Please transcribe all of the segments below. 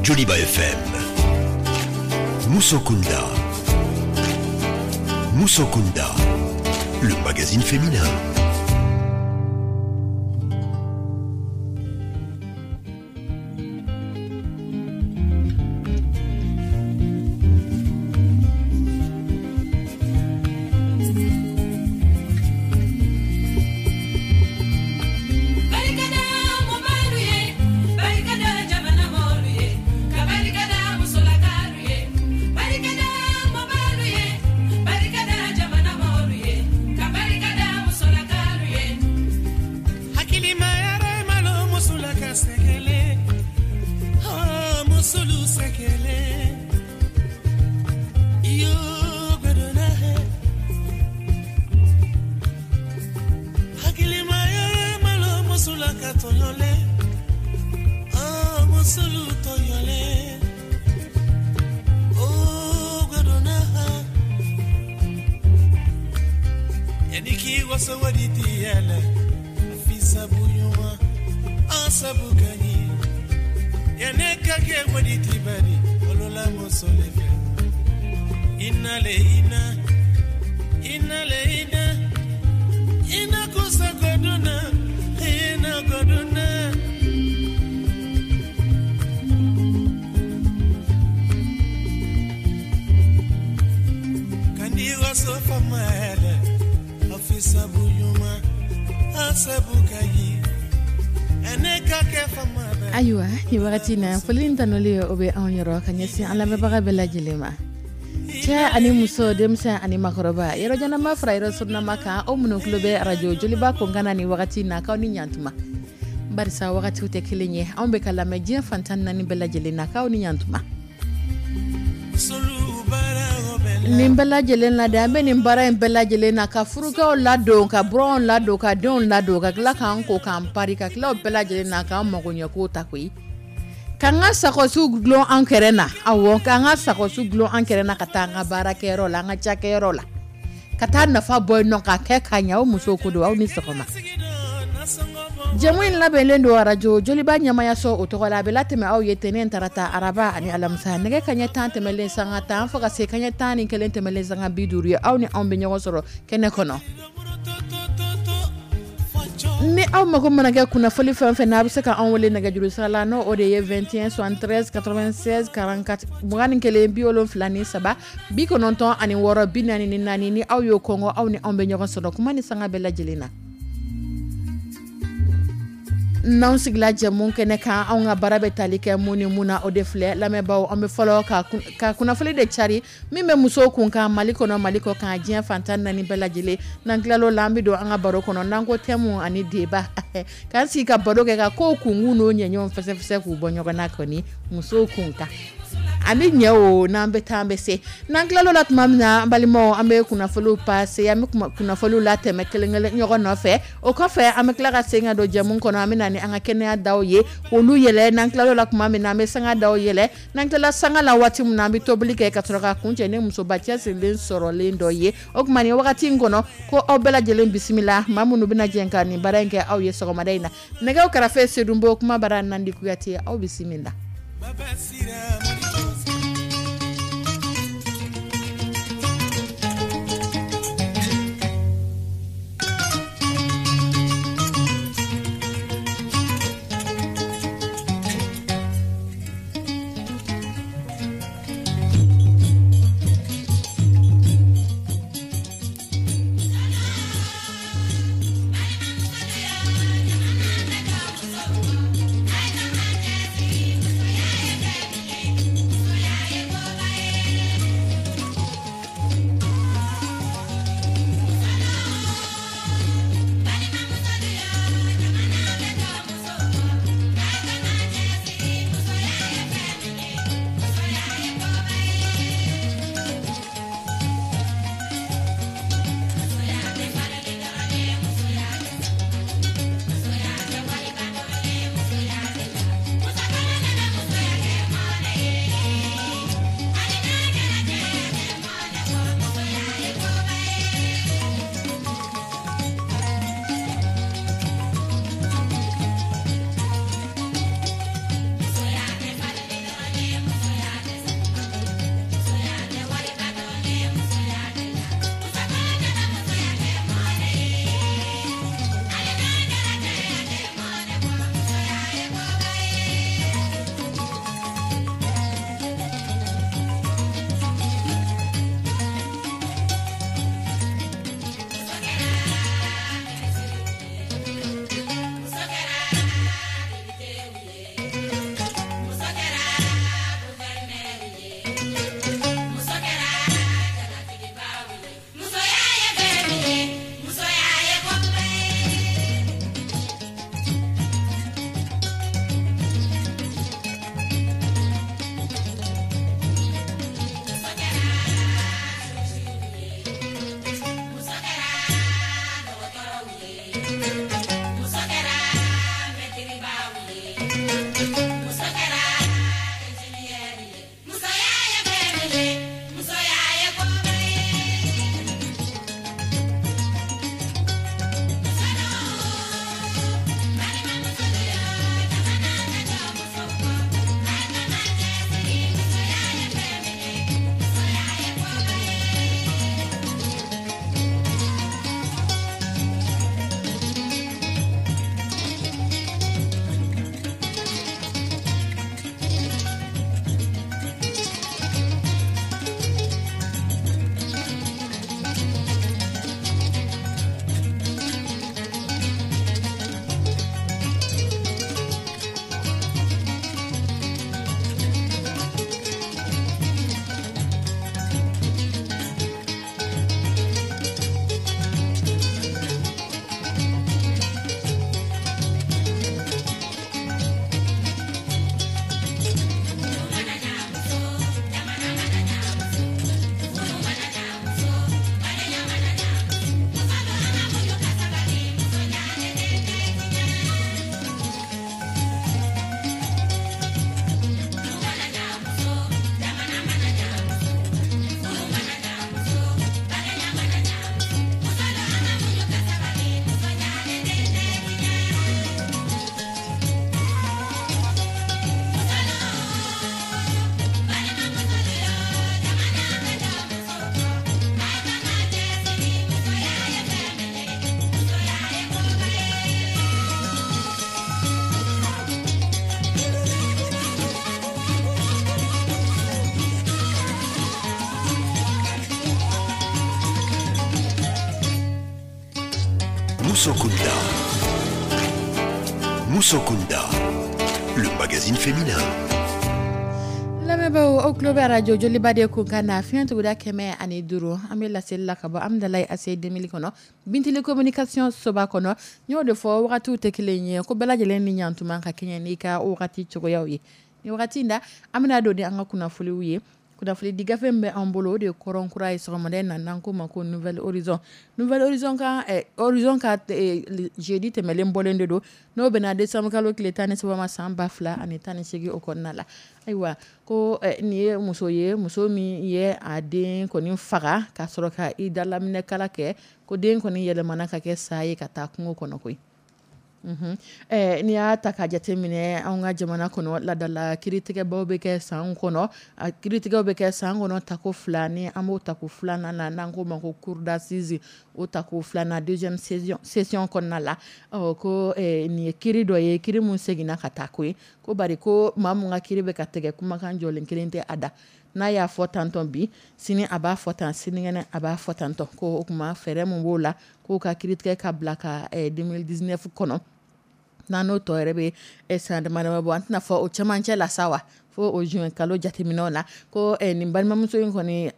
Joliba FM. Musokunda. Musokunda, le magazine féminin. Ayiwa, ni wagati na foli ni tanuli o bɛ anw yɔrɔ ka ɲɛsin an lamɛnbaga bɛɛ lajɛlen ma, cɛ ani muso, denmisɛn ani makɔrɔba, yɔrɔ janama fara yɔrɔ surunama kan, aw minnu tulo bɛ arajo Joliba Konkana ni wagati na, k'aw ni ɲantuma, barisa wagatiw tɛ kelen ye. Anw bɛ ka lamɛn diɲɛ fantan naani bɛɛ lajɛlen na, k'aw ni ɲantuma. Nin bɛɛ lajɛlen na de, an bɛ nin baara in bɛɛ lajɛlen na ka furukɛw ladon, ka buranw ladon, ka denw ladon, ka tila k'an ko k'an pari, ka tila o bɛɛ lajɛlen na k'an magoɲɛkow ta koyi, k'an ka sakɔsiw dulon an kɛrɛ na. Awɔ, k'an ka sakɔsiw dulon an kɛrɛ na, ka taa an ka baarakɛyɔrɔ la, an ka cakɛyɔrɔ la, ka taa nafa bɔ yen nɔ, k'a kɛ ka ɲɛ. Aw musow ko don, aw ni sɔgɔma. Jɛmu in labɛnlen don arajo Joliba ɲɛmayaso o tɔgɔ la. A bɛ latɛmɛ aw ye tɛnɛn, tarata, araba ani alamisa, nɛgɛ kaɲɛ 10 tɛmɛlen sanga 10 fo ka se kaɲɛ 11 tɛmɛlen sanga 50 ye. Aw ni anw bɛ ɲɔgɔn sɔrɔ kɛnɛ kɔnɔ. Ni aw mago mana kɛ kunnafoni fɛn fɛn na, a bɛ se ka anw wele nɛgɛjuru sira la, n'o o de ye 21 73 96 44, 21 73 96 44. Ni aw y'o kɔngɔ, aw ni anw bɛ ɲɔgɔn sɔrɔ kuma ni sanga bɛɛ lajɛlen na. N'anw sigila jɛmu kɛnɛ kan, anw ka baara bɛ tali kɛ mun ni mun na, o de filɛ. Lamɛnbaaw, an bɛ fɔlɔ ka kunnafoni de cari min bɛ musow kun kan Mali kɔnɔ, Mali kɔ kan, diɲɛ fantan naani bɛɛ lajɛlen. N'an tilal'o la, an bɛ don an ka baro kɔnɔ, n'an ko thème ani débat, k'an sigi ka baro kɛ, ka kow kunkun n'o ɲɛɲɛw fɛsɛfɛsɛ k'u bɔ ɲɔgɔn na kɔni musow kun kan ani ɲɛ o. N'an bɛ taa, an bɛ se. N'an tilal'o la tuma min na, an balimaw, an bɛ kunnafoniw pase, an bɛ kunnafoniw latɛmɛ kelen kelen ɲɔgɔn nɔfɛ. O kɔfɛ, an bɛ tila ka segin ka don jɛmu kɔnɔ. An bɛ na ni an ka kɛnɛya daw ye, olu yɛlɛ. N'an tilal'o la tuma min na, an bɛ sanga daw yɛlɛ. N'an tilala sanga la waati min na, an bɛ tobili kɛ ka sɔrɔ ka kuncɛ ni musoba cɛsirilen sɔrɔlen dɔ ye. O tuma, nin wagati in kɔnɔ, ko aw bɛɛ lajɛlen bisimila, maa minnu bɛna jɛ ka nin baara in kɛ aw ye sɔgɔmada in na. Nɛgɛw kɛrɛfɛ, Sedunbo, kuma bara Nandi Kuyate. Aw bisimila. Musokunda. Musokunda, le magazine féminin. Lamɛnbaaw, aw tulo bɛ arajo Joliba de kun kan na, fiɲɛ tuguda 105. An bɛ laseli la ka bɔ Amidalayi ACI 2000 kɔnɔ, Bintili communication soba kɔnɔ. N y'o de fɔ, wagatiw tɛ kelen ye, ko bɛɛ lajɛlen ni ɲantuma ka kɛɲɛ n'i ka wagati cogoyaw ye. Ni wagati in na, an bɛna don ni an ka kunnafoniw ye. Kunnafoni di gafe min bɛ an bolo, o de ye kɔrɔn kura ye sɔgɔmada in na, n'an ko ma ko Nouvel Horizon. Nouvel Horizon ka Horizon ka jeudi tɛmɛlen bɔlen de don, n'o bɛna décembre kalo tile 13 ma san 2018 o kɔnɔna la. Ayiwa, ko nin ye muso ye, muso min ye a den kɔni faga ka sɔrɔ ka i dalaminɛkala kɛ, ko den kɔni yɛlɛmana ka kɛ sa ye ka taa kungo kɔnɔ koyi. N'i y'a ta ka jateminɛ anw ka jamana kɔnɔ, ladala kiiritigɛbaw bɛ kɛ san kɔnɔ, a kiiritigɛw bɛ kɛ san kɔnɔ tako fila, ni an b'o tako filanan na, n'an ko ma ko cour d'assises, o tako filanan deuxième session kɔnɔna la. Ɔ, ko nin ye kiiri dɔ ye, kiiri mun seginna ka taa koyi, ko bari ko maa mun ka kiiri bɛ ka tigɛ, kumakan jɔlen kelen tɛ a da. N'a y'a fɔ tantɔn bi, sini a b'a fɔ tan, sinikɛnɛ a b'a fɔ tantɔn. Ko o tuma fɛɛrɛ mun b'o la, k'o ka kiiritigɛ ka bila ka 2019 kɔnɔ, n'an n'o tɔ yɛrɛ bɛ san dama dama bɔ, an tɛna fɔ o cɛmancɛ la sa wa, fo o juin kalo jateminɛw la. Ko nin balimamuso in kɔni,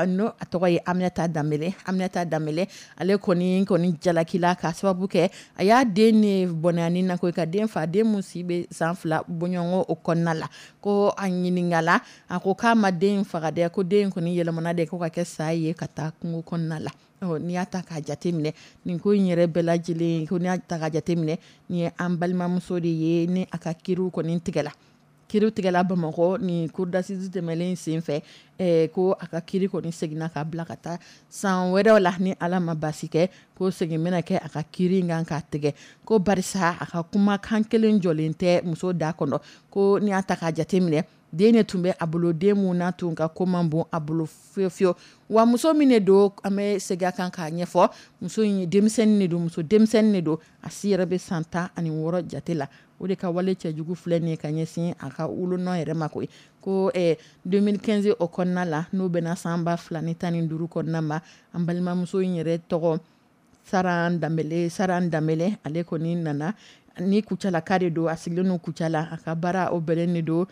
n'o a tɔgɔ ye Aminata Danbele, Aminata Danbele, ale kɔni jalakila ka sababu kɛ a y'a den ni bɔnɛya na ko ka den fa, den mun si bɛ san 2 bɔɲɔgɔn o kɔnɔna la. Ko a ɲininkala, a ko k'a ma den faga dɛ, ko den kɔni yɛlɛmana de ko ka kɛ sa ye ka taa kungo kɔnɔna la. Ɔ, n'i y'a ta k'a jateminɛ nin ko in yɛrɛ bɛɛ lajɛlen, ko n'i y'a ta k'a jateminɛ, nin ye an balimamuso de ye, ni a ka kiiriw kɔni tigɛla, kiiriw tigɛla Bamakɔ ni cour d'assises tɛmɛlen sen fɛ, ko a ka kiiri kɔni seginna ka bila ka taa san wɛrɛw la, ni Ala ma baasi kɛ, ko segin bɛna kɛ a ka kiiri in kan k'a tigɛ. Ko barisa a ka kumakan kelen jɔlen tɛ muso da kɔnɔ. Ko n'i y'a ta k'a jateminɛ, den de tun bɛ a bolo, den mun n'a tun ka ko man bon a bolo fiyewu fiyewu. Wa muso min de don, an bɛ segin a kan k'a ɲɛfɔ, muso in denmisɛnnin de don, muso denmisɛnnin de don, a si yɛrɛ bɛ san 16 jate la. O de ka wale cɛjugu filɛ nin ye ka ɲɛsin a ka wolonɔ yɛrɛ ma koyi. Ko 2015 o kɔnɔna la, n'o bɛna san 2015 kɔnɔna ma, an balimamuso in yɛrɛ tɔgɔ Saran Danbele, Saran Danbele, ale kɔni nana ni Kucalaka de don, a sigilen don Kucala, a ka baara o bɛnnen de don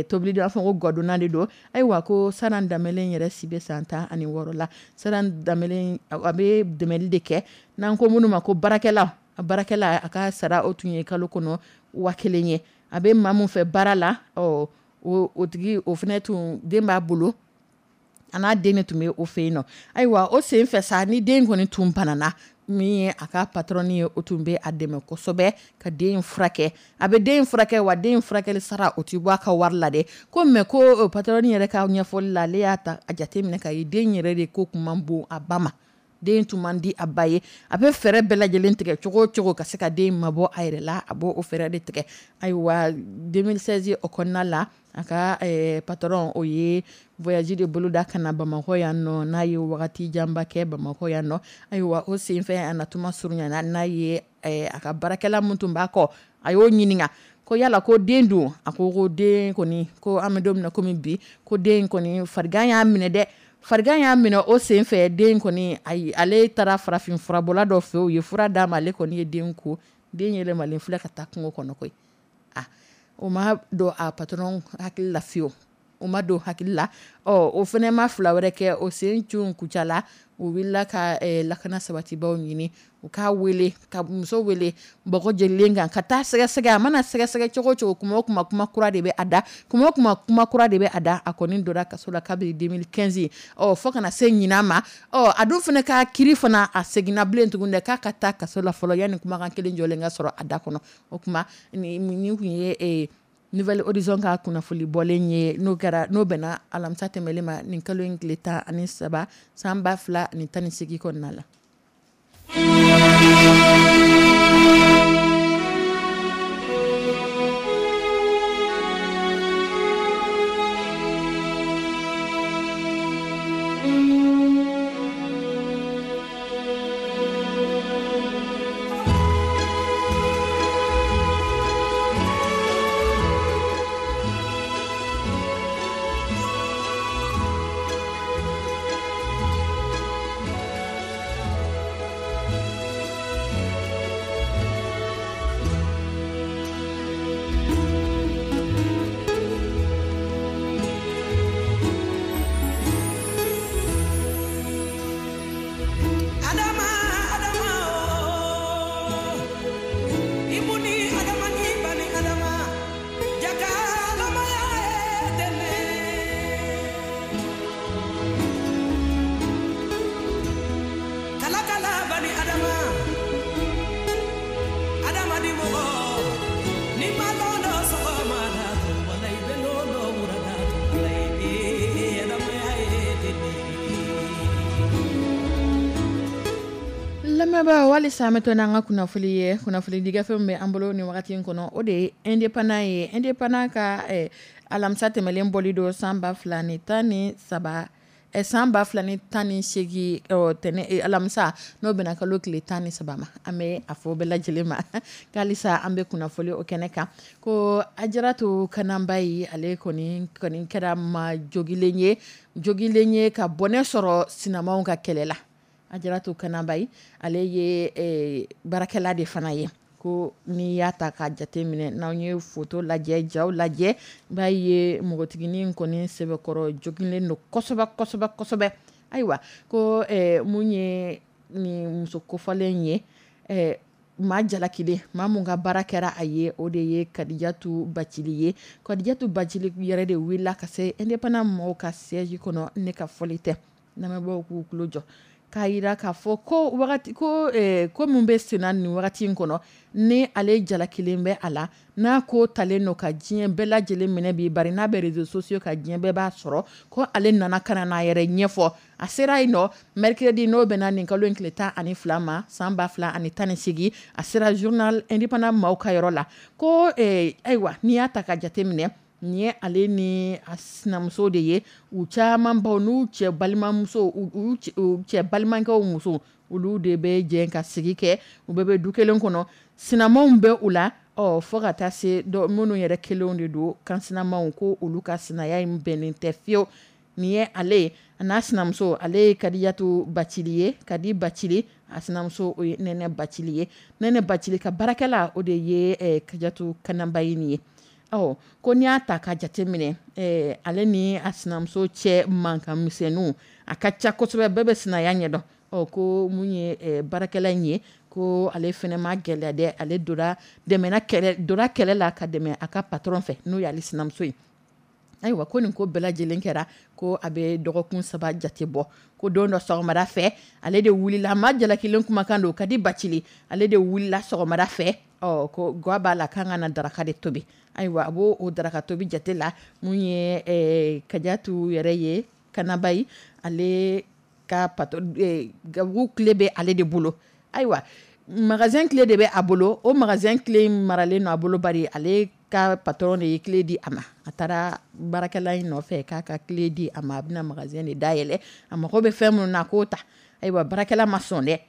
tobili, b'a fɔ ko gadonna de don. Ayiwa, ko Saran Danbele yɛrɛ si bɛ san 16 la. Saran Danbele a bɛ dɛmɛli de kɛ, n'an ko minnu ma ko baarakɛla, a baarakɛla, a ka sara o tun ye kalo kɔnɔ 1000 ye. A bɛ maa mun fɛ baara la, ɔ, o tigi o fana tun den b'a bolo, a n'a den de tun bɛ o fɛ yen nɔ. Ayiwa, o sen fɛ sa, ni den kɔni tun banana, min ye a ka patron ye, o tun bɛ a dɛmɛ kosɛbɛ ka den furakɛ. A bɛ den furakɛ, wa den furakɛli sara o ti bɔ a ka wari la dɛ. Ko mɛ ko patron yɛrɛ ka ɲɛfɔli la, ale y'a ta a jate minɛ ka ye den yɛrɛ de ko kun man bon a ba ma, den tun man di a ba ye. A bɛ fɛɛrɛ bɛɛ lajɛlen tigɛ cogo o cogo ka se ka den mabɔ a yɛrɛ la, a b'o fɛɛrɛ de tigɛ. Ayiwa, 2016 o kɔnɔna la, a ka patron o ye voyage de boloda ka na Bamakɔ yan nɔ, n'a ye wagati janba kɛ Bamakɔ yan nɔ. Ayiwa, o senfɛ a natuma surunyana, n'a ye a ka baarakɛla mun tun b'a kɔ, a y'o ɲininka ko yala ko den dun? A ko ko den kɔni, ko an bɛ don min na komi bi, ko den kɔni farigan y'a minɛ dɛ, farigan y'a minɛ. O senfɛ den kɔni, ayi, ale taara farafin furabɔla dɔ fɛ, o ye fura d'a ma, ale kɔni ye den ko, den yɛlɛmalen filɛ ka taa kungo kɔnɔ koyi. Ah, o ma don a patron hakili la fiyewu, o ma don hakili la. Ɔ, o fana ma fila wɛrɛ kɛ, o sen cun Kucala, o wulila ka lakana sabatibaw ɲini, u k'a wele, ka muso wele bɔgɔ jelilen kan ka taa sɛgɛsɛgɛ. A mana sɛgɛsɛgɛ cogo o cogo, kuma o kuma, kuma kura de bɛ a da, kuma o kuma, kuma kura de bɛ a da. A kɔni donna kaso la kabini 2015, ɔ, fo kana se ɲinan ma. Ɔ, a dun fana ka kiiri fana, a seginna bilen tuguni dɛ, k'a ka taa kaso la fɔlɔ yanni kumakan kelen jɔlen ka sɔrɔ a da kɔnɔ. O tuma nin tun ye Nouvel Horizon ka kunnafoli bɔlen ye, n'o kɛra n'o bɛnna alamisa tɛmɛlen ma, nin kalo in tile 13 san 2018 kɔnɔna la. Lamɛnbaa, walisa an bɛ to n'an ka kunnafoni ye. Kunnafoni di gafe min bɛ an bolo nin wagati in kɔnɔ, o de ye Indépendant ye. Indépendant ka alamisa tɛmɛlen bɔli don san 2013, san 2018, tɛnɛ alamisa, n'o bɛna kalo tile 13 ma. An bɛ a fɔ bɛɛ lajɛlen ma k'alisa an bɛ kunnafoni o kɛnɛ kan ko Ajaratu Kananbayi, ale kɔni kɛra maa jogilen ye ka bɔnɛ sɔrɔ sinamaw ka kɛlɛ la. Ajaratu Kananbayi, ale ye baarakɛla de fana ye. Ko n'i y'a ta ka jate minɛ, n'anw ye foto lajɛ, jaw lajɛ, b'a ye npogotiginin kɔni sɛbɛkɔrɔ jogilen don kosɛbɛ kosɛbɛ kosɛbɛ. Ayiwa, ko mun ye nin muso kofɔlen ye, maa jalakilen, maa mun ka baara kɛra a ye, o de ye Kadijatu Bacili ye. Kadijatu Bacili yɛrɛ de wulila ka se Indépendant mɔgɔw ka siège kɔnɔ. Ne ka fɔli tɛ, lamɛnbaaw k'u tulo jɔ, k'a yira k'a fɔ ko wagati ko ko min bɛ senna nin wagati in kɔnɔ, ni ale jalakilen bɛ a la, n'a ko talen don ka diɲɛ bɛɛ lajɛlen minɛ bi, bari n'a bɛ réseaux sociaux ka diɲɛ bɛɛ b'a sɔrɔ, ko ale nana ka na n'a yɛrɛ ɲɛfɔ. A sera yen nɔ mercredi, n'o bɛnna nin kalo in tile 12 ma, san 2018. A sera journal Indépendant maaw ka yɔrɔ la ko ayiwa, n'i y'a ta ka jate minɛ, nin ye ale ni a sinamuso de ye. U caman baw n'u cɛ balimamuso, u cɛ balimakɛw muso, olu de bɛ jɛ ka sigi kɛ. U bɛɛ bɛ du kelen kɔnɔ, sinamaw bɛ u la, ɔ fo ka taa se minnu yɛrɛ kelenw de don, kan sinamaw, ko olu ka sinaya in bɛnnen tɛ fiyewu. Nin ye ale ye, a n'a sinamuso. Ale ye Kadijatu Bacili ye, Kadi Bacili. A sinamuso, o ye Nɛnɛ Bacili ye. Nɛnɛ Bacili ka baarakɛla, o de ye Kadijatu Kananbayi nin ye. Ɔ ko n'i y'a ta ka jate minɛ, ale ni a sinamuso cɛ mankan misɛnninw a ka ca kosɛbɛ, bɛɛ bɛ sinaya ɲɛdɔn. Ɔ ko mun ye baarakɛla in ye, ko ale fana ma gɛlɛya dɛ, ale donna dɛmɛna kɛlɛ, donna kɛlɛ la ka dɛmɛ a ka patron fɛ, n'o y'ale sinamuso ye. Ayiwa, ko nin ko bɛɛ lajɛlen kɛra ko a bɛ dɔgɔkun 3 jate bɔ. Ko don dɔ sɔgɔmada fɛ, ale de wulila, ma jalakilen kumakan don, Kadi Bacili, ale de wulila sɔgɔmada fɛ. Ɔ ko ga b'a la k'an ka na daraka de tobi. Ayiwa, a b'o o daraka tobi jate la, mun ye Kadijatu yɛrɛ ye, Kanabayi, ale ka patron, gabugu clé bɛ ale de bolo. Ayiwa, magasin clé de bɛ a bolo. O magasin clé maralen don a bolo, bari ale ka patron de ye clé di a ma. A taara baarakɛla in nɔfɛ k'a ka clé di a ma, a bɛna magasin de dayɛlɛ, a mago bɛ fɛn minnu na, k'o ta. Ayiwa, baarakɛla ma sɔn dɛ,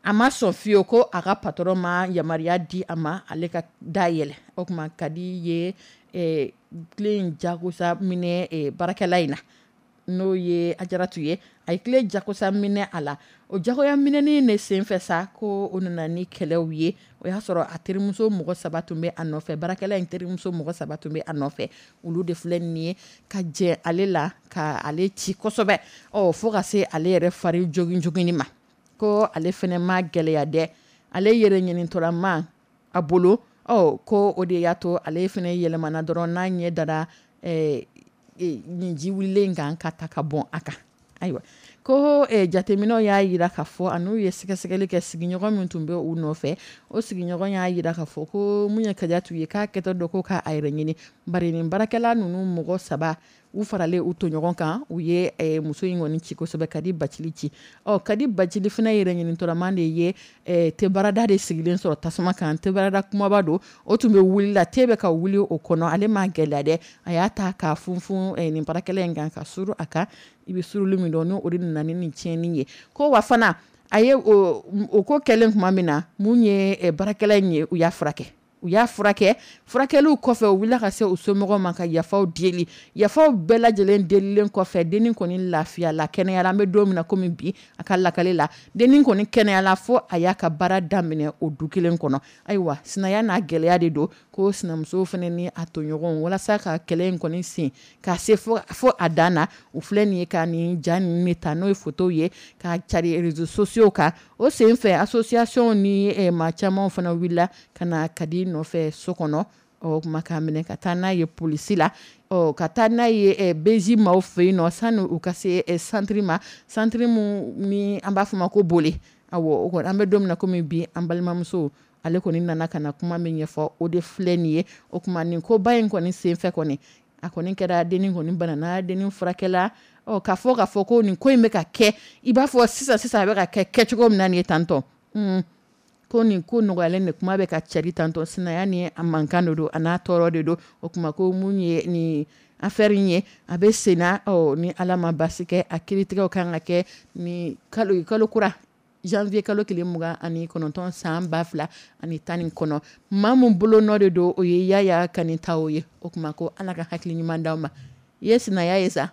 a ma sɔn fiyewu, ko a ka patron ma yamaruya di a ma ale ka dayɛlɛ. O tuma Kadi ye clé in jagosa minɛ baarakɛla in na, n'o ye Ajaratu ye. A ye clé jagosa minɛ a la. O jagoya minɛni de senfɛ sa, ko o nana ni kɛlɛw ye. O y'a sɔrɔ a terimuso mɔgɔ 3 tun bɛ a nɔfɛ, baarakɛla in terimuso mɔgɔ 3 tun bɛ a nɔfɛ. Olu de filɛ nin ye ka jɛ ale la ka ale ci kosɛbɛ, ɔ fo ka se ale yɛrɛ fari jogin joginni ma. Ko ale fana ma gɛlɛya dɛ, ale yɛrɛ ɲinitɔlama a bolo. Ɔ ko o de y'a to ale fana yɛlɛmana dɔrɔn, n'a ɲɛ dara nin ji wulilen kan ka ta ka bɔn a kan. Ayiwa, ko jateminɛw y'a jira k'a fɔ, a n'u ye sɛgɛsɛgɛli kɛ, sigiɲɔgɔn min tun bɛ u nɔfɛ, o sigiɲɔgɔn y'a jira k'a fɔ ko mun ye Kadijatu ye, k'a kɛtɔ dɔ ko k'a yɛrɛ ɲini, bari nin baarakɛla ninnu mɔgɔ 3, u faralen u tɔɲɔgɔn kan, u ye muso in kɔni ci kosɛbɛ, Kadi Bacili ci. Ɔ Kadi Bacili fana yɛrɛ ɲinitɔlama de ye tebarada de sigilen sɔrɔ tasuma kan. Tebarada kumaba don, o tun bɛ wuli la, te bɛ ka wuli o kɔnɔ. Ale ma gɛlɛya dɛ, a y'a ta k'a funfun nin baarakɛla in kan, ka suru a kan. I bɛ suruli min dɔn, n'o de nana ni nin tiɲɛni ye. Ko wa fana a ye o ko kɛlen tuma min na, mun ye baarakɛla in ye, u y'a furakɛ. Furakɛliw kɔfɛ, u wulila ka se u somɔgɔw ma ka yafaw deli. Yafaw bɛɛ lajɛlen delilen kɔfɛ, dennin kɔni lafiyala, kɛnɛyara. An bɛ don min na komi bi, a ka lakale la, dennin kɔni kɛnɛyala fo a y'a ka baara daminɛ o du kelen kɔnɔ. Ayiwa, sinaya n'a gɛlɛya de don, ko sinamuso fana ni a tɔɲɔgɔnw, walasa ka kɛlɛ in kɔni sen ka se fo a dan na, u filɛ nin ye ka nin ja ninnu de ta, n'o ye photo ye, ka cari réseaux sociaux kan. O senfɛ, association ni maa caman fana wulila ka na Kadi nɔfɛ so kɔnɔ. Ɔ kuma k'a minɛ ka taa n'a ye polisi la, ɔ ka taa n'a ye BJ maaw fɛ yen nɔ, sani u ka se centre ma, centre mun ni an b'a fɔ ma ko Bole. Awɔ, o kɔni an bɛ don min na komi bi, an balimamuso ale kɔni nana ka na kuma min ɲɛfɔ, o de filɛ nin ye. O tuma nin koba in kɔni senfɛ kɔni, a kɔni kɛra dennin kɔni banana, dennin furakɛla. Ɔ k'a fɔ ko nin ko in bɛ ka kɛ i b'a fɔ sisan sisan, a bɛ ka kɛ kɛcogo min na nin ye tantɔ. Ko nin ko nɔgɔyalen de kuma bɛ ka cari tantɔ, sinaya ni a mankan de don, a n'a tɔɔrɔ de don. O kuma ko mun ye ni affaire in ye, a bɛ senna. Ɔ, ni Ala ma basi kɛ, a kiiritigɛw kan ka kɛ ni kalo kura janvier kalo tile 29 san 2019. Maa mun bolo nɔ de don, o ye Yaya Kanitaw ye. O kuma ko Ala ka hakili ɲuman d'aw ma. I ye sinaya ye sa.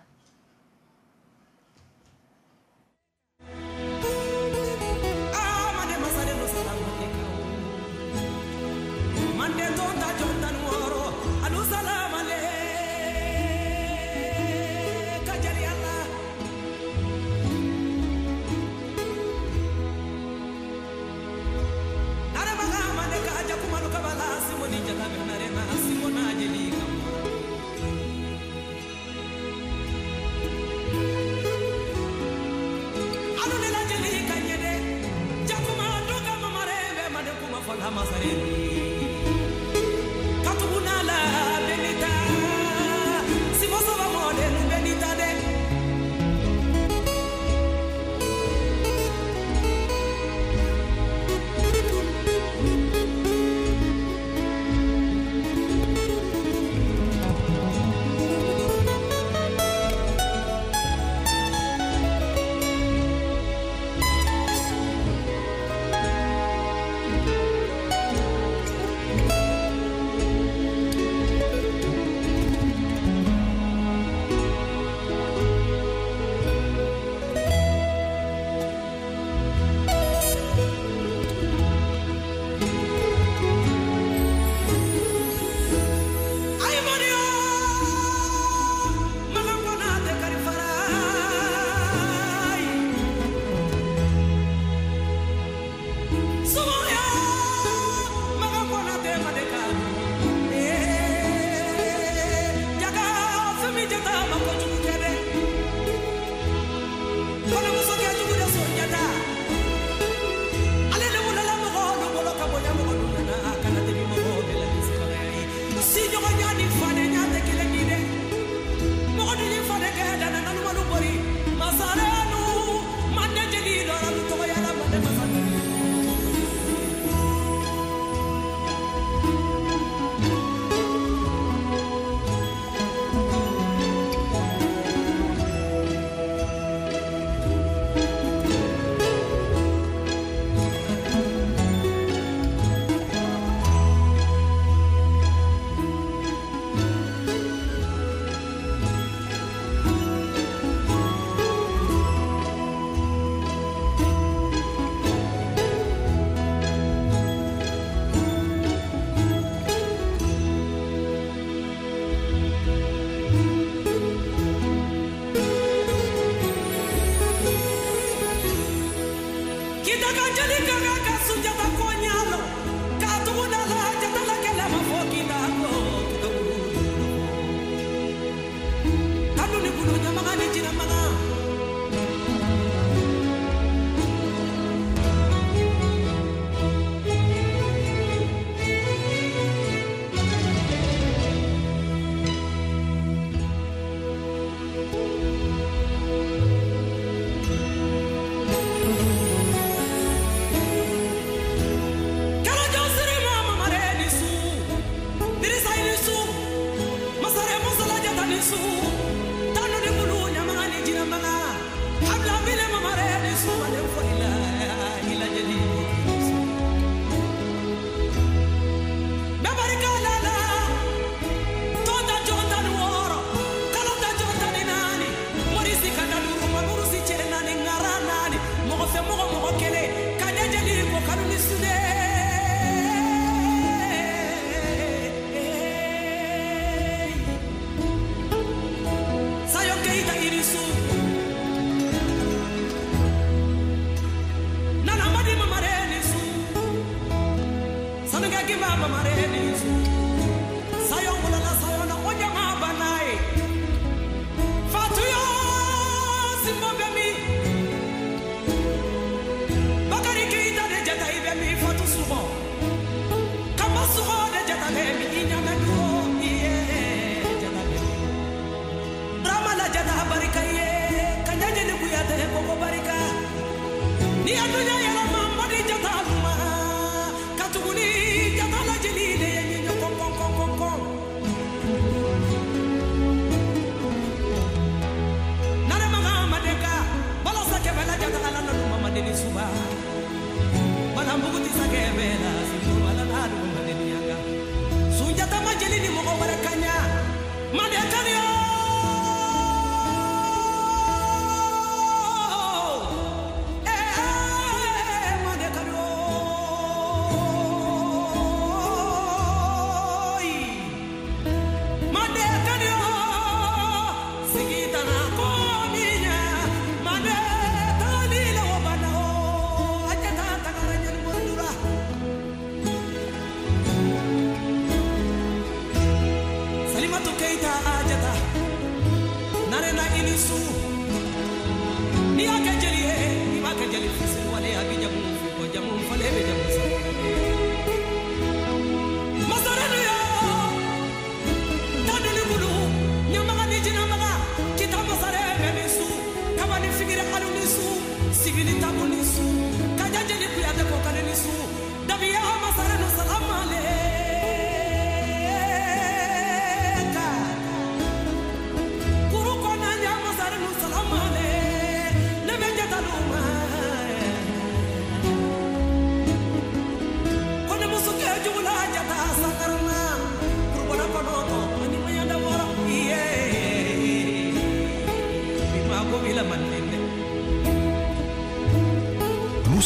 Ni adunya yɛlɛma madi jata.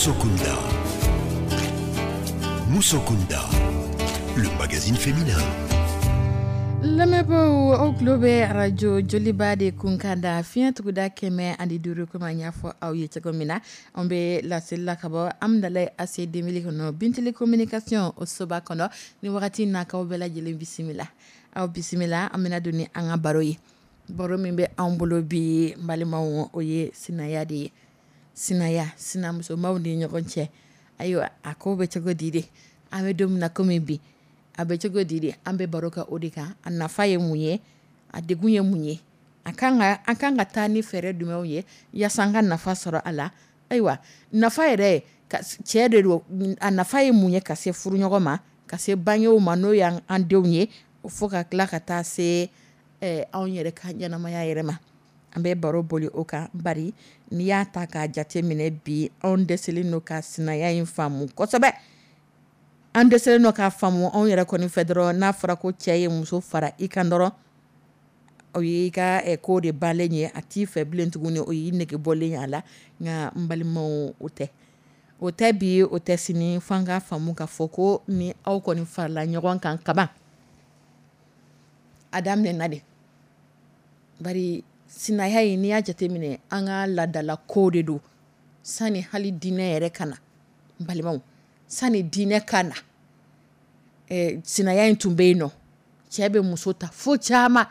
Musokunda. Musokunda, le magazine féminin. Lamɛnbaaw, aw tulo bɛ arajo Joliba de kunkan da fiɲɛ tuguda 105. Komi an y'a fɔ aw ye cogo min na, an bɛ laseli la ka bɔ Amudalayi AC 2000 kɔnɔ, Bintili communication o soba kɔnɔ. Ni wagati in na, k'aw bɛɛ lajɛlen bisimila, aw bisimila. An bɛna don ni an ka baro ye. Baro min bɛ anw bolo bi, n balimaw, o ye sinaya de ye. Sinaya, sinamusomaw ni ɲɔgɔn cɛ, ayiwa, a ko bɛ cogo di de? An bɛ don min na komi bi, a bɛ cogo di de? An bɛ baro kɛ o de kan. A nafa ye mun ye? A degun ye mun ye? A kan ka an kan ka taa ni fɛɛrɛ jumɛnw ye yaasa an ka nafa sɔrɔ a la? Ayiwa, nafa yɛrɛ cɛ de don. A nafa ye mun ye ka se furuɲɔgɔn ma, ka se bangew ma, n'o y'an denw ye, fo ka tila ka taa se anw yɛrɛ ka ɲɛnamaya yɛrɛ ma? An bɛ baro boli o kan. Bari n'i y'a ta k'a jate minɛ bi, anw dɛsɛlen don ka sinaya in faamu kosɛbɛ. An dɛsɛlen don k'a faamu anw yɛrɛ kɔni fɛ dɔrɔn. N'a fɔra ko cɛ ye muso fara i kan dɔrɔn, o y'i ka ko de balen ye, a t'i fɛ bilen tuguni, o y'i nege bɔlen ye a la. Nka n balimaw, o tɛ, o tɛ bi, o tɛ sini. F'an k'a faamu k'a fɔ ko ni aw kɔni farala ɲɔgɔn kan kaban, a daminɛna de. Bari sinaya in, n'i y'a jateminɛ, an ka laadala ko de don sani hali diinɛ yɛrɛ ka na. N balimaw, sani diinɛ ka na, sinaya in tun bɛ yen nɔ. Cɛ bɛ muso ta fo caman.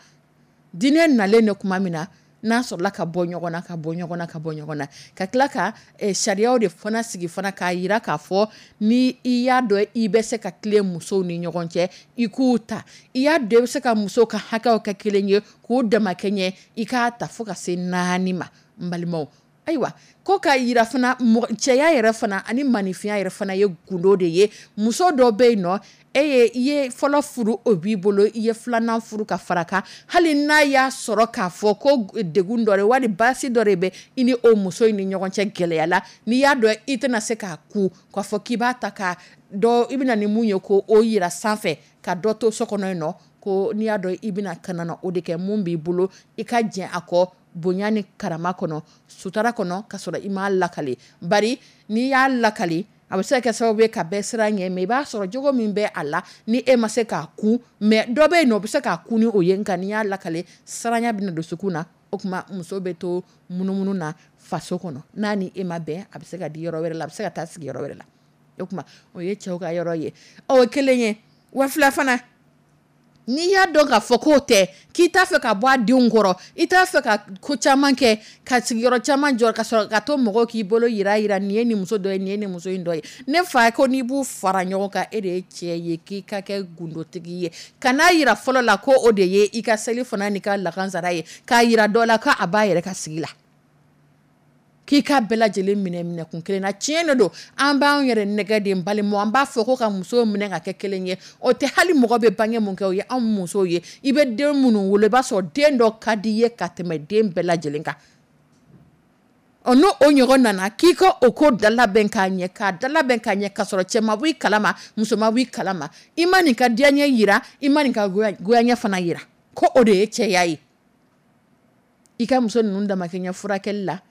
Diinɛ nalen de tuma min na, n'a sɔrɔla ka bɔ ɲɔgɔn na, ka bɔ ɲɔgɔn na, ka bɔ ɲɔgɔn na, ka tila ka sariyaw de fana sigi fana k'a jira k'a fɔ ni i y'a dɔn i bɛ se ka tilen musow ni ɲɔgɔn cɛ, i k'u ta. I y'a dɔn i bɛ se ka musow ka hakɛw kɛ kelen ye k'u damakɛɲɛ, i k'a ta fo ka se 4 ma. N balimaw, ayiwa, ko k'a jira fana cɛya yɛrɛ fana ani maninfinya yɛrɛ fana ye gundo de ye. Muso dɔ bɛ yen nɔ, e ye i ye fɔlɔ furu, o b'i bolo, i ye filanan furu ka fara kan, hali n'a y'a sɔrɔ k'a fɔ ko degun dɔ de wali baasi dɔ de bɛ i ni o muso in ni ɲɔgɔn cɛ gɛlɛya la, n'i y'a dɔn i tɛna se k'a ku k'a fɔ k'i b'a ta ka dɔ, i bɛna ni mun ye ko o yira sanfɛ ka dɔ to so kɔnɔ yen nɔ, ko n'i y'a dɔn i bɛna ka na o de kɛ, mun b'i bolo i ka jɛn a kɔ bonya ni karama kɔnɔ, sutara kɔnɔ, ka sɔrɔ i m'a lakale. Bari n'i y'a lakale, a bɛ se ka kɛ sababu ye ka bɛɛ siran ɲɛ, mais i b'a sɔrɔ jogo min bɛ a la ni e ma se k'a kun, mais dɔ bɛ yen nɔ o bɛ se k'a kun ni o ye. Nka n'i y'a lakale, siranya bɛna dusukun na. O tuma muso bɛ to munumunu na faso kɔnɔ, n'a ni e ma bɛn, a bɛ se ka di yɔrɔ wɛrɛ la, a bɛ se ka taa sigi yɔrɔ wɛrɛ la. O tuma o ye cɛw ka yɔrɔ ye. Ɔ, o kelen ye wa fila fana, n'i y'a dɔn k'a fɔ k'o tɛ, k'i t'a fɛ ka bɔ a denw kɔrɔ, i t'a fɛ ka ko caman kɛ, ka sigiyɔrɔ caman jɔ, ka sɔrɔ ka to mɔgɔw k'i bolo yira yira, nin ye nin muso dɔ ye, nin ye nin muso in dɔ ye. Ne fa ko n'i b'u fara ɲɔgɔn kan, e de ye cɛ ye, k'i ka kɛ gundotigi ye. Kan'a yira fɔlɔ la ko o de ye i ka seli fana n'i ka lakansara ye, k'a yira dɔ la k'a b'a yɛrɛ ka sigi la. K'i ka bɛɛ lajɛlen minɛ minɛkun kelen na. Tiɲɛ de don, an b'an yɛrɛ nɛgɛ de, n balimaw. An b'a fɔ ko ka musow minɛ ka kɛ kelen ye, o tɛ. Hali mɔgɔ bɛ bange mun kɛ, o ye anw musow ye. I bɛ den minnu wolo, i b'a sɔrɔ den dɔ ka di i ye ka tɛmɛ den bɛɛ lajɛlen kan. Ɔ, n'o o ɲɔgɔn nana k'i ka o ko dalabɛn k'a ɲɛ, k'a dalabɛn k'a ɲɛ, k'a sɔrɔ cɛ ma bɔ i kalama, muso ma bɔ i kalama, i ma nin ka diyaɲɛ yira, i ma nin ka goyaɲɛ fana yira, ko o de ye cɛya ye. I ka muso ninnu damakɛɲɛ furakɛli la,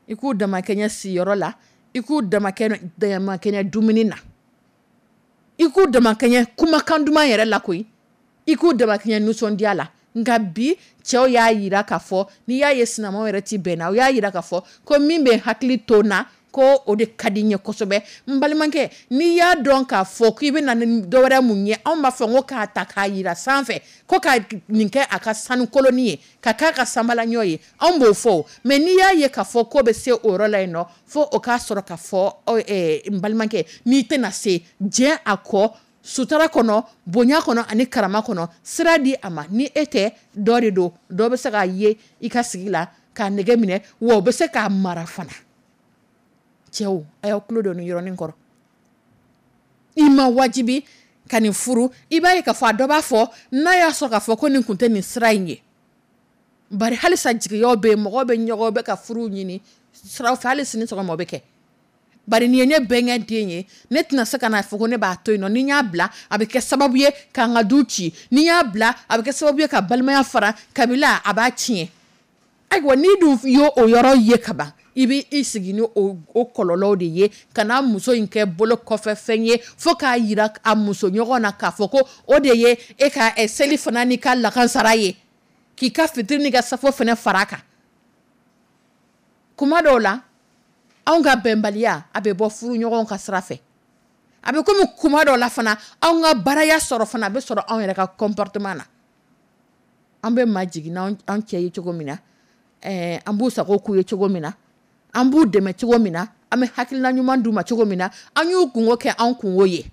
i k'u damakɛɲɛ siyɔrɔ la, i k'u damakɛɲɛ dumuni na, i k'u damakɛɲɛ kumakan duman yɛrɛ la koyi, i k'u damakɛɲɛ nisɔndiya la. Nka bi, cɛw y'a yira k'a fɔ, n'i y'a ye sinamaw yɛrɛ ti bɛn na, o y'a yira k'a fɔ ko min bɛ hakili to n na, ko o de ka di n ye kosɛbɛ. N balimakɛ, n'i y'a dɔn k'a fɔ k'i bɛ na ni dɔwɛrɛ mun ye, anw b'a fɔ ko k'a ta k'a yira sanfɛ ko ka nin kɛ a ka sanu koloni ye, ka k'a ka sanbalaɲɔ ye, anw b'o fɔ. Mais n'i y'a ye k'a fɔ ko bɛ se o yɔrɔ la yen nɔ, fo o k'a sɔrɔ k'a fɔ, n balimakɛ, n'i tɛna se, diɲɛ a kɔ sutara kɔnɔ, bonya kɔnɔ ani karama kɔnɔ, sira di a ma. Ni e tɛ, dɔ de don, dɔ bɛ se k'a ye i ka sigi la k'a nɛgɛ minɛ, wa o bɛ se k'a mara fana. Cɛw, a y'aw tulo don nin yɔrɔnin kɔrɔ. I ma wajibi ka nin furu. I b'a ye k'a fɔ a dɔ b'a fɔ n'a y'a sɔrɔ k'a fɔ ko nin kun tɛ nin sira in ye. Bari halisa jigiyaw bɛ yen, mɔgɔw bɛ ɲɔgɔn bɛ ka furu ɲini siraw fɛ, hali sini sɔgɔma o bɛ kɛ. Bari nin ye ne bɛnkɛ den ye, ne tɛna se ka n'a fɔ ko ne b'a to yen nɔ. Ni n y'a bila, a bɛ kɛ sababu ye k'an ka du ci. Ni n y'a bila, a bɛ kɛ sababu ye ka balimaya fara kabila, a b'a tiɲɛ. Ayiwa, n'i dun y'o o yɔrɔ ye kaban, i bɛ i sigi ni o kɔlɔlɔw de ye, ka n'a muso in kɛ bolo kɔfɛ fɛn ye, fo k'a yira a muso ɲɔgɔn na k'a fɔ ko o de ye e ka seli fana n'i ka lakansara ye, k'i ka fitiri n'i ka safo fana fara a kan. Kuma dɔw la, anw ka bɛnbaliya, a bɛ bɔ furu ɲɔgɔn ka sira fɛ. A bɛ komi kuma dɔw la fana, anw ka baraya sɔrɔ fana, a bɛ sɔrɔ anw yɛrɛ ka comportement na. An bɛ majigin n'an cɛ ye cogo min na, an b'u sago k'u ye cogo min na, an b'u dɛmɛ cogo min na, an bɛ hakilina ɲuman d'u ma cogo min na, an y'u kungo kɛ an kungo ye,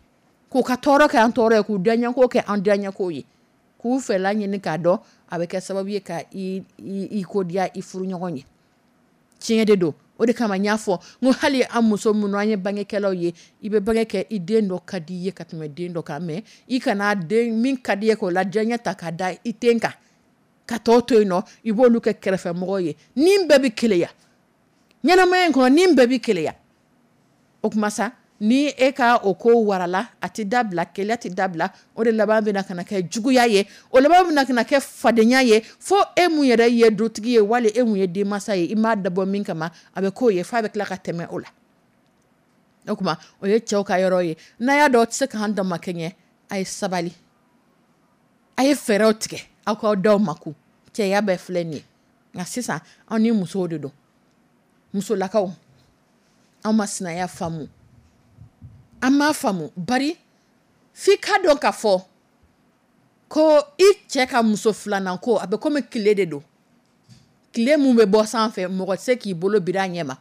k'u ka tɔɔrɔ kɛ an tɔɔrɔ ye, k'u diyaɲɛko kɛ an diyaɲɛko ye, k'u fɛla ɲini k'a dɔn, a bɛ kɛ sababu ye ka i ko diya i furuɲɔgɔn ye. Tiɲɛ de don. O de kama n y'a fɔ n ko hali an muso minnu, an ye bangekɛlaw ye, i bɛ bange kɛ, i den dɔ ka di i ye ka tɛmɛ den dɔ kan, mais i kana den min ka di i ye k'o la diyaɲɛ ta k'a da i ten kan, ka tɔw to yen nɔ, i b'olu kɛ kɛrɛfɛmɔgɔw ye. Ni bɛɛ bɛ keleya ɲɛnamaya in kɔnɔ, ni bɛɛ bɛ keleya. O kuma sa, ni e ka o ko warala, a tɛ dabila, keleya tɛ dabila. O de laban bɛna ka na kɛ juguya ye, o laban bɛna ka na kɛ fadenya ye, fo e mun yɛrɛ ye dutigi ye, wali e mun ye denmansa ye, i m'a dabɔ min kama, a bɛ k'o ye, f'a bɛ tila ka tɛmɛ o la. O tuma, o ye cɛw ka yɔrɔ ye. N'a y'a dɔn aw tɛ se k'an damakɛɲɛ, a ye sabali, a ye fɛɛrɛw tigɛ, aw k'aw daw makun. Cɛya bɛɛ filɛ nin ye. Nka sisan, aw ni musow de don. Musolakaw, anw ma sinaya faamu, an m'a faamu. Bari f'i ka dɔn k'a fɔ ko i cɛ ka muso filanan ko, a bɛ komi tile de don, tile mun bɛ bɔ sanfɛ, mɔgɔ tɛ se k'i bolo biri a ɲɛ ma,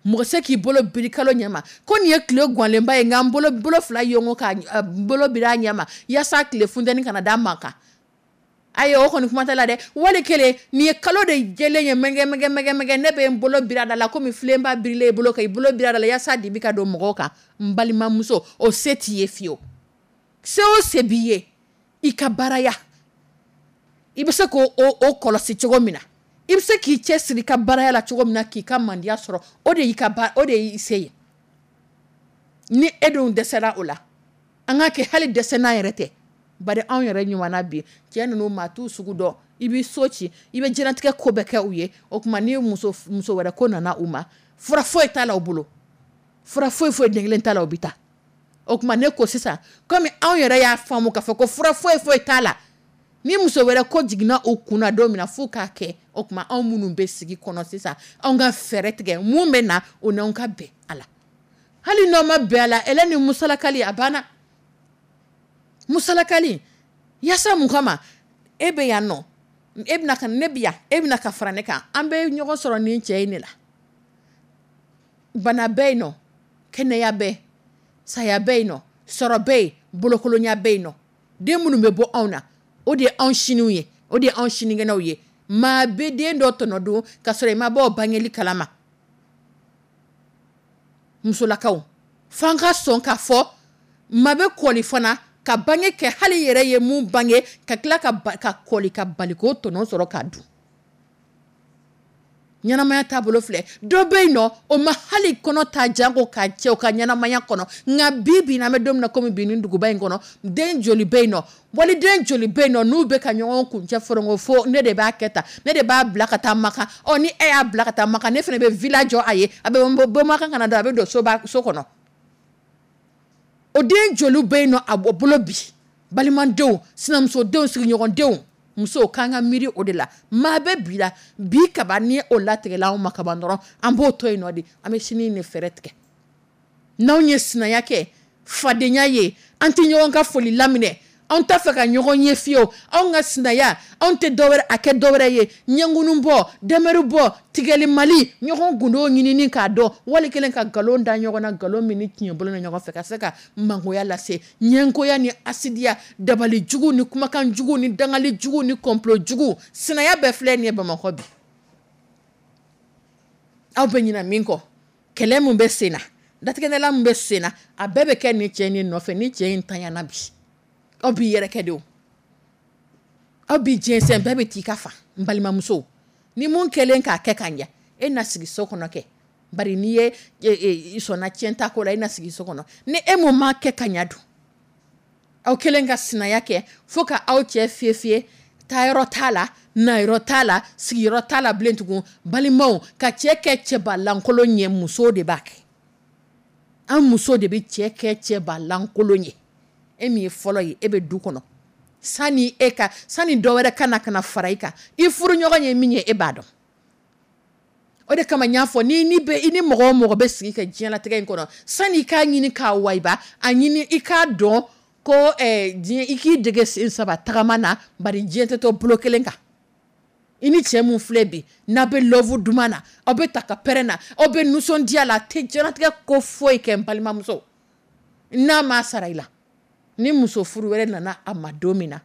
mɔgɔ tɛ se k'i bolo biri kalo ɲɛ ma, ko nin ye tile ganlenba ye, nka n bolo fila yongo ka bolo biri a ɲɛ ma yaasa tile funteni kana da man kan. Ayi, o kɔni kuma tɛ la dɛ. Wali kelen, nin ye kalo de jɛlen ye, mɛngɛ mɛngɛ mɛngɛ mɛngɛ, ne bɛ n bolo biri a da la komi filenba birilen i bolo kan, i bolo biri a da la yaasa dibi ka don mɔgɔw kan. N balimamuso, o se t'i ye fiyewu. Se o se b'i ye, i ka baaraya, i bɛ se k'o o kɔlɔsi cogo min na, i bɛ se k'i cɛ siri i ka baaraya la cogo min na, k'i ka mandiya sɔrɔ, o de y'i ka ba, o de y'i se ye. Ni e dun dɛsɛra o la, an ka kɛ hali dɛsɛ n'an yɛrɛ tɛ. Bari anw yɛrɛ ɲuman na bi, cɛ ninnu, maa t'u sugu dɔn. I b'i so ci, i bɛ diɲɛlatigɛ ko bɛɛ kɛ u ye. O tuma, ni muso wɛrɛ ko nana u ma, fura foyi t'a la u bolo, fura foyi foyi den kelen t'a la, u bɛ taa. O tuma, ne ko sisan, komi anw yɛrɛ y'a faamu k'a fɔ ko fura foyi foyi t'a la, ni muso wɛrɛ ko jiginna u kun na don min na, f'u k'a kɛ. O tuma, anw minnu bɛ sigi kɔnɔ sisan, anw ka fɛɛrɛ tigɛ mun bɛ na, o n'anw ka bɛn a la. Hali n'aw ma bɛn a la, ɛlɛ ni musalakali, a banna. Musalakali yaasa mun kama? E bɛ yan nɔ, e bɛna ka ne bɛ yan, e bɛna ka fara ne kan, an bɛ ɲɔgɔn sɔrɔ nin cɛ in de la. Bana bɛ yen nɔ, kɛnɛya bɛ, saya bɛ yen nɔ, sɔrɔ bɛ yen, bolokolonya bɛ yen nɔ. Den minnu bɛ bɔ anw na, o de ye anw siniw ye, o de ye anw sinikɛnɛw ye. Maa bɛ den dɔ tɔnɔ dun ka sɔrɔ i ma bɔ o bangeli kalama. Musolakaw, f'an ka sɔn k'a fɔ maa bɛ kɔli fana ka bange kɛ, hali yɛrɛ ye mun bange, ka tila ka kɔli ka bali k'o tɔnɔ sɔrɔ k'a dun. Ɲɛnamaya taabolo filɛ. Dɔ bɛ yen nɔ, o ma hali kɔnɔ ta janko ka cɛw ka ɲɛnamaya kɔnɔ. Nka bi bi in na, an bɛ don min na komi bi, nin duguba in kɔnɔ, den joli bɛ yen nɔ, waliden joli bɛ yen nɔ, n'u bɛ ka ɲɔgɔn kuncɛ forongo fo ne de b'a kɛ tan, ne de b'a bila ka taa Makan. Ɔ, ni e y'a bila ka taa Makan, ne fana bɛ villa jɔ a ye, a bɛ bɔ Makan ka na don, a bɛ don soba so kɔnɔ. O den joli bɛ yen nɔ a bolo bi? Balimadenw, sinamusodenw, sigiɲɔgɔndenw, musow, k'an ka miiri o de la. Maa bɛ bi la bi kaba ni o latigɛla anw ma kaban dɔrɔn, an b'o to yen nɔ de, an bɛ sini de fɛɛrɛ tigɛ. N'anw ye sinaya kɛ fadenya ye, an tɛ ɲɔgɔn ka foli laminɛ, anw t'a fɛ ka ɲɔgɔn ye fiyewu. Anw ka sinaya, anw tɛ dɔwɛrɛ a kɛ dɔwɛrɛ ye ɲɛnkunu bɔ, dɛmɛri bɔ, tigɛli mali, ɲɔgɔn gundo ɲinini k'a dɔn, wali kelen ka nkalon da ɲɔgɔn na, nkalon min ni tiɲɛ bolo na ɲɔgɔn fɛ, ka se ka mangoya lase, ɲɛngoya ni asidiya, dabali jugu ni kumakan jugu ni dangali jugu ni complot jugu. Sinaya bɛɛ filɛ nin ye Bamakɔ bi. Aw bɛ ɲinɛ min kɔ, kɛlɛ min bɛ sen na, datigɛndala min bɛ sen na, a bɛɛ bɛ kɛ nin cɛ nin nɔfɛ. Ni cɛ in tanyana bi, aw b'i yɛrɛ kɛ de o, aw b'i jɛnsɛn, bɛɛ bɛ t'i ka fa. N balimamuso, ni mun kɛlen k'a kɛ ka ɲɛ, e na sigi so kɔnɔ kɛ, bari n'i ye i sɔnna tiɲɛ ta ko la, e na sigi so kɔnɔ. Ni e mun m'a kɛ ka ɲɛ dun, aw kɛlen ka sinaya kɛ fo ka aw cɛ fiyɛ fiyɛ, taayɔrɔ t'a la, nayɔrɔ t'a la, sigiyɔrɔ t'a la bilen tugun. Balimaw, ka cɛ kɛ cɛbalankolon ye, muso de b'a kɛ. An muso de bɛ cɛ kɛ cɛbalankolon ye. E min ye fɔlɔ ye, e bɛ du kɔnɔ, sani e ka sani dɔ wɛrɛ ka na ka na fara i kan, i furuɲɔgɔn ye min ye, e b'a dɔn. O de kama n y'a fɔ, ni ni bɛ i ni mɔgɔ o mɔgɔ bɛ sigi ka diɲɛlatigɛ in kɔnɔ, sani i k'a ɲini k'a wayiba, a ɲini i k'a dɔn ko diɲɛ, i k'i dege sen saba tagama na, bari diɲɛ tɛ to bolo kelen kan. I ni cɛ mun filɛ bi, n'a bɛ love duman na, aw bɛ ta ka pɛrɛn na, aw bɛ nisɔndiya la, a tɛ diɲɛlatigɛ ko foyi kɛ. N balimamuso, n'a ma sara i la, ni muso furu wɛrɛ nana a ma don min na,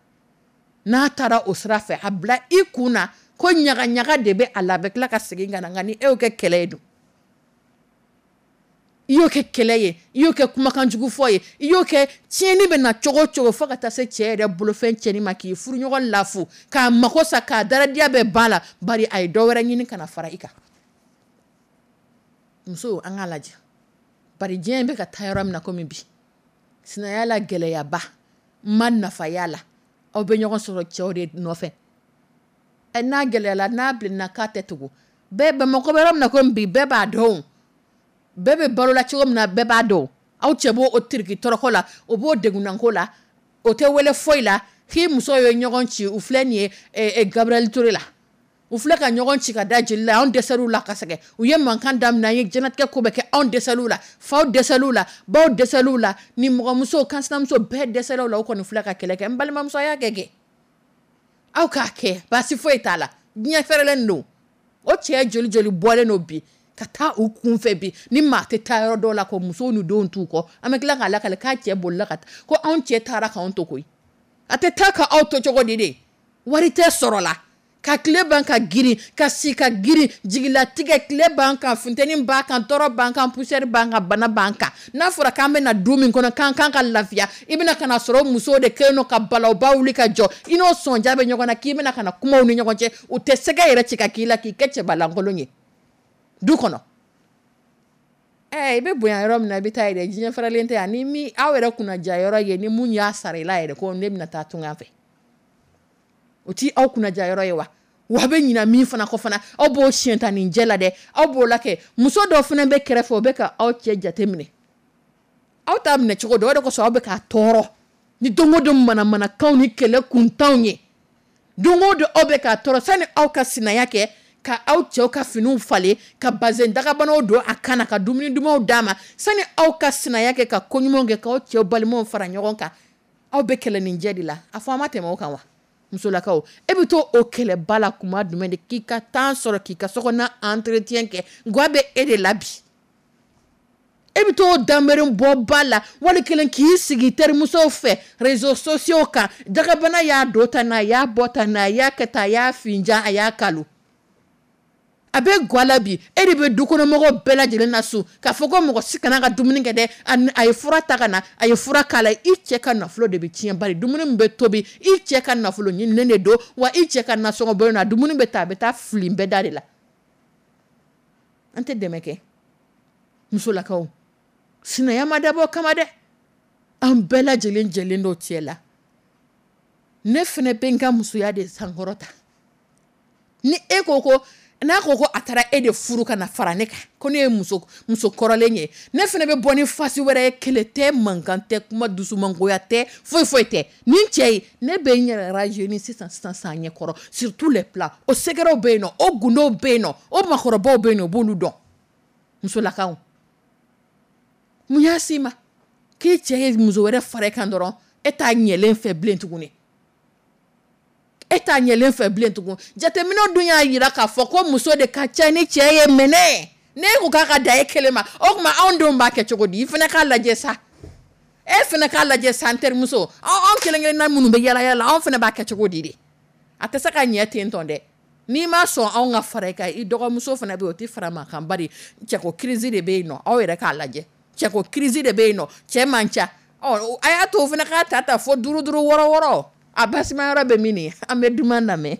n'a taara o sira fɛ, a bila i kun na ko ɲagaɲaga de bɛ a la, a bɛ tila ka segin ka na. Nka ni e y'o kɛ kɛlɛ ye dun, i y'o kɛ kɛlɛ ye, i y'o kɛ kumakan jugu fɔ ye, i y'o kɛ tiɲɛni bɛ na cogo o cogo, fo ka taa se cɛ yɛrɛ bolofɛn tiɲɛni ma, k'i furuɲɔgɔn lafu, k'a mako sa, k'a daradiya bɛɛ ban la, bari a ye dɔ wɛrɛ ɲini ka na fara i kan. Muso, an k'a lajɛ, bari diɲɛ bɛ ka taa yɔrɔ min na komi bi, sinaya la gɛlɛyaba ma nafa y'a la. Aw bɛ ɲɔgɔn sɔrɔ cɛw de nɔfɛ. N'a gɛlɛyala, n'a bilenna k'a tɛ tugu bɛɛ. Bamakɔ bɛ yɔrɔ min na komi bi, bɛɛ b'a dɔn, bɛɛ bɛ balo la cogo min na, bɛɛ b'a dɔn. Aw cɛ b'o o tiriki tɔrɔkɔ la, o b'o degunnanko la, o tɛ wele foyi la k'i muso ye ɲɔgɔn ci. U filɛ nin ye Gabriel Touré la, u filɛ ka ɲɔgɔn ci ka da jeli la. Anw dɛsɛr'u la ka sɛgɛn, u ye mankan daminɛ, an ye diɲɛlatigɛ ko bɛɛ kɛ, anw dɛsɛr'u la, faw dɛsɛr'u la, baw dɛsɛr'u la, ni mɔgɔmuso kansinamuso bɛɛ dɛsɛr'u la. U kɔni filɛ ka kɛlɛ kɛ. N balimamuso, a y'a kɛ kɛ, aw k'a kɛ, baasi foyi t'a la, diɲɛ fɛrɛlen don. O cɛ joli joli bɔlen don bi ka taa u kunfɛ bi, ni maa tɛ taa yɔrɔ dɔw la ko musow ni denw t'u kɔ, an bɛ tila k'a lakale k'a cɛ bolila ka taa, ko anw cɛ taara k'anw to koyi. A tɛ taa ka aw to cogo di de? Wari tɛ sɔrɔ la ka tile ban ka girin, ka si ka girin, jigilatigɛ tile ban kan, funteni b'a kan, tɔɔrɔ b'an kan, poussière b'an kan, bana b'an kan. N'a fɔra k'an bɛna du min kɔnɔ, k'an kan ka lafiya, i bɛna ka na sɔrɔ musow de kɛlen don ka balawba wuli ka jɔ, i n'o sɔnja bɛ ɲɔgɔn na, k'i bɛna ka na kumaw ni ɲɔgɔn cɛ, u tɛ sɛgɛ yɛrɛ ci ka k'i la, k'i kɛ cɛbalankolon ye du kɔnɔ. I bɛ bonya yɔrɔ min na, i bɛ taa yɛrɛ, diɲɛ faralen tɛ yan. Ni min aw yɛrɛ kunnaja yɔrɔ ye, ni mun y'a sara i la yɛrɛ ko ne bɛna taa tunga fɛ, o ti aw kunnaja yɔrɔ ye wa? Wa bɛ ɲina min fana kɔ fana, aw b'o siɲɛ ta nin jɛ la dɛ, aw b'o la kɛ. Muso dɔw fana bɛ kɛrɛfɛ, o bɛ ka aw cɛ jate minɛ, aw t'a minɛ cogo dɔ, o de kosɔn aw bɛ k'a tɔɔrɔ ni don o don manamanakanw ni kɛlɛ kuntanw ye. Don o don aw bɛ k'a tɔɔrɔ. Sani aw ka sinaya kɛ ka aw cɛw ka finiw falen, ka bazɛn dagabanaw don a kan na, ka dumuni dumanw d'a ma, sani aw ka sinaya kɛ ka koɲumanw kɛ, k'aw cɛw balimaw fara ɲɔgɔn kan, aw bɛ kɛlɛ nin jɛ de la. A fɔ an ma tɛmɛ o kan wa? Musolakaw, e bɛ to o kɛlɛba la kuma jumɛn de k'i ka temps sɔrɔ k'i ka sokɔnɔna entretien kɛ? Ga bɛ e de la bi. E bɛ t'o danbere bɔ ba la, wali kelen k'i sigi terimusow fɛ réseaux sociaux kan, dagabana y'a don tan, a y'a bɔ tan, a y'a kɛ tan, a y'a finjan, a y'a kalo. A bɛ ga la bi, e de bɛ dukɔnɔmɔgɔw bɛɛ lajɛlen na su k'a fɔ ko mɔgɔ si kana ka dumuni kɛ dɛ. A ye fura ta ka na, a ye fura k'a la. I cɛ ka nafolo de bɛ tiɲɛ, bari dumuni min bɛ tobi, i cɛ ka nafolo ɲininen de don, wa i cɛ ka nasɔngɔ bɔ na dumuni bɛ ta, a bɛ taa fili bɛɛ da de la. An tɛ dɛmɛ kɛ, musolakaw. Sinaya ma dabɔ kama dɛ, an bɛɛ lajɛlen jɛlen don cɛ la. Ne fana bɛ n ka musoya de sankɔrɔta. Ni e ko ko n'a ko ko a taara e de furu ka na fara ne kan, ko ne ye muso kɔrɔlen ye, ne fana bɛ bɔ ni fasi wɛrɛ ye. Kɛlɛ tɛ, mankan tɛ, kuma dusumangoya tɛ, foyi foyi tɛ. Nin cɛ ye, ne bɛ n yɛrɛ rajeunir sisan sisan san ɲɛkɔrɔ sur tous les plans. O secrets bɛ yen nɔ, o gundow bɛ yen nɔ, o makɔrɔbaw bɛ yen nɔ, o b'olu dɔn. Musolakaw, mun y'a s'i ma k'i cɛ ye muso wɛrɛ fara e kan dɔrɔn, e t'a ɲɛlen fɛ bilen tuguni? E t'a ɲɛlen fɛ bilen tugun. Jateminɛw dun y'a jira k'a fɔ ko muso de ka ca ni cɛ ye. Mɛnɛ ne ko k'a ka da e kelen ma, o tuma anw denw b'a kɛ cogo di? I fana k'a lajɛ sa, e fana k'a lajɛ sa, n terimuso. Anw kelen kelenna minnu bɛ yala yala, anw fana b'a kɛ cogo di de? A tɛ se ka ɲɛ ten tɔn dɛ. N'i ma sɔn anw ka fara i kan, i dɔgɔmuso fana bɛ yen, o tɛ fara ma kan, bari cɛko crise de bɛ yen nɔ. Aw yɛrɛ k'a lajɛ, cɛko crise de bɛ yen nɔ, cɛ man ca. Ɔ, a y'a to o fana k'a ta ta fo duuru duuru, wɔɔrɔ wɔɔrɔ. A basima yɔrɔ bɛ min? An bɛ duman lamɛn.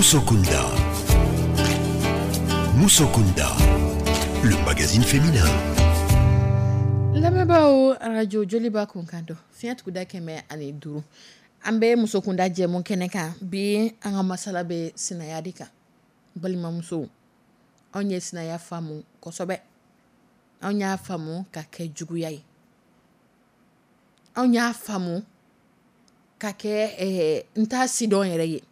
Musokunda. Musokunda, le magazine féminin. Lamɛnbaaw, arajo Joliba kunkan don, fiɲɛ tuguda 105. An bɛ musokunda jɛmu kɛnɛ kan. Bi, an ka masala bɛ sinaya de kan. Balimamusow, anw ye sinaya faamu kosɛbɛ. Anw y'a faamu ka kɛ juguya ye, anw y'a faamu ka kɛ n t'a sidɔn yɛrɛ ye.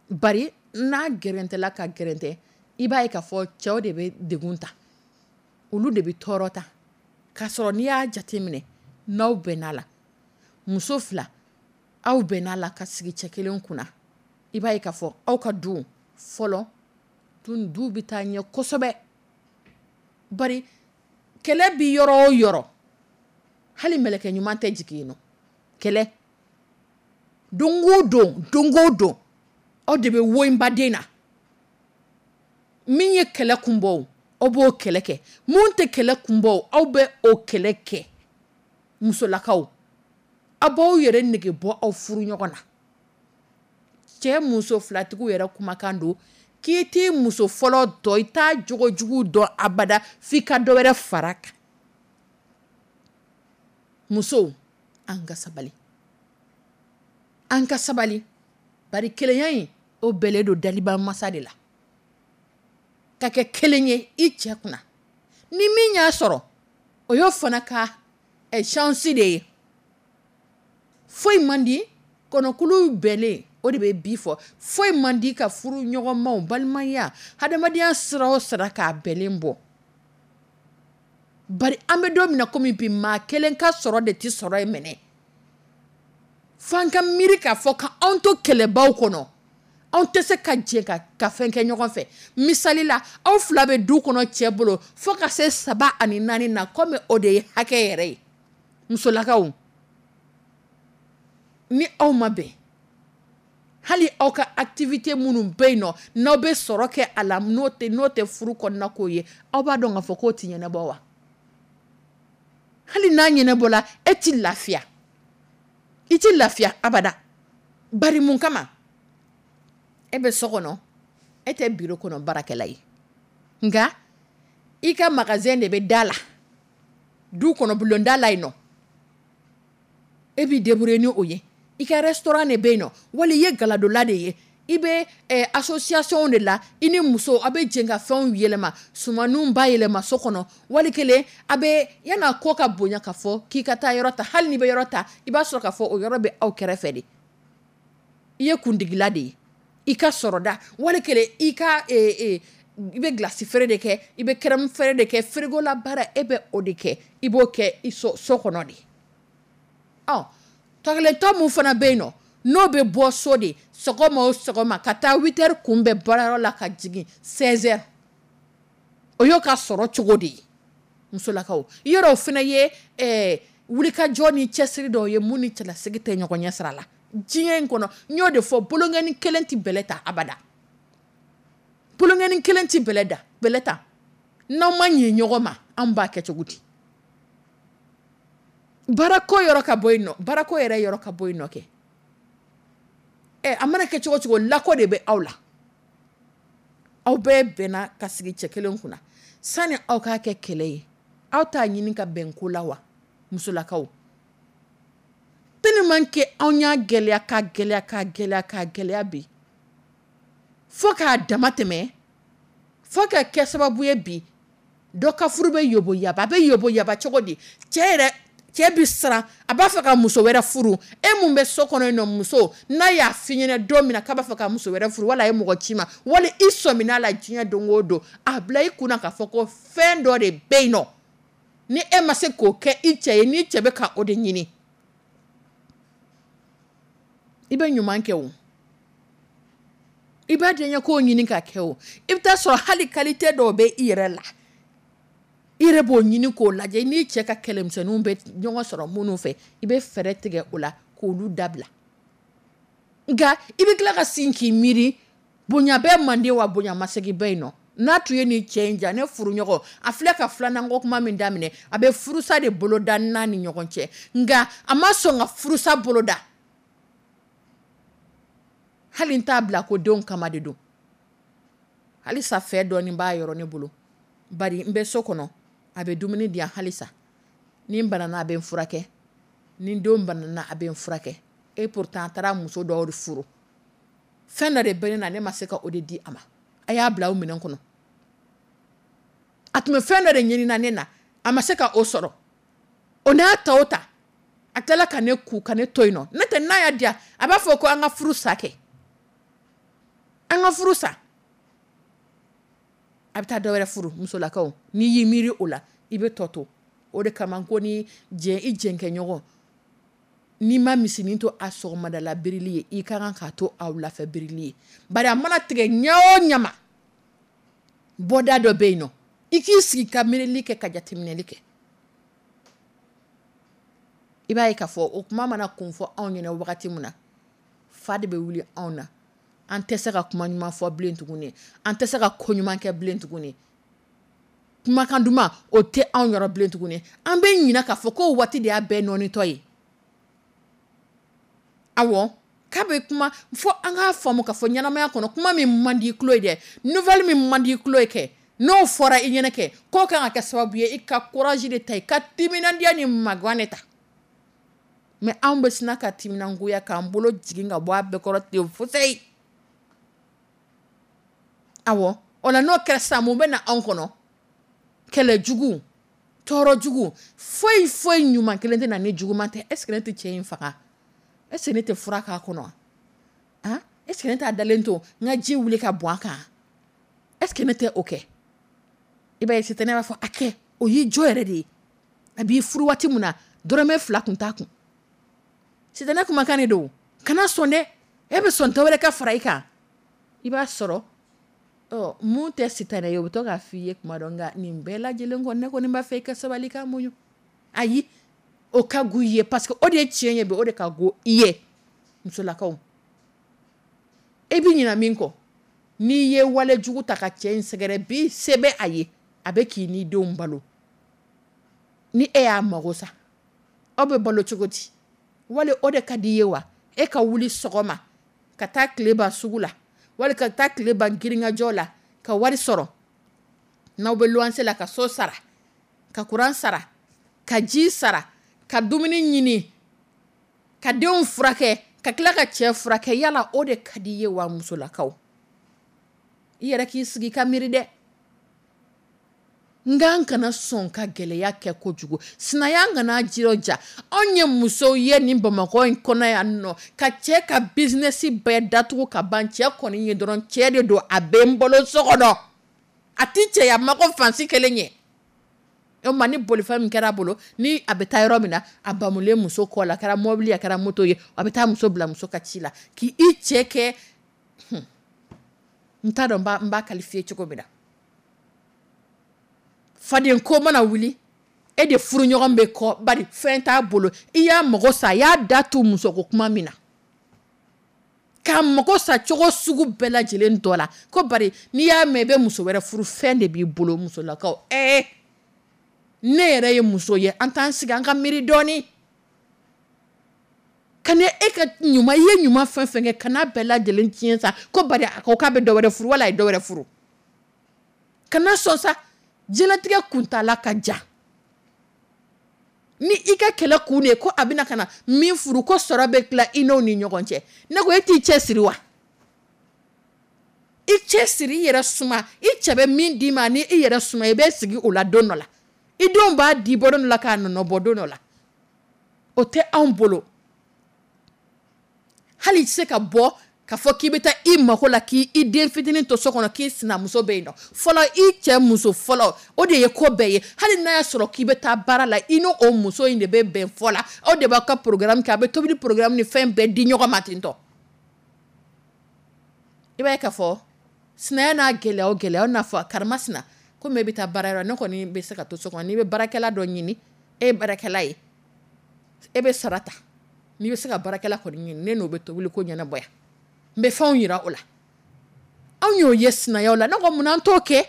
Bari n'a gɛrɛntɛla ka gɛrɛntɛ, i b'a ye k'a fɔ cɛw de bɛ degun ta, olu de bɛ tɔɔrɔ ta. K'a sɔrɔ n'i y'a jateminɛ, n'aw bɛnna la, muso fila, aw bɛnna la ka sigi cɛ kelen kunna, i b'a ye k'a fɔ aw ka du fɔlɔ dun, du bɛ taa ɲɛ kosɛbɛ. Bari kɛlɛ bi yɔrɔ o yɔrɔ, hali mɛlɛkɛ ɲuman tɛ jigin yen nɔ. Kɛlɛ don o don, don o don, aw de bɛ woyinbaden na. Min ye kɛlɛ kun bɔ, aw b'o kɛlɛ kɛ. Mun tɛ kɛlɛ kun bɔ, aw bɛ o kɛlɛ kɛ. Musolakaw, aw b'aw yɛrɛ nege bɔ aw furu ɲɔgɔn na. Cɛ muso filatigiw yɛrɛ kumakan don k'i t'i muso fɔlɔ dɔn, i t'a jogojugu dɔn abada, f'i ka dɔ wɛrɛ fara kan. Musow, an ka sabali, an ka sabali. Bari kelenya in, o bɛlen don daliba masa de la, ka kɛ kelen ye i cɛ kunna. Ni min y'a sɔrɔ, o y'o fana ka chance de ye. Foyi man di kɔnɔkulu bɛnnen, o de bɛ bi fɔ. Foyi man di ka furu ɲɔgɔnmaw, balimaya, hadamadenya sira o sira, k'a bɛnnen bɔ. Bari an bɛ don min na komi bi, maa kelen ka sɔrɔ de tɛ sɔrɔ ye minɛ. F'an ka miiri k'a fɔ ka anw to kɛlɛbaw kɔnɔ, anw tɛ se ka jɛ ka fɛn kɛ ɲɔgɔn fɛ. Misali la, aw fila bɛ du kɔnɔ cɛ bolo fo ka se saba ani naani na, komi o de ye hakɛ yɛrɛ ye. Musolakaw, ni aw ma bɛn, hali aw ka activité minnu bɛ yen nɔ, n'aw bɛ sɔrɔ kɛ a la, n'o tɛ furu kɔnɔna ko ye, aw b'a dɔn k'a fɔ k'o tɛ ɲɛnabɔ wa? Hali n'a ɲɛnabɔla, e ti lafiya, i ti lafiya abada. Bari mun kama? E bɛ so kɔnɔ, e tɛ bureau kɔnɔ baarakɛla ye, nka i ka magasin de bɛ da la, du kɔnɔ, bulonda la yen nɔ, e b'i débrouiller ni o ye. I ka restaurant de bɛ yen nɔ, wali i ye galadola de ye, i bɛ association de la, i ni muso aw bɛ jɛ ka fɛnw yɛlɛma, sumaninw ba yɛlɛma so kɔnɔ. Wali kelen a bɛ yan'a ko ka bonya k'a fɔ k'i ka taa yɔrɔ ta, hali n'i bɛ yɔrɔ ta, i b'a sɔrɔ k'a fɔ o yɔrɔ bɛ aw kɛrɛfɛ de. I ye kundigila de ye i ka sɔrɔda. Wali kelen i ka i bɛ glace feere de kɛ, i bɛ crème feere de kɛ, frigo la baara, e bɛ o de kɛ, i b'o kɛ i so kɔnɔ de. Ɔ tɔkelentɔ mun fana bɛ yen nɔ, n'o bɛ bɔ so de sɔgɔma o sɔgɔma ka taa 8 heures kunbɛn baarayɔrɔ la ka jigin 16 heures, o y'o ka sɔrɔ cogo de ye. Musolakaw, yɔrɔ o fana ye wulikajɔ ni cɛsiri dɔw ye mun ni cɛlasigi tɛ ɲɔgɔn ɲɛ sira la diɲɛ in kɔnɔ. N y'o de fɔ, bolonkɛni kelen tɛ bɛlɛ ta abada, bolonkɛni kelen tɛ bɛlɛ da bɛlɛ ta. N'aw ma ɲɛ ɲɔgɔn ma, anw b'a kɛ cogo di? Baarako yɔrɔ ka bɔ yen nɔ, baarako yɛrɛ yɔrɔ ka bɔ yen nɔ kɛ. Ɛ, a mana kɛ cogo cogo, lako de bɛ aw la. Aw bɛɛ bɛnna ka sigi cɛ kelen kunna, sani aw k'a kɛ kɛlɛ ye, aw t'a ɲini ka bɛn ko la wa? Musolakaw, tellement que anw y'a gɛlɛya ka gɛlɛya ka gɛlɛya ka gɛlɛya bi, fo k'a dama tɛmɛ, fo ka kɛ sababu ye bi, dɔ ka furu bɛ yobo yaba. A bɛ yobo yaba cogo di? Cɛ yɛrɛ, cɛ bi siran, a b'a fɛ ka muso wɛrɛ furu. E mun bɛ so kɔnɔ yen nɔ, muso, n'a y'a f'i ɲɛna don min na k'a b'a fɛ ka muso wɛrɛ furu, wala a ye mɔgɔ ci ma, wali i sɔmina la diɲɛ don o don, a bila i kunna k'a fɔ ko fɛn dɔ de bɛ yen nɔ, ni e ma se k'o kɛ i cɛ ye, ni cɛ bɛ ka o de ɲini. I bɛ ɲuman kɛ o, i b'a diɲɛ k'o ɲini ka kɛ o, i bɛ taa sɔrɔ hali qualité dɔw bɛ i yɛrɛ la, i yɛrɛ b'o ɲini k'o lajɛ. N'i cɛ ka kɛlɛmisɛnninw bɛ ɲɔgɔn sɔrɔ minnu fɛ, i bɛ fɛɛrɛ tigɛ o la k'olu dabila. Nka i bɛ tila ka sin k'i miiri, bonya bɛɛ mande wa, bonya masegin bɛ yen nɔ. N'a tun ye nin cɛ in ja, ne furuɲɔgɔn, a filɛ ka filanan ko kuma min daminɛ, a bɛ furusa de boloda n'a ni ɲɔgɔn cɛ, nka a ma sɔn ka furusa boloda. Hali n t'a bila ko denw kama de don. Halisa fɛ dɔɔni b'a yɔrɔ ne bolo, bari n bɛ so kɔnɔ, a bɛ dumuni di yan halisa. Ni n banana, a bɛ n furakɛ. Ni denw banana, a bɛ n furakɛ. Et pourtant a taara muso dɔw de furu. Fɛn dɔ de bɛ ne na, ne ma se ka o de di a ma. A y'a bila aw minɛn kɔnɔ. A tun bɛ fɛn dɔ de ɲini ne na, a ma se ka o sɔrɔ. O n'a ta o ta, a tilala ka ne ku ka ne to yen nɔ. Ne tɛ, n'a y'a diya, a b'a fɔ ko an ka furu sa kɛ, an ka furu sa. A bɛ taa dɔwɛrɛ furu. Musolakaw, n'i y'i miiri o la, i bɛ tɔ to. O de kama ko ni jɛ i jɛnkɛɲɔgɔn, n'i ma misinin to a sɔgɔmadala birili ye, i ka kan k'a to a wulafɛ birili ye. Bari a mana tigɛ ɲɛ o ɲɛ ma, bɔda dɔ bɛ yen nɔ. I k'i sigi ka miirili kɛ, ka jateminɛli kɛ, i b'a ye k'a fɔ o kuma mana kun fɔ anw ɲɛna wagati min na, fa de bɛ wuli anw na. An tɛ se ka kuma ɲuman fɔ bilen tuguni, an tɛ se ka ko ɲuman kɛ bilen tuguni. Kumakan duman, o tɛ anw yɔrɔ bilen tuguni. An bɛ ɲinɛ k'a fɔ ko waati de y'a bɛɛ nɔnitɔ ye. Awɔ, k'a bɛ kuma fo an k'a faamu k'a fɔ ɲɛnamaya kɔnɔ, kuma min man di i tulo ye dɛ, nouvelle min man di i tulo ye kɛ, n'o fɔra i ɲɛnɛ kɛ, k'o kan ka kɛ sababu ye i ka courage de ta, i ka timinandiya ni magan de ta. Mais anw bɛ sina ka timinangoya k'an bolo jigin ka bɔ a bɛɛ kɔrɔ ten fusɛyi. Awɔ, o la n'o kɛra sisan, mun bɛ na anw kɔnɔ? Kɛlɛ jugu, tɔɔrɔ jugu, foyi foyi ɲuman kelen tɛ na ni juguman tɛ. Est ce que ne tɛ cɛ in faga? Est ce que ne tɛ fura k'a kɔnɔ? Han, est ce que ne t'a dalen to n ka ji wuli ka bɔn a kan? Est ce que ne tɛ o kɛ? I b'a ye, sitanɛ b'a fɔ a kɛ, o y'i jɔ yɛrɛ de ye. A b'i furu waati min na, dɔrɔmɛ 2 kun t'a kun. Sitanɛ kumakan de don. Kana sɔn dɛ, e bɛ sɔn dɔ wɛrɛ ka fara i kan. I b'a sɔrɔ ɔ mun tɛ sitanɛ ye, o bɛ to k'a f'i ye kuma dɔ. Nka nin bɛɛ lajɛlen kɔ, ne kɔni b'a fɛ i ka sabali, ka muɲu. Ayi, o ka go i ye, parce que o de ye tiɲɛ ye bi, o de ka go i ye. Musolakaw, e bɛ ɲinɛ min kɔ, n'i ye wale jugu ta ka cɛ in sɛgɛrɛ bi, se bɛ a ye, a bɛ k'i n'i denw balo. Ni e y'a mago sa, aw bɛ balo cogo di? Wali o de ka di i ye wa? E ka wuli sɔgɔma ka taa tile ban sugu la, wali ka taa tile ban girinkajɔ la ka wari sɔrɔ, n'aw bɛ luwanse la, ka so sara, ka kuran sara, ka ji sara, ka dumuni ɲini, ka denw furakɛ, ka tila ka cɛ furakɛ, yala o de ka di i ye wa? Musolakaw, i yɛrɛ k'i sigi ka miiri dɛ. Nka an kana sɔn ka gɛlɛya kɛ kojugu. Sinaya kana jirɔja. Anw ye musow ye nin Bamakɔ in kɔnɔ yan nɔ, ka cɛ ka business bɛɛ datugu ka ban. Cɛ kɔni ye dɔrɔn, cɛ de don, a bɛ n bolo so kɔnɔ, a ti cɛya mako fansi kelen ye. O ma, ni bolifɛn min kɛra a bolo, ni a bɛ taa yɔrɔ min na, a bamulen muso kɔ la, a kɛra mɔbili, a kɛra moto ye, a bɛ taa muso bila muso ka ci la, k'i i cɛ kɛ, n t'a dɔn n b'a qualifier cogo min na. Faden ko mana wuli, e de furuɲɔgɔn bɛ kɔ, bari fɛn t'a bolo. I y'a mago sa, a y'a da tu musoko kuma min na, k'a mago sa cogo sugu bɛɛ lajɛlen dɔ la, ko bari n'i y'a mɛn i bɛ muso wɛrɛ furu, fɛn de b'i bolo. Musolakaw, ɛɛ, ne yɛrɛ ye muso ye, an t'an sigi an ka miiri dɔɔni. Ka e ka ɲuman, i ye ɲuman fɛn fɛn kɛ, kana bɛɛ lajɛlen tiɲɛ sa, ko bari a ko k'a bɛ dɔ wɛrɛ furu, wala a ye dɔ wɛrɛ furu. Kana sɔn sa. Diɲɛlatigɛ kuntaala ka jan. Ni i ka kɛlɛ kun de ye ko a bɛna ka na min furu, ko sɔrɔ bɛ tila i n'o ni ɲɔgɔn cɛ, ne ko e t'i cɛ siri wa? I cɛ siri, i yɛrɛ suma. I cɛ bɛ min d'i ma, ni i yɛrɛ suma, i bɛ sigi o la don dɔ la. I denw b'a di bɔ don dɔ la, k'a nɔnɔ bɔ don dɔ la. O tɛ anw bolo. Hali i tɛ se ka bɔ k'a fɔ k'i bɛ taa i mako la, k'i i den fitinin to so kɔnɔ, k'i sinamuso bɛ yen nɔ. Fɔlɔ, i cɛ muso fɔlɔ, o de ye ko bɛɛ ye. Hali n'a y'a sɔrɔ k'i bɛ taa baara la, i n'o o muso in de bɛ bɛn fɔ la, aw de b'aw ka programme kɛ, a bɛ tobili programme ni fɛn bɛɛ di ɲɔgɔn ma ten tɔ. I b'a ye k'a fɔ sinaya n'a gɛlɛya o gɛlɛya, o n'a fɔ karimasina, komi e bɛ taa baara yɔrɔ, ne kɔni bɛ se ka to so kɔnɔ. N'i bɛ baarakɛla dɔ ɲini, e ye baarakɛla ye, e bɛ sara ta, n'i bɛ se ka baarakɛla kɔni ɲini, ne n'o bɛ tobili ko ɲɛnabɔ yan, n bɛ fɛnw yira o la. Anw y'o ye sinayaw la. Ne ko munna an t'o kɛ?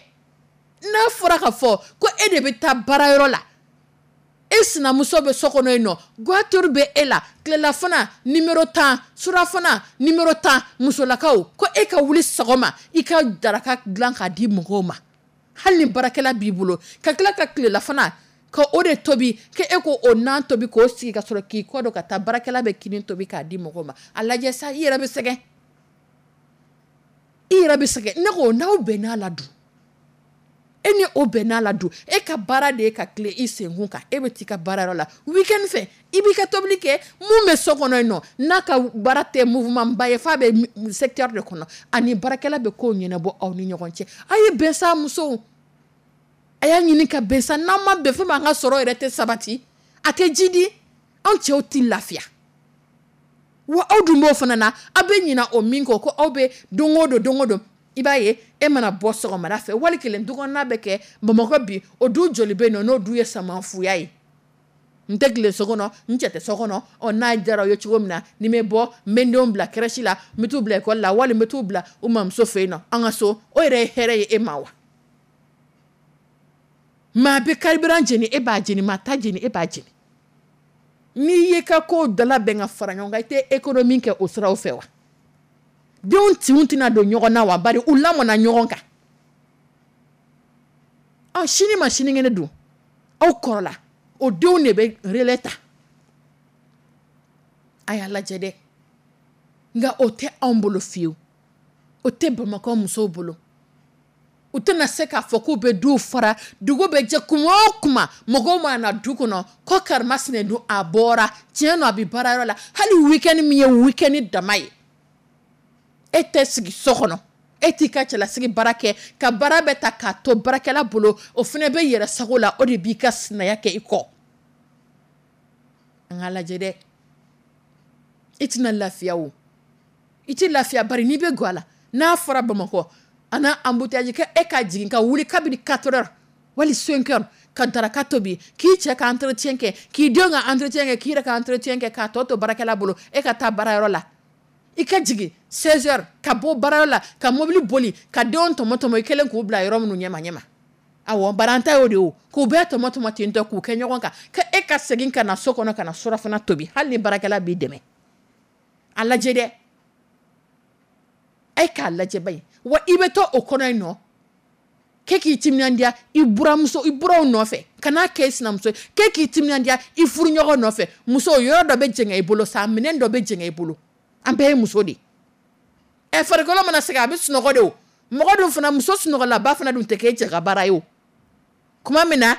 N'a fɔra ka fɔ ko e de bɛ taa baarayɔrɔ la, E sinamuso bɛ so kɔnɔ yen nɔ, goitre bɛ e la, tilelafana numéro 10, surafana numéro 10. Musolakaw, ko e ka wuli sɔgɔma, i ka daraka dilan k'a di mɔgɔw ma, hali ni baarakɛla b'i bolo, ka tila ka tilelafana ka o de tobi, ke e ko o nan tobi k'o sigi ka sɔrɔ k'i kɔ don ka taa, baarakɛla bɛ kini tobi k'a di mɔgɔw ma. A lajɛ sa, i yɛrɛ bɛ sɛgɛn, i yɛrɛ bɛ sɛgɛn. Ne ko n'aw bɛnn'a la dun, e ni o bɛnn'a la dun, e ka baara de ye ka tile i senkun kan, e bɛ t'i ka baarayɔrɔ la week-end fɛ, i b'i ka tobili kɛ. Mun bɛ so kɔnɔ yen nɔ, n'a ka baara tɛ mouvement ba ye, f'a bɛ secteur de kɔnɔ, ani baarakɛla bɛ kow ɲɛnabɔ aw ni ɲɔgɔn cɛ. A ye bɛn sa, musow, a y'a ɲini ka bɛn sa. N'an ma bɛn, fɛn min an ka sɔrɔ yɛrɛ tɛ sabati, a tɛ jidi, anw cɛw tɛ lafiya. Wa aw dun b'o fana na, aw bɛ ɲina o min kɔ, ko aw bɛ don o don, don o don, i b'a ye e mana bɔ sɔgɔmada fɛ, wali kelen dukɔnɔna bɛ kɛ Bamakɔ bi, o du joli bɛ yen nɔ n'o du ye samanfuya ye? N tɛ tile so kɔnɔ, n cɛ tɛ so kɔnɔ. Ɔ, n'a diyara aw ye cogo min na, ni n bɛ bɔ, n bɛ n denw bila crèche la, n bɛ t'u bila école la, wali n bɛ t'u bila u mamuso fɛ yen nɔ, an ka so, o yɛrɛ ye hɛrɛ ye e ma wa? Maa bɛ carburant jeni, e b'a jeni, maa ta jeni, e b'a jeni. N'i y'i ka kow dala bɛn ka fara ɲɔgɔn kan, i tɛ économie kɛ o siraw fɛ wa? Denw tinw tɛna don ɲɔgɔn na wa? Bari u lamɔna ɲɔgɔn kan. Ɔ, sini ma sinikɛnɛ dun, aw kɔrɔla, o denw de bɛ relais ta. A y'a lajɛ dɛ. Nka o tɛ anw bolo fiyewu, o tɛ Bamakɔ musow bolo. U tɛna se k'a fɔ k'u bɛ duw fara, dugu bɛ jɛ, kuma o kuma mɔgɔw mana na du kɔnɔ ko karimasina dun, a bɔra tiɲɛ nɔ, a bɛ baarayɔrɔ la, hali week-end min ye week-end dama ye, e tɛ sigi so kɔnɔ, e t'i ka cɛlasigi baara kɛ, ka baara bɛɛ ta k'a to baarakɛla bolo, o fana bɛ yɛrɛ sago la, o de b'i ka sinaya kɛ i kɔ. An k'a lajɛ dɛ, i tɛna lafiya o, i tɛ lafiya, bari n'i bɛ gɔ a la, n'a fɔra Bamakɔ a n'a embouteillage, kɛ e ka jigin ka wuli kabini 4 heures wali 5 heures ka daraka tobi, k'i cɛ ka entretien kɛ, k'i denw ka entretien kɛ, k'i yɛrɛ ka entretien kɛ, k'a tɔ to baarakɛla bolo, e ka taa baarayɔrɔ la, i ka jigin 16 heures ka bɔ baarayɔrɔ la, ka mobili boli, ka denw tɔmɔ tɔmɔ i kɛlen k'u bila yɔrɔ minnu ɲɛma ɲɛma. Awɔ, bari an ta y'o de ye o, k'u bɛɛ tɔmɔ tɔmɔ ten tɔ k'u kɛ ɲɔgɔn kan, ka e ka segin ka na so kɔnɔ ka na surafana tobi, hali ni baarakɛla b'i dɛmɛ. A lajɛ dɛ, e k'a lajɛ ba ye. Wa i bɛ to o kɔnɔ yen nɔ, k'e k'i timinandiya i buramuso, i buraw nɔfɛ, kan'a kɛ i sinamuso ye, k'e k'i timinandiya i furuɲɔgɔn nɔfɛ. Muso, yɔrɔ dɔ bɛ jɛngɛ i bolo sa, minɛn dɔ bɛ jɛngɛ i bolo, an bɛɛ ye muso de ye. Ɛ, farikolo mana sɛgɛn, a bɛ sunɔgɔ de o. Mɔgɔ dun fana, muso sunɔgɔlaba fana dun tɛ k'e cɛ ka baara ye o. Kuma min na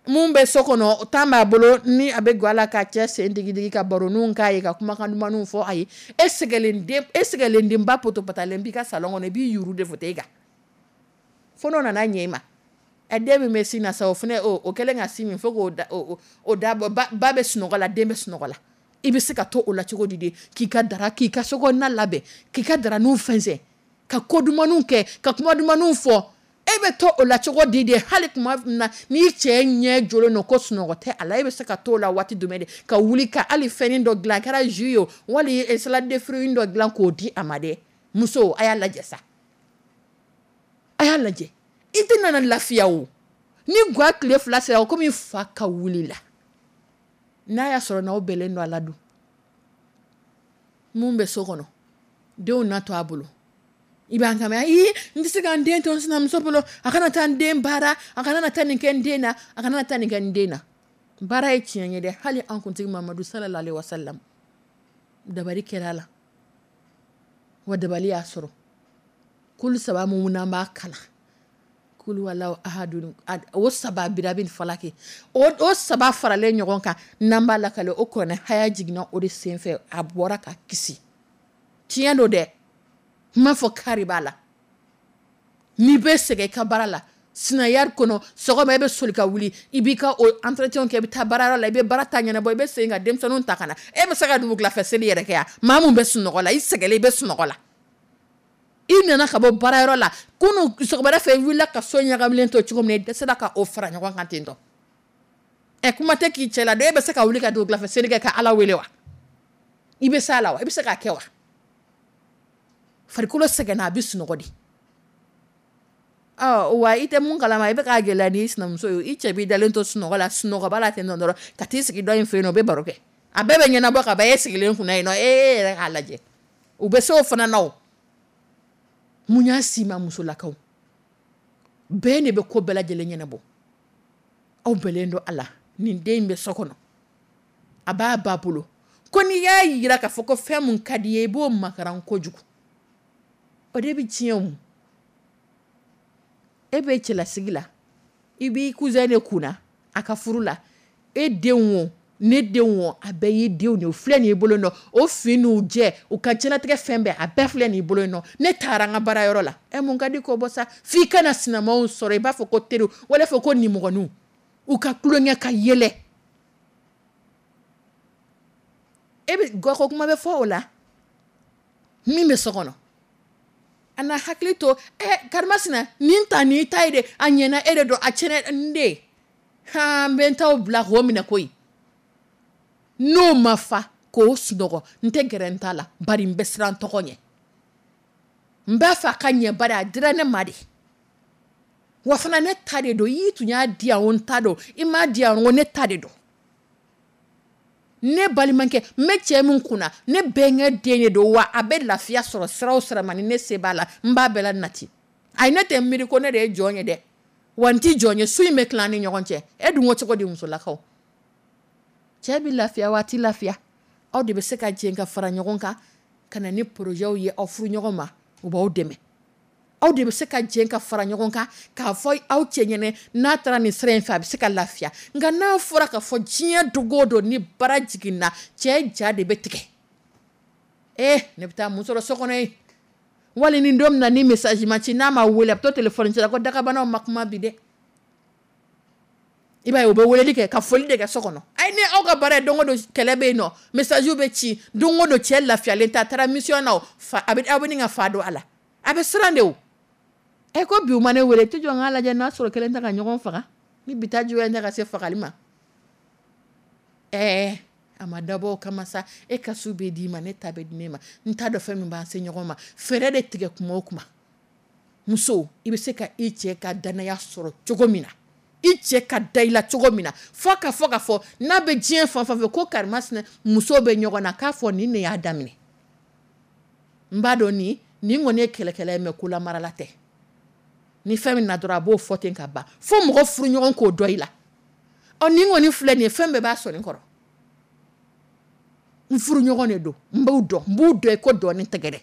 mun bɛ so kɔnɔ, temps b'a bolo, ni a bɛ gɔ a la ka cɛ sen digi digi, ka baroninw k'a ye, ka kumakan dumanninw fɔ a ye, e sɛgɛlen den, e sɛgɛlen denba potopatalen b'i ka salon kɔnɔ, i b'i yuru de fauteuil kan, fo n'o nana ɲɛ i ma. Ɛ, den min bɛ sin na sa, o fana o kɛlen ka sin min fo k'o da, o da bɔ, ba bɛ sunɔgɔ la, den bɛ sunɔgɔ la. I bɛ se ka to o la cogo di de, k'i ka dara, k'i ka sokɔnɔna labɛn, k'i ka daraniw fɛnsɛn, ka ko dumanniw kɛ, ka kuma dumanniw fɔ? E bɛ to o la cogo di de, hali tuma min na n'i cɛ ɲɛ jɔlen don ko sunɔgɔ tɛ a la, e bɛ se ka to o la waati jumɛn de ka wuli ka hali fɛnnin dɔ dilan, a kɛra jus ye o, wali salade de fruits dɔ dilan k'o di a ma dɛ? Muso, a y'a lajɛ sa, a y'a lajɛ, i tɛ nana lafiya o. Ni gwa tile 2 sera, o komi fa ka wuli la, n'a y'a sɔrɔ n'aw bɛnnen don a la dun, mun bɛ so kɔnɔ, denw na to a bolo, i b'an kama, ayi, n tɛ se ka n den to n sinamuso bolo, a kana taa n den baara, a kana na taa nin kɛ n den na, a kana na taa nin kɛ n den na. Baara ye tiɲɛ ye dɛ, hali an kuntigi Mamadu sallallahu alaihi wasallam, dabali kɛra a la, wa dabali y'a sɔrɔ. Kulu saba mun n'an b'a kalan, kulu walaw ahadun, o saba birabil falaki, o saba faralen ɲɔgɔn kan, n'an b'a lakale, o kuranɛ haya jiginna o de senfɛ, a bɔra ka kisi. Tiɲɛ don dɛ, n m'a fɔ kari b'a la. N'i bɛ sɛgɛn i ka baara la, sinaya kɔnɔ, sɔgɔma e bɛ soli ka wuli, i b'i ka o entretien kɛ, i bɛ taa baarayɔrɔ la, i bɛ baara ta ɲɛnabɔ, i bɛ segin ka denmisɛnninw ta ka na, e bɛ se ka dugukilafɛ seli yɛrɛ kɛ yan? Maa mun bɛ sunɔgɔ la, i sɛgɛnlen, i bɛ sunɔgɔ la, i nana ka bɔ baarayɔrɔ la kunun sɔgɔmada fɛ, i wulila ka so ɲagamilen to cogo min na, i dɛsɛra ka o fara ɲɔgɔn kan ten tɔ. Ɛ, kuma tɛ k'i cɛ la dɛ, e bɛ se ka wuli ka dugukilafɛ seli kɛ ka Ala wele wa? I bɛ s'a la wa? I bɛ se k'a kɛ wa? Farikolo sɛgɛnna, a bɛ sunɔgɔ de. Wa i tɛ mun kalama, i bɛ k'a gɛlɛya n'i sinamuso ye. I cɛ b'i dalen to sunɔgɔ la, sunɔgɔba la ten nɔ dɔrɔn, ka t'i sigi dɔ in fɛ yen nɔ, u bɛ baro kɛ, a bɛɛ bɛ ɲɛnabɔ ka ban e sigilen kunna yen nɔ. E yɛrɛ k'a lajɛ, u bɛ se o fana na. O mun y'a si ma? Musolakaw bɛɛ de bɛ ko bɛɛ lajɛlen ɲɛnabɔ. Aw bɛnnen don a la, nin den in bɛ so kɔnɔ, a b'a ba bolo. Ko n'i y'a jira k'a fɔ ko fɛn mun ka di ye, i b'o makaran kojugu, o de bɛ tiɲɛ. O e bɛ cɛlasigi la, i b'i cousin de kunna a ka furu la. E denw, o ne denw, o a bɛɛ y'i denw de ye. O filɛ nin y'i bolo nɔ, o fin n'u jɛ, u ka diɲɛlatigɛ fɛn bɛɛ, a bɛɛ filɛ nin y'i bolo nɔ. Ne taara n ka baarayɔrɔ la, ɛ, mun ka di k'o bɔ sa? F'i kana sinamaw sɔrɔ, i b'a fɔ ko teriw, wala fɔ ko nimɔgɔninw, u ka tulonkɛ ka yɛlɛ. E bɛ gɔkɔ kuma bɛ fɔ o la min bɛ so kɔnɔ, a na hakili to. Ɛ, karimasina, nin ta nin ta ye de, a ɲɛna e de don, a tiɲɛna n de. Han, n bɛ n t'aw bila k'o minɛ koyi. N'o ma fa k'o sunɔgɔ, n tɛ gɛrɛ n ta la, bari n bɛ siran tɔgɔ ɲɛ. N b'a fɛ a ka ɲɛ, bari a dira ne ma de, wa fana ne ta de don. I tun y'a di yan o, n ta don. I m'a di yan o, ne ta de don. Ne balimakɛ, n bɛ cɛ min kunna, ne bɛnkɛ den de don, wa a bɛ lafiya sɔrɔ sira o sira ma, ni ne se b'a la, n b'a bɛɛ la nati. Ayi, ne tɛ miiri ko ne de ye jɔn ye dɛ, wa n ti jɔn ye. Su in bɛ tila an ni ɲɔgɔn cɛ. E dun ko cogo di? Musolakaw, cɛ bɛ lafiya waati lafiya, aw de bɛ se ka jɛ ka fara ɲɔgɔn kan ka na ni projetw ye aw furu ɲɔgɔn ma, u b'aw dɛmɛ. Aw de bɛ se ka jɛ ka fara ɲɔgɔn kan k'a fɔ aw cɛ ɲɛnɛ, n'a taara nin sira in fɛ, a bɛ se ka lafiya. Nka n'a fɔra k'a fɔ diɲɛ don o don ni bara jiginna, cɛ ja de bɛ tigɛ. Ee, ne bɛ taa mun sɔrɔ so kɔnɔ yen? Wali ni don min na ni message ma ci, n'a ma wele, a bɛ to téléphone ci la ko dagabanaw ma kuma bi dɛ. I b'a ye, u bɛ weleli kɛ ka foli de kɛ so kɔnɔ. Ayi, ni aw ka baara ye, don o don kɛlɛ bɛ yen nɔ, message bɛ ci don o don, cɛ lafiyalen tɛ, a taara mission na, o fa a bɛ aw bɛ nin ka fa don a la, a bɛ siran de. O ɛ, ko bi u ma ne wele, tɛ jɔ n k'a lajɛ n'a sɔrɔ kelen tɛ ka ɲɔgɔn faga, ni bi ta juguya tɛ ka se fagali ma. Ɛɛ, a ma dabɔ o kama sa. E ka su bɛ d'i ma, ne ta bɛ di ne ma. N t'a dɔn fɛn min b'an se ɲɔgɔn ma. Fɛɛrɛ de tigɛ kuma o kuma. Muso, i bɛ se ka i cɛ ka danaya sɔrɔ cogo min na, i cɛ ka da i la cogo min na, fo ka fɔ ka fɔ n'a bɛ diɲɛ fan fɛn fɛ ko karimasina muso bɛ ɲɔgɔn na, k'a fɔ nin de y'a daminɛ. N b'a dɔn nin kɔni ye kɛlɛkɛla ye, mɛ kolamarala tɛ. Ni fɛn min na dɔrɔn, a b'o fɔ ten ka ban, fo mɔgɔ furu ɲɔgɔn k'o dɔn i la. Ɔ, nin kɔni filɛ nin ye, fɛn bɛɛ b'a sɔnni kɔrɔ. N furu ɲɔgɔn de don, n b'u dɔn, n b'u dɔn i ko dɔɔnin tɛgɛ dɛ.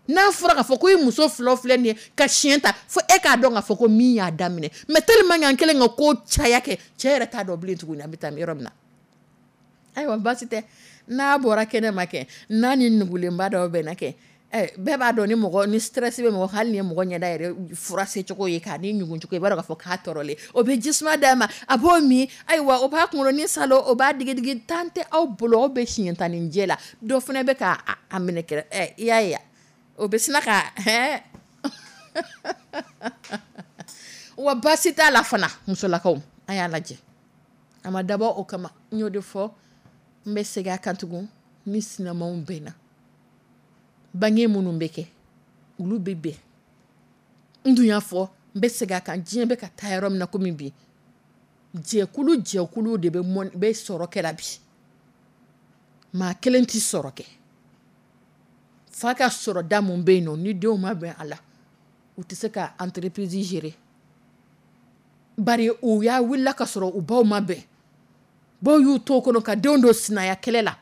N'a fɔra k'a fɔ ko i muso filaw filɛ nin ye ka siɲɛ ta, fo e k'a dɔn k'a fɔ ko min y'a daminɛ. Mɛ tellement que an kɛlen ka ko caya kɛ, cɛ yɛrɛ t'a dɔn bilen tuguni an bɛ taa yɔrɔ min na. Ayiwa, baasi tɛ. N'a bɔra kɛnɛ ma kɛ, n'a ni nugulenba dɔw bɛnna kɛ, bɛɛ b'a dɔn ni mɔgɔ ni stress bɛ mɔgɔ, hali ni ye mɔgɔ ɲɛda yɛrɛ fura se cogo ye k'a ni ɲugun cogo, i b'a dɔn k'a fɔ k'a tɔɔrɔlen. O bɛ jisuma d'a ma, a b'o min. Ayiwa, o b'a kunkolo ni salo, o b'a digidigi. Tan tɛ aw bolo, aw bɛ siɲɛ tan ni jɛ la, dɔ fana bɛ k'a a minɛ kɛrɛ. I y'a ye, o bɛ sina ka hɛn. Wa baasi t'a la fana. Musolakaw, a y'a lajɛ, a ma dabɔ o kama. N y'o de fɔ, n bɛ segin a kan tugun. Ni sinamaw bɛnna, bange minnu bɛ kɛ, olu bɛ bɛn. N dun y'a fɔ, n bɛ segin a kan, diɲɛ bɛ ka taa yɔrɔ min na komi bi, jɛkulu jɛkulu de bɛ mɔn bɛ sɔrɔ kɛra bi. Maa kelen tɛ sɔrɔ kɛ. Fa ka sɔrɔ da mun bɛ yen nɔ, ni denw ma bɛn a la, u tɛ se ka entreprise gérer, bari u y'a wulila ka sɔrɔ u baw ma bɛn. Baw y'u to o kɔnɔ ka denw don sinaya kɛlɛ la,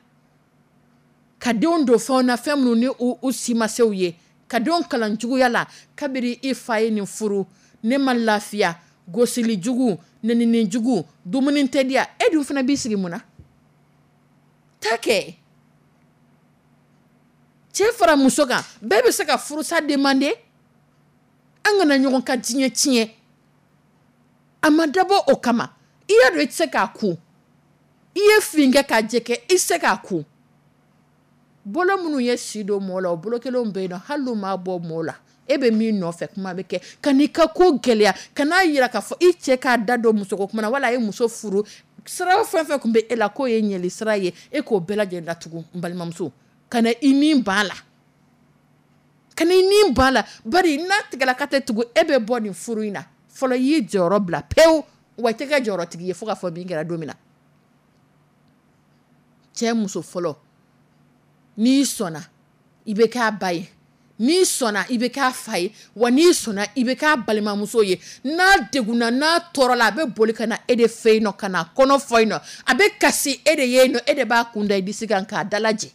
ka denw don fɛnw na, fɛn minnu ni u si ma se u ye, ka denw kalan juguya la. Kabiri i fa ye nin furu, ne ma lafiya, gosili jugu, nenini jugu, dumuni tɛ di yan. E dun fana b'i sigi mun na ta kɛ? Cɛ fara muso kan, bɛɛ bɛ se ka furusa demander. An kana ɲɔgɔn ka diɲɛ tiɲɛ. A ma dabɔ o kama. I y'a dɔn i tɛ se k'a kun, i ye fin kɛ k'a jɛ kɛ, i tɛ se k'a kun. Bolo minnu ye si don mɔgɔ la, o bolo kelenw bɛ yen nɔ, hali n'u m'a bɔ mɔgɔ la, e bɛ min nɔfɛ, kuma bɛ kɛ ka n'i ka ko gɛlɛya, ka n'a yira k'a fɔ i cɛ k'a da don musoko kuma na, wala a ye muso furu. Sira fɛn fɛn tun bɛ e la k'o ye ɲɛli sira ye, e k'o bɛɛ lajɛlen datugu. N balimamuso, ka na i ni ban a la. Ka n'i ni ban a la, bari n'a tigɛla k'a tɛ tugu, e bɛ bɔ nin furu in na fɔlɔ. I y'i jɔyɔrɔ bila pewu, wa i tɛ kɛ jɔyɔrɔtigi ye fo ka fɔ min kɛra don min na. Cɛ muso fɔlɔ, n'i sɔnna, i bɛ k'a ba ye, n'i sɔnna, i bɛ k'a fa ye, wa n'i sɔnna, i bɛ k'a balimamuso ye. N'a degunna, n'a tɔɔrɔla, a bɛ boli ka na e de fɛ yen nɔ, ka na kɔnɔ fɔ yen nɔ, a bɛ kasi e de ye yen nɔ, e de b'a kun da i disi kan k'a dalajɛ,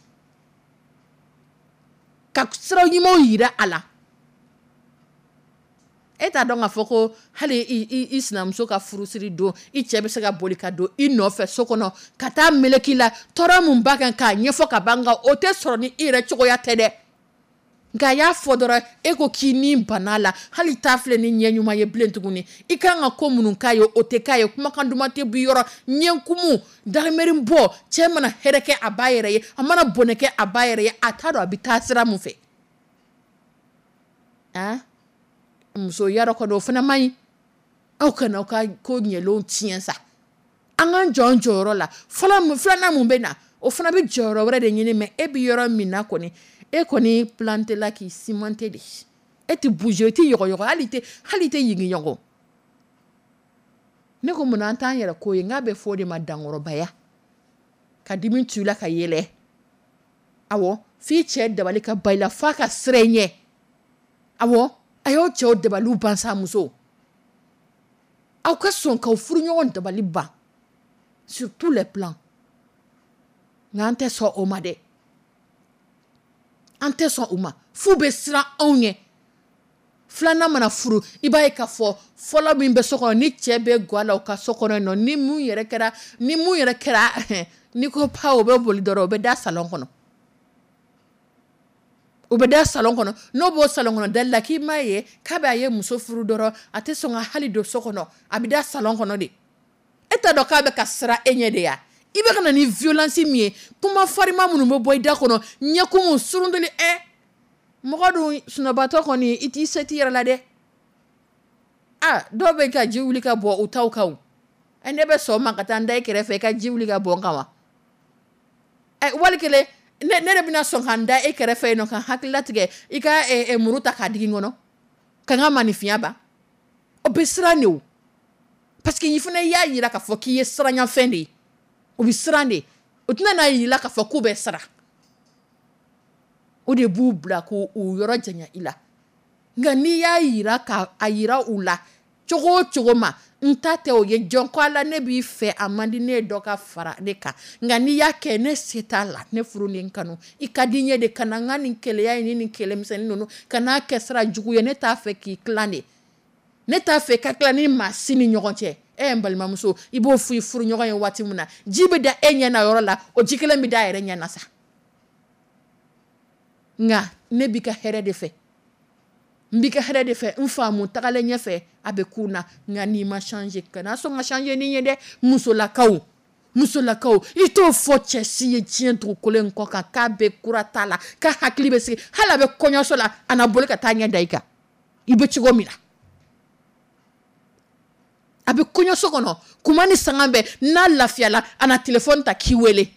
ka sira ɲumanw yira a la. E t'a dɔn k'a fɔ ko hali i sinamuso ka furusiri don, i cɛ bɛ se ka boli ka don i nɔfɛ so kɔnɔ ka taa meleke i la, tɔɔrɔ min b'a kan k'a ɲɛfɔ ka ban, nka o tɛ sɔrɔ ni i yɛrɛ cogoya tɛ dɛ. Nka a y'a fɔ dɔrɔn, e ko k'i ni banna la, hali t'a filɛ ni ɲɛ ɲuman ye bilen tuguni. I kan ka ko minnu k'a ye, o tɛ k'a ye. Kumakan duman tɛ b'i yɔrɔ, ɲɛkumu darimɛri bɔ. Cɛ mana hɛrɛ kɛ a ba yɛrɛ ye, a mana bɔnɛ kɛ a ba yɛrɛ ye, a t'a dɔn a bɛ taa sira mun fɛ. Ah, muso yarɔ kɔni, o fana man ɲi. Aw kana aw ka ko ɲɛlenw tiɲɛ sa. An k'an jɔ an jɔyɔrɔ la fɔlɔ. Filanan mun bɛ na, o fana bɛ jɔyɔrɔ wɛrɛ de ɲini. Mɛ e bɛ yɔrɔ min na kɔni, e kɔni planté la k'i cimenté de, e tɛ bouger, i tɛ yɔgɔyɔgɔ, hali i tɛ yigiyɔgɔ. Ne ko munna an t'an yɛrɛ ko ye? N k'a bɛ fɔ o de ma dankɔrɔbaya, ka dimi tu i la ka yɛlɛ. Awɔ, f'i cɛ dabali ka ba i la, f'a ka siran i ɲɛ. Awɔ, a y'aw cɛw dabaliw ban sa. Muso, aw ka sɔn k'aw furuɲɔgɔn dabali ban sur tous les plans. Nka an tɛ sɔn o ma dɛ, an tɛ sɔn o ma, f'u bɛ siran anw ɲɛ. Filanan mana furu, i b'a ye k'a fɔ fɔlɔ min bɛ so kɔnɔ, ni cɛ bɛ ga la u ka so kɔnɔ yen nɔ, ni mun yɛrɛ kɛra, n'i ko pa, o bɛ boli dɔrɔn, o bɛ da salon kɔnɔ, o bɛ da salon kɔnɔ. N'o b'o salon kɔnɔ dali la, k'i m'a ye k'a bɛ a ye muso furu dɔrɔn, a tɛ sɔn ka hali don so kɔnɔ, a bɛ da salon kɔnɔ de. E t'a dɔn k'a bɛ ka siran e ɲɛ de ya? I bɛ ka na ni violence min ye, kuma farima minnu bɛ bɔ i da kɔnɔ, ɲɛkumu surunduli, ɛ mɔgɔ dun sunɔbatɔ kɔni, i t'i se t'i yɛrɛ la dɛ. A dɔw bɛ ka ji wuli ka bɔ u taw kan o. Ɛ, ne bɛ sɔn ma ka taa n da i kɛrɛfɛ i ka ji wuli ka bɔ n kan wa? Ɛ, wali kelen ne de bɛna sɔn ka n da e kɛrɛfɛ yen nɔ, ka hakili latigɛ i ka muru ta k'a digi n kɔnɔ, ka n ka maninfinya ban? O bɛ siran de o, parce que i fana y'a yira k'a fɔ k'i ye siranyafɛn de ye. O bɛ siran de, o tɛna n'a yira k'a fɔ k'u bɛ siran. O de b'u bila k'u yɔrɔ janya i la. Nka n'i y'a yira ka a yira u la cogo o cogo ma, n ta tɛ o ye, jɔn ko ala, ne b'i fɛ, a man di ne ye dɔ ka fara ne kan, nka n'i y'a kɛ, ne se t'a la, ne furu ni n kanu, i ka di n ye de, ka na n ka nin keleya in ni nin kɛlɛmisɛnnin ninnu ka n'a kɛ sira jugu ye. Ne t'a fɛ k'i tilan de, ne t'a fɛ ka tila ni maa si ni ɲɔgɔn cɛ. E ye n balimamuso, i b'o fɔ i furuɲɔgɔn ye waati min na, ji bɛ da e ɲɛ na yɔrɔ la, o ji kelen bɛ da a yɛrɛ ɲɛ na sa. Nka ne b'i ka hɛrɛ de fɛ, n b'i ka hɛrɛ de fɛ, n faamu tagalen ɲɛfɛ a bɛ kun na. Nka n'i ma changer, kana sɔn ka changer ni ye dɛ. Musolakaw, musolakaw, i t'o fɔ cɛ si ye diɲɛ dugukolo in kɔ kan k'a bɛ kura t'a la, k'a hakili bɛ sigi. Hali a bɛ kɔɲɔso la, a na boli ka taa ɲɛ da i kan, i bɛ cogo min na. A bɛ kɔɲɔso kɔnɔ kuma ni sanga bɛɛ, n'a lafiyala, a na telefɔni ta k'i wele.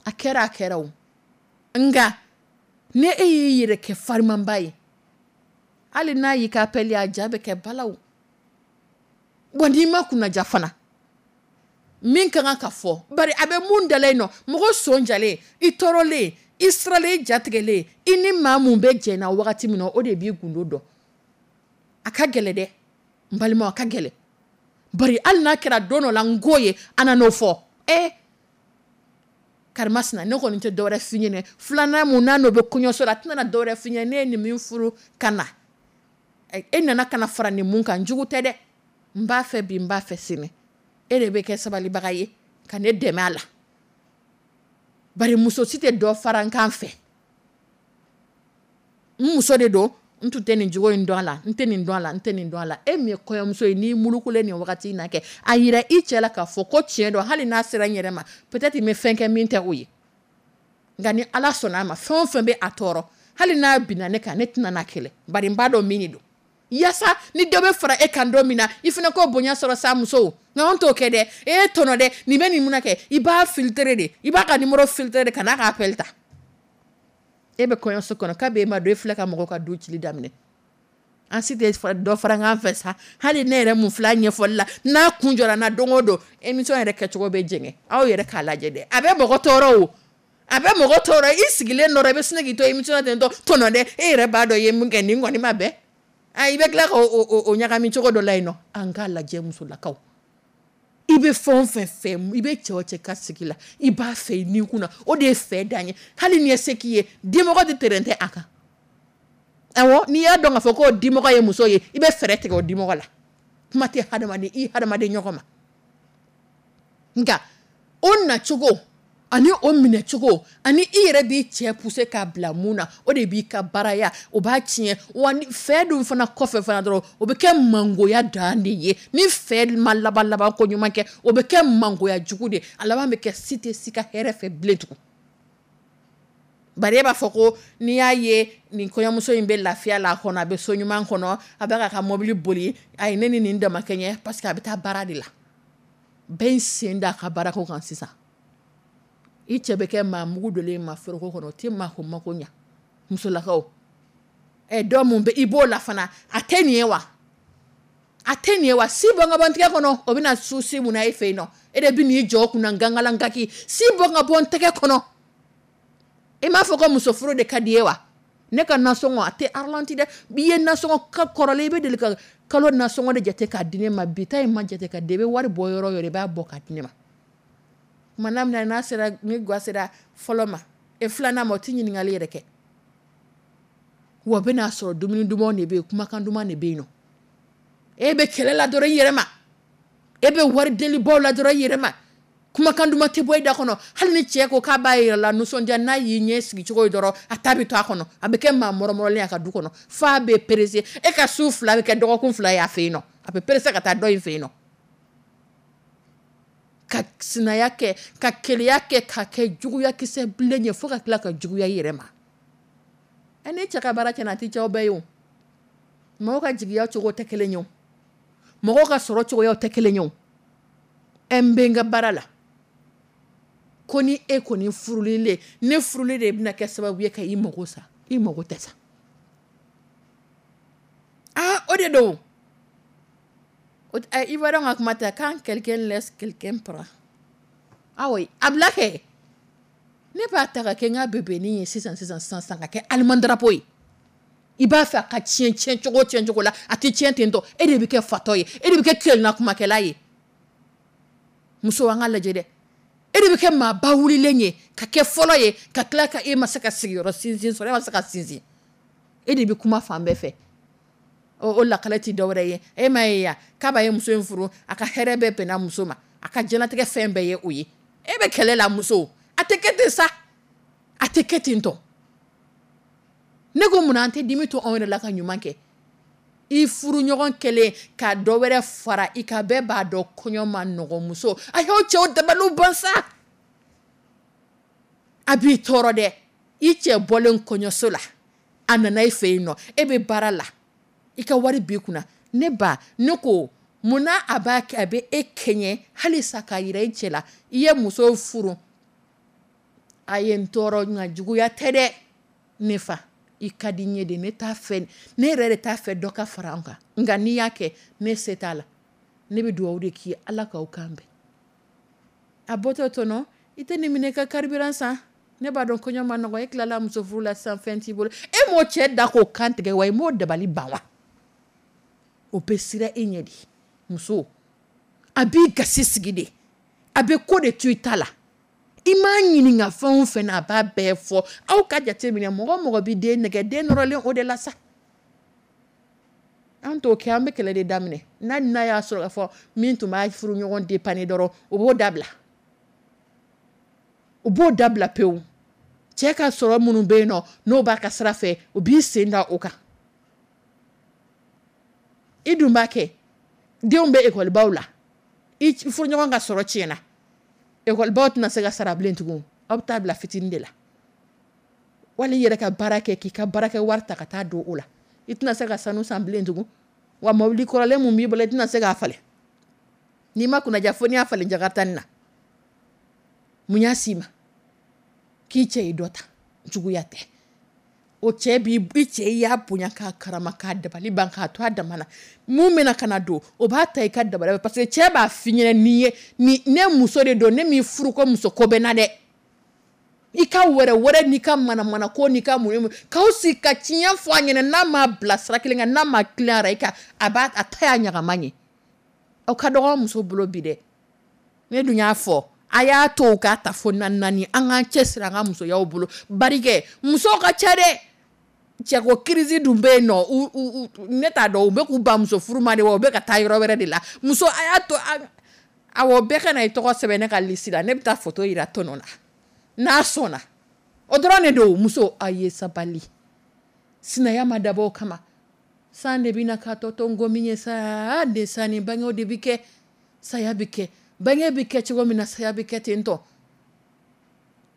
A kɛra, a kɛra o. Nka ni e y'i yɛrɛ kɛ farimanba ye, hali n'a y'i ka appel, a ja bɛ kɛ balaw wa. N'i ma kunnaja fana, min ka kan ka fɔ, bari a bɛ mun dala yen nɔ, mɔgɔ sɔn jalen, i tɔɔrɔlen, i siralen, i jatigɛlen, i ni maa mun bɛ jɛ na wagati min na, o de b'i gundo dɔn. A ka gɛlɛ dɛ, n balimaw, a ka gɛlɛ. Bari hali n'a kɛra don dɔ la n ko ye, a nan'o fɔ ɛ karimasina, ne kɔni tɛ dɔwɛrɛ f'i ɲɛnɛ. Filanan mun n'a n'o bɛ kɔɲɔso la, a tɛna dɔwɛrɛ f'i ɲɛnɛ. Ne ye nin min furu ka na, e nana ka na fara nin mun kan, jugu tɛ dɛ, n b'a fɛ bi, n b'a fɛ sini, e de bɛ kɛ sabalibaga ye ka ne dɛmɛ a la. Bari muso si tɛ dɔ fara n kan fɛ, n muso de don, n tun tɛ nin jogo in dɔn a la, n tɛ nin dɔn a la, n tɛ nin dɔn a la. E min ye kɔɲɔmuso ye, n'i mulukulen nin wagati in na kɛ, a yira i cɛ la k'a fɔ ko tiɲɛ don, hali n'a sera n yɛrɛ ma, peut-être n bɛ fɛn kɛ min tɛ o ye. Nka ni Ala sɔnna a ma, fɛn o fɛn bɛ a tɔɔrɔ, hali n'a binna ne kan, ne tɛna n'a kɛlɛ, bari n b'a dɔn min de don. Yaasa ni dɔ bɛ fara e kan don min na, i fana k'o bonya sɔrɔ sa. Musow, nka anw t'o kɛ dɛ. E ye tɔnɔ dɛ, nin bɛ nin mun kɛ, i b'a filtrer de, i b'a ka numéro filtrer de, ka n'a ka appel ta. E bɛ kɔɲɔso kɔnɔ k'a b'e ma don, e filɛ ka mɔgɔw ka du cili daminɛ. An si tɛ dɔ fara an fɛ sa. Hali ne yɛrɛ mun filɛ ɲɛfɔli la, n'a kun jɔra n na don o don, émission yɛrɛ kɛcogo bɛ jɛngɛ. Aw yɛrɛ k'a lajɛ dɛ, a bɛ mɔgɔ tɔɔrɔ o, a bɛ mɔgɔ tɔɔrɔ. I sigilen dɔrɔn, i bɛ sin k'i to émission na ten tɔ, tɔnɔ dɛ, e yɛrɛ b'a dɔn i ye mun kɛ, nin kɔni ma bɛn. I bɛ tila k'o ɲagami cogo dɔ la yen nɔ. An k'a lajɛ, musolakaw, i bɛ fɛn o fɛn fɛ, i bɛ cɛ o cɛ ka sigi la, i b'a fɛ i ni kunna, o de ye fɛ dan ye. Hali ni ye se k'i ye, dimɔgɔ tɛ terɛn tɛ a kan. Awɔ, n'i y'a dɔn k'a fɔ k'o dimɔgɔ ye muso ye, i bɛ fɛɛrɛ tigɛ o dimɔgɔ la. Kuma tɛ hadamaden, i hadamaden ɲɔgɔn ma. Nka o nacogo ani o minɛcogo ani i yɛrɛ b'i cɛ pousser k'a bila mun na, o de b'i ka baaraya, o b'a tiɲɛ. Wa ni fɛ dun fana kɔfɛ fana dɔrɔn, o bɛ kɛ mangoya dan de ye. Ni fɛ ma laban laban ko ɲuman kɛ, o bɛ kɛ mangoya jugu de. A laban bɛ kɛ si tɛ si ka hɛrɛ fɛ bilen tugun. Bari e b'a fɔ ko n'i y'a ye nin kɔɲɔmuso in bɛ lafiya la a kɔnɔ, a bɛ so ɲuman kɔnɔ, a bɛ k'a ka mobili boli, ayi, ne ni nin dama kɛɲɛ, parce que a bɛ taa baara de la. Bɛɛ y'i sen da a ka baarako kan sisan. I cɛ bɛ kɛ maa mugu donlen ma foroko kɔnɔ, o tɛ maa ko mako ɲa. Musolakaw, ɛ, dɔ mun bɛ i b'o la fana, a tɛ nin ye wa? A tɛ nin ye wa? Si bɔ n ka bɔ n tɛgɛ kɔnɔ, o bɛna su si mun na e fɛ yen nɔ? E de bɛ n'i jɔ o kunna gangalankaki, si bɔ n ka bɔ n tɛgɛ kɔnɔ. I m'a fɔ ko muso furu de ka di ye wa? Ne ka nasɔngɔ a tɛ ralenti dɛ. I ye nasɔngɔ ka kɔrɔlen, i bɛ deli ka kalo nasɔngɔ de jate k'a di ne ma. Bi ta in ma jate ka di, i bɛ wari bɔ yɔrɔ o yɔrɔ, i b'a bɔ k'a di ne ma. Tuma n'a minɛ n'a sera, ni ga sera fɔlɔ ma e filanan ma, o tɛ ɲininkali yɛrɛ kɛ. Wa bɛn'a sɔrɔ dumuni dumanw de bɛ yen, kumakan duman de bɛ yen nɔ. E bɛ kɛlɛ la dɔrɔn i yɛrɛ ma, e bɛ wari delibaw la dɔrɔn i yɛrɛ ma, kumakan duman tɛ bɔ i da kɔnɔ. Hali ni cɛ ko k'a b'a yɛrɛ la nisɔndiya, n'a y'i ɲɛ sigi cogo ye dɔrɔn, a ta bɛ to a kɔnɔ, a bɛ kɛ maa mɔrɔmɔrɔlen a ka du kɔnɔ, f'a bɛ presser. E ka su 2 bɛ kɛ dɔgɔkun 2 ye a fɛ yen nɔ, a bɛ presser ka taa dɔ in fɛ yen nɔ, ka sinaya kɛ, ka keleya kɛ, ka kɛ juguya kisɛ bilen ye, fo ka tila ka juguya i yɛrɛ ma. Ɛ, ne cɛ ka baara tiɲɛna, a tɛ cɛw bɛɛ ye o. Mɔgɔw ka jigiya cogo tɛ kelen ye o, mɔgɔw ka sɔrɔ cogoyaw tɛ kelen ye o. Ɛ, n bɛ n ka baara la, ko ni e kɔni furulen, ne furulen de bɛna kɛ sababu ye ka i mago sa, i mago tɛ sa. Aa, o de don. I b'a dɔn ka kuma tɛ, quand quelqu'un laisse, quelqu'un prend. Awɔ, a bila kɛ, ne b'a ta ka kɛ n ka bébénin ye sisan sisan sisan sisan, ka kɛ allemand drapeau ye. I b'a fɛ a ka tiɲɛ tiɲɛ cogo tiɲɛ cogo la, a tɛ tiɲɛ ten tɔ. E de bɛ kɛ fatɔ ye, e de bɛ kɛ kelenna kumakɛla ye. Muso, an ka lajɛ dɛ, e de bɛ kɛ maaba wulilen ye, ka kɛ fɔlɔ ye, ka tila ka e ma se ka sigiyɔrɔ sinsin sɔrɔ, e ma se ka sinsin, e de bɛ kuma fan bɛɛ fɛ. O lakale tɛ dɔwɛrɛ ye, e ma ye ya k'a ye muso in furu, a ka hɛrɛ bɛɛ bɛnna muso ma, a ka diɲɛlatigɛ fɛn bɛɛ ye o ye. E bɛ kɛlɛ la, muso, a tɛ kɛ ten sa, a tɛ kɛ ten tɔ. Ne ko munna an tɛ dimi to anw yɛrɛ la ka ɲuman kɛ? I furu ɲɔgɔn kɛlen ka dɔ wɛrɛ fara i ka, bɛɛ b'a dɔn kɔɲɔ ma nɔgɔn. Muso, a y'aw cɛw dabaliw ban sa, a b'i tɔɔrɔ dɛ. I cɛ bɔlen kɔɲɔso la, a nana i fɛ yen nɔ, e bɛ baara la, i ka wari b'i kunna. Ne ba, ne ko munna a b'a kɛ, a bɛ e kɛɲɛ halisa k'a yira i cɛ la i ye muso furu. A ye n tɔɔrɔ, nka juguya tɛ dɛ. Ne fa, i ka di n ye de, ne t'a fɛ, ne yɛrɛ de t'a fɛ dɔ ka fara an kan, nka n'i y'a kɛ, ne se t'a la. Ne bɛ dugawu de k'i ye, Ala k'aw kan bɛn. A bɔtɔ tɔnɔ, i tɛ nin minɛ ka carburant san, ne b'a dɔn kɔɲɔ ma nɔgɔn, e tilala muso furu la sisan, fɛn t'i bolo. E m'o cɛ da k'o kan tigɛ wa? I m'o dabali ban wa? O bɛ siran e ɲɛ de. Muso, a b'i gasi sigi de, a bɛ ko de to i ta la. I m'a ɲininka fɛn o fɛn na, a b'a bɛɛ fɔ. Aw ka jate minɛ, mɔgɔ o mɔgɔ bɛ den nɛgɛ, den nɔrɔlen o de la sa. An t'o kɛ, an bɛ kɛlɛ de daminɛ. N'a y'a sɔrɔ k'a fɔ min tun b'a furu ɲɔgɔn dépanner dɔrɔn, o b'o dabila, o b'o dabila pewu. Cɛ ka sɔrɔ minnu bɛ yen nɔ, n'o b'a ka sira fɛ, o b'i sen da o kan. I dun b'a kɛ, denw bɛ ekɔlibaw la, i furuɲɔgɔn ka sɔrɔ tiɲɛna, ekɔlibaw tɛna se ka sara bilen tugun, aw bɛ taa bila fitinin de la. Wali i yɛrɛ ka baara kɛ, k'i ka baarakɛ wari ta ka taa don o la, i tɛna se ka sanu san bilen tugun. Wa mobili kɔrɔlen mun b'i bolo, i tɛna se k'a falen. N'i ma kunnaja, fo n'i y'a falen jakarita nin na. Mun y'a s'i ma k'i cɛ ye dɔ ta? Juguya tɛ. O cɛ b'i i cɛ i y'a bonya k'a karama k'a dabali ban k'a to a dama na. Mun bɛna ka na don, o b'a ta i ka dabali parce que cɛ b'a f'i ɲɛna nin ye ni ne muso de don, ne m'i furu ko muso ko bɛ na dɛ. I ka wɛrɛ wɛrɛ n'i ka manamana ko n'i ka mun k'aw sigi ka tiɲɛ fɔ a ɲɛna, n'a m'a bila sira kelen kan, n'a ma tilen a i kan, a b'a a ta y'a ɲagama ɲɛ. Aw ka dɔgɔ muso bolo bi dɛ. Ne dun y'a fɔ, a y'a to u k'a ta fo naani naani, an k'an cɛsiri an ka musoyaw bolo. Barikɛ musow ka ca dɛ. Cɛko crise dun bɛ yen nɔ, ne t'a dɔn u bɛ k'u ban muso furu ma de wa, u bɛ ka taa yɔrɔ wɛrɛ de la. Muso a y'a to awɔ bɛɛ ka na i tɔgɔ sɛbɛn ne ka liste la, ne bɛ taa photo yira tɔnɔ na n'a sɔnna. O dɔrɔn de don. Muso a ye sabali, sinaya ma dabɔ o kama. San de bɛ na k'a tɔ to nkomi ye sa, de sanni bangew de bɛ kɛ, saya bɛ kɛ, bange bɛ kɛ cogo min na, saya bɛ kɛ ten tɔ.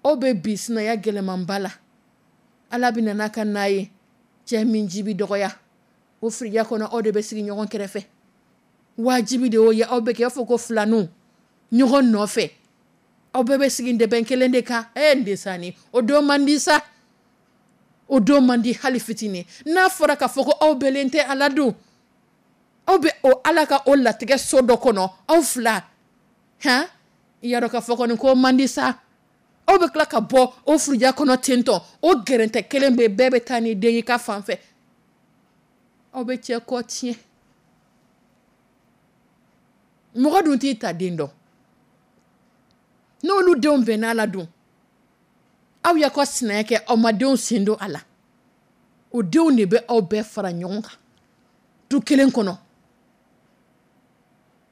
Aw bɛ bi sinaya gɛlɛmanba la. Ala bɛ na n'a ka n'a ye, cɛ min ji bɛ dɔgɔya o firiya kɔnɔ, aw de bɛ sigi ɲɔgɔn kɛrɛfɛ. Wajibi de y'o ye, aw bɛ kɛ i b'a fɔ ko filaninw ɲɔgɔn nɔfɛ, aw bɛɛ bɛ sigi dɛbɛn kelen de kan. N desani, o don man di sa, o don man di hali fitinin. N'a fɔra k'a fɔ ko aw bɛlen tɛ ala dun, aw bɛ o ala ka o latigɛ so dɔ kɔnɔ, aw fila han, i y'a dɔn k'a fɔ kɔni ko man di sa. Aw bɛ tila ka bɔ o furuja kɔnɔ ten tɔ, o gɛrɛntɛ kelen bɛ, bɛɛ bɛ taa ni den ye ka fan fɛ. Aw bɛ cɛ kɔ tiɲɛ. Mɔgɔ dun t'i ta den dɔn, n'olu denw bɛnna la dun, aw y'a ka sinaya kɛ, aw ma denw sen don a la, o denw de bɛ aw bɛɛ fara ɲɔgɔn kan du kelen kɔnɔ.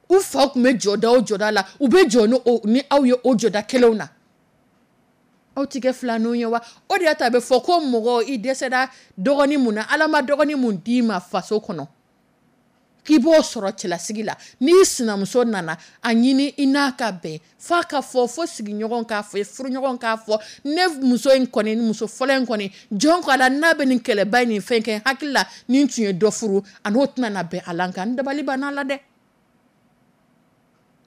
U fa tun bɛ jɔda o jɔda la, u bɛ jɔ ni aw ye o jɔda kelenw na. Aw ti kɛ filaninw ye wa? O de y'a to a bɛ fɔ ko mɔgɔ i dɛsɛra dɔgɔnin mun na, Ala ma dɔgɔnin mun d'i ma faso kɔnɔ k'i b'o sɔrɔ cɛlasigi la, n'i sinamuso nana a ɲini i n'a ka bɛn, f'a ka fɔ fo sigiɲɔgɔn k'a fɔ, furuɲɔgɔn k'a fɔ, ne muso in kɔni, muso fɔlɔ in kɔni, jɔn ko a la n'a bɛ nin kɛlɛba in nin fɛn kɛ, hakili la ni n tun ye dɔ furu a n'o tɛna na bɛn a la, nka n dabali banna la dɛ,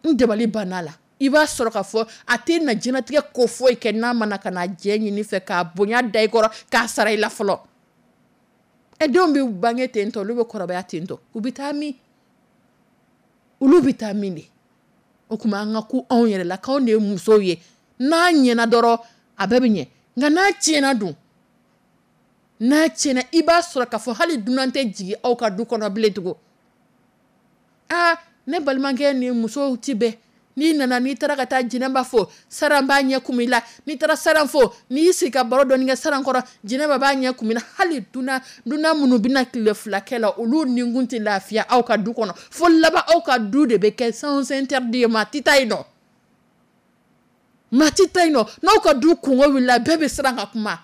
n dabali banna la. I b'a sɔrɔ k'a fɔ a tɛ na diɲɛlatigɛ ko foyi kɛ n'a ma na ka na jɛ ɲini fɛ k'a bonya da i kɔrɔ k'a sara i la fɔlɔ. Ɛ denw bɛ bange ten tɔ, olu bɛ kɔrɔbaya ten tɔ, u bɛ taa min? Olu bɛ taa min de? O tuma an ka ku anw yɛrɛ la, k'anw de ye musow ye. N'a ɲɛna dɔrɔn a bɛɛ bɛ ɲɛ, nka n'a tiɲɛna dun, n'a tiɲɛna i b'a sɔrɔ k'a fɔ hali dunan tɛ jigin aw ka du kɔnɔ bilen tugun. Aa ne balimakɛ ni musow ti bɛn. N'i nana, n'i taara ka taa Jɛnɛba fo, Saran b'a ɲɛ kun i la. N'i taara Saran fo, n'i y'i sigi ka baro dɔɔni kɛ Saran kɔrɔ, Jɛnɛba b'a ɲɛ kun i la. Hali dunan minnu bɛna tile fila kɛ la, olu ninkun tɛ lafiya aw ka du kɔnɔ. Fo laban aw ka du de bɛ kɛ sens interdit ye, maa tɛ taa yen nɔ, maa tɛ taa yen nɔ. N'aw ka du kungo wulila, bɛɛ bɛ siran ka kuma,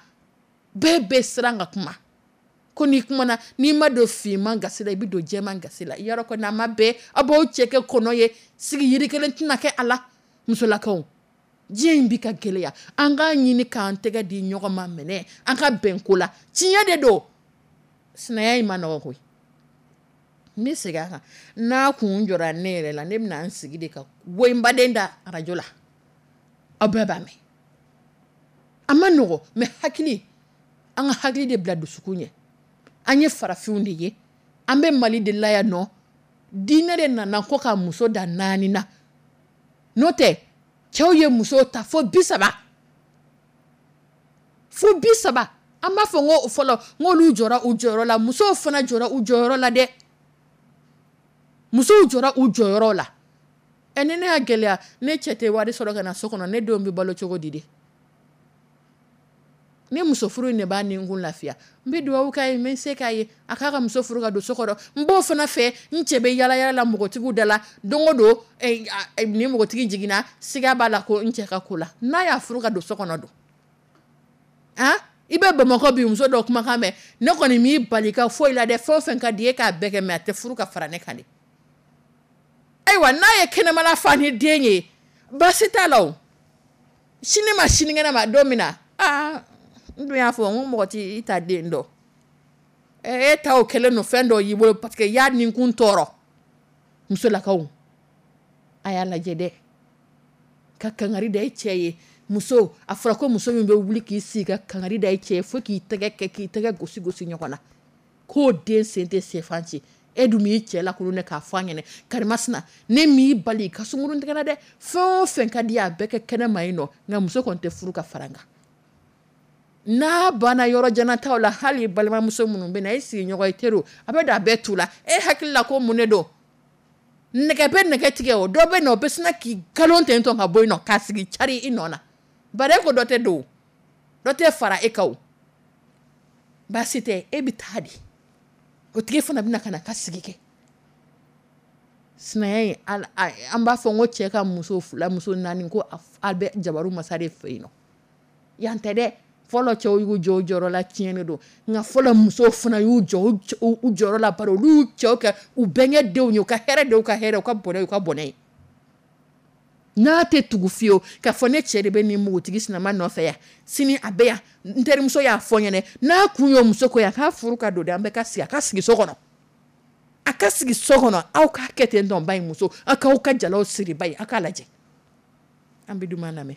bɛɛ bɛ siran ka kuma. Ko n'i kumana, n'i ma don finman gasi la, i bɛ don jɛman gasi la. Yɔrɔ kɔni a ma bɛn, aw b'aw cɛ kɛ kɔnɔ ye, sigi yiri kelen tɛna kɛ a la. Musolakaw, diɲɛ in bi ka gɛlɛya, an k'a ɲini k'an tɛgɛ di ɲɔgɔn ma minɛ, an ka bɛn ko la. Tiɲɛ de don, sinaya in ma nɔgɔ koyi. N bɛ segin a kan, n'a kun jɔra ne yɛrɛ la, ne bɛna n sigi de ka woyinbaden da arajo la, aw bɛɛ b'a mɛn. A ma nɔgɔ, mais hakili, an ka hakili de bila dusukun ɲɛ. An ye farafinw de ye, an bɛ Mali de la yan nɔ. Diinɛ de nana ko ka muso da naani na, n'o tɛ cɛw ye muso ta fo 30, fo 30. An b'a fɔ n ko fɔlɔ n k'olu jɔra u jɔyɔrɔ la, musow fana jɔra u jɔyɔrɔ la dɛ. Musow jɔra u jɔyɔrɔ la. Ɛ ni ne y'a gɛlɛya, ne cɛ tɛ wari sɔrɔ ka na so kɔnɔ, ne denw bɛ balo cogo di de? Ni muso furu in de b'a ni kun lafiya, n bɛ dugawu k'a ye, n bɛ se k'a ye a k'a ka muso furu ka don so kɔnɔ. N b'o fana fɛ, n cɛ bɛ yala yala la npogotigiw da la don o don, ni npogotigi jiginna, siga b'a la ko n cɛ ka ko la, n'a y'a furu ka don so kɔnɔ don. Han, i bɛ Bamakɔ bi muso dɔw kumakan mɛn, ne kɔni m'i bali ka foyi la dɛ, fɛn o fɛn ka di e k'a bɛɛ kɛ, mais a tɛ furu ka fara ne kan dɛ. Ayiwa, n'a ye kɛnɛmana fa ni den ye, baasi t'a la o. Sini ma sinikɛnɛ ma don min na, aa n dun y'a fɔ n ko mɔgɔ t'i ta den dɔn. E ta o kɛlen don fɛn dɔ y'i bolo parce que i y'a ninkun tɔɔrɔ. Musolakaw, a y'a lajɛ dɛ, ka kangari da i cɛ ye, Muso, a fɔra ko muso min bɛ wuli k'i sigi ka kangari da i cɛ ye fo k'i tɛgɛ kɛ, k'i tɛgɛ gosi gosi ɲɔgɔn na, k'o den sen tɛ sefan ci. E dun b'i cɛ lakolon dɛ k'a fɔ a ɲɛna: karimasina, ne m'i bali i ka sunkurun tigɛ la dɛ, fɛn o fɛn ka di a bɛɛ kɛ kɛnɛ ma yen nɔ, nka muso kɔni tɛ furu ka fara n kan. N'a banna yɔrɔ janataw la, hali balimamuso minnu bɛ na, e sigiɲɔgɔn i teri, a bɛ don a bɛɛ tu la. E hakili la ko mun de don? Nɛgɛ bɛ nɛgɛ tigɛ. O dɔ bɛ na, o bɛ sina k'i galon ten tɔ ka bɔ yen nɔ k'a sigi cari i nɔ na. Bari e ko dɔ tɛ don, dɔ tɛ fara e kan. O baasi tɛ, e bɛ taa di, o tigi fana bɛna ka na ka sigi kɛ sinaya ye. An b'a fɔ n ko cɛ ka muso fila, muso naani, ko a bɛ jabaru masa de fɛ yen nɔ. Yan tɛ dɛ. Fɔlɔ cɛw y'u jɔ u jɔyɔrɔ la, tiɲɛ de don, nka fɔlɔ musow fana y'u jɔ u jɔyɔrɔ la, bari olu y'u cɛw kɛ u bɛnkɛ denw ye, u ka hɛrɛ de y'u ka hɛrɛ, u ka bɔnɛ y'u ka bɔnɛ ye. N'a tɛ tugu fiyewu k'a fɔ ne cɛ de bɛ nin npogotigi sinama nɔfɛ yan, sini a bɛ yan, n terimuso y'a fɔ n ɲɛna, n'a kun y'o muso ko ye, a k'a furu ka don de, an bɛɛ ka sigi, a ka sigi so kɔnɔ, a ka sigi so kɔnɔ. Aw k'a kɛ ten tɔn ba in, muso, aw k'aw ka jalaw siri ba ye, aw k'a lajɛ. An bɛ duman lamɛn.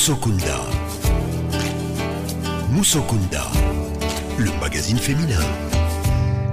Musokunda. Musokunda, le magazine féminin.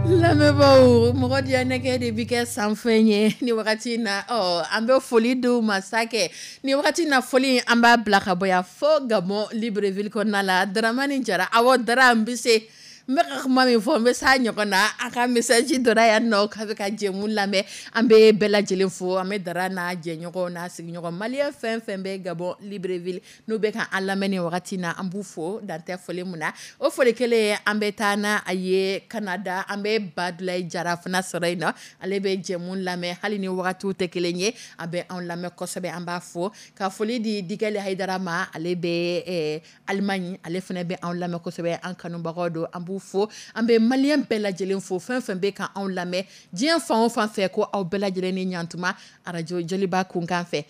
Lamɛnbaaw, mɔgɔ diya nɛgɛ de bi kɛ sanfɛn ye ni wagati in na. Ɔ, an bɛ foli di u ma sa kɛ ni wagati in na. Foli, an b'a bila ka bɔ yan fo Gabon, Libreville kɔnɔna la. Daramani Jara, awɔ, Dara, n bɛ se, n bɛ ka kuma min fɔ, n bɛ s'a ɲɔgɔn na. A ka message donna yan nɔ k'a bɛ ka jɛmu lamɛn. An bɛ bɛɛ lajɛlen fo. An bɛ Dara n'a jɛɲɔgɔnw n'a sigiɲɔgɔn, malien fɛn fɛn bɛ Gabon, Libreville, n'u bɛ ka an lamɛn nin wagati in na, an b'u fo dan tɛ foli mun na. O foli kelen, an bɛ taa n'a a ye Canada. An bɛ Badulayi Jara fana sɔrɔ yen nɔ. Ale bɛ jɛmu lamɛn, hali ni wagatiw tɛ kelen ye, a bɛ anw lamɛn kosɛbɛ. An b'a fo ka foli di Digɛli Hayidara ma. Ale bɛ Allemagne, ale fana bɛ anw lamɛn kosɛbɛ. An kanubagaw don, an b'u fo. An bɛ malien bɛɛ lajɛlen fo, fɛn fɛn bɛ ka anw lamɛn diɲɛ fan o fan fɛ, ko aw bɛɛ lajɛlen ni ɲantuma arajo Joliba kunkan fɛ.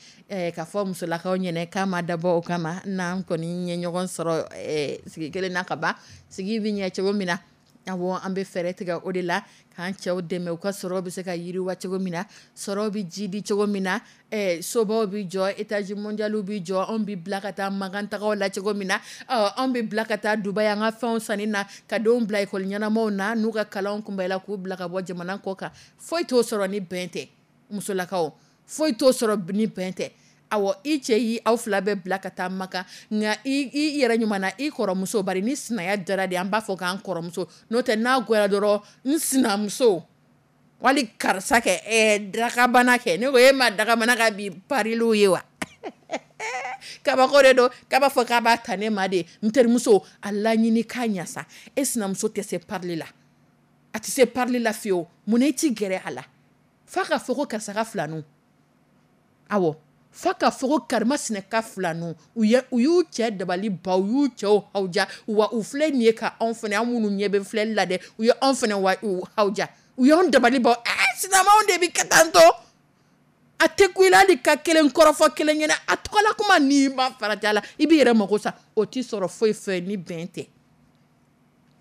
K'a fɔ musolakaw ɲɛnɛ k'a ma dabɔ o kama, n'an kɔni ye ɲɔgɔn sɔrɔ sigi kelen na ka ban, sigi bɛ ɲɛ cogo min na. Awɔ, an bɛ fɛɛrɛ tigɛ o de la k'an cɛw dɛmɛ, u ka sɔrɔ bɛ se ka yiriwa cogo min na, sɔrɔ bɛ jidi cogo min na, sobaw bɛ jɔ, étage mondial bɛ jɔ, anw bɛ bila ka taa Makantagaw la cogo min na, anw bɛ bila ka taa Dubaï an ka fɛnw sanni na, ka denw bila ekɔli ɲɛnamaw na, n'u ka kalanw kunbɛla, k'u bila ka bɔ jamana kɔ kan. Foyi t'o sɔrɔ ni bɛn tɛ. Musolakaw, foyi t'o sɔrɔ ni bɛn tɛ. Awɔ, i cɛ y'i aw fila bɛɛ bila ka taa Maka, nka i yɛrɛ ɲuman na, i kɔrɔmuso bari ni sinaya dara de, an b'a fɔ k'an kɔrɔmuso, n'o tɛ n'a goyara dɔrɔn, n sinamuso wali karisa kɛ dakabana kɛ. Ne ko e ma dakabana ka bi pariliw ye wa? Kabako de don k'a b'a fɔ k'a b'a ta ne ma de. N terimuso, a laɲini k'a ɲɛ sa. E sinamuso tɛ se parili la, a tɛ se parili la fiyewu. Mun na i ti gɛrɛ a la f'a ka fɔ ko karisa ka filaninw? Awɔ, f'a ka fɔ ko karimasina ka filaninw, u y'u cɛ dabali ban, u y'u cɛw hawuja. Wa u filɛ nin ye ka anw fana, an minnu ɲɛ bɛ filɛli la dɛ, u ye anw fana wa u hawuja, u y'anw dabali ban. Sinamaw de bi kɛ tan tɔ. A tɛ ku i la hali ka kelen kɔrɔfɔ kelen ɲɛna, a tɔgɔla kuma n'i ma farati a la, i b'i yɛrɛ mago sa. O t'i sɔrɔ foyi fɛ ni bɛn tɛ.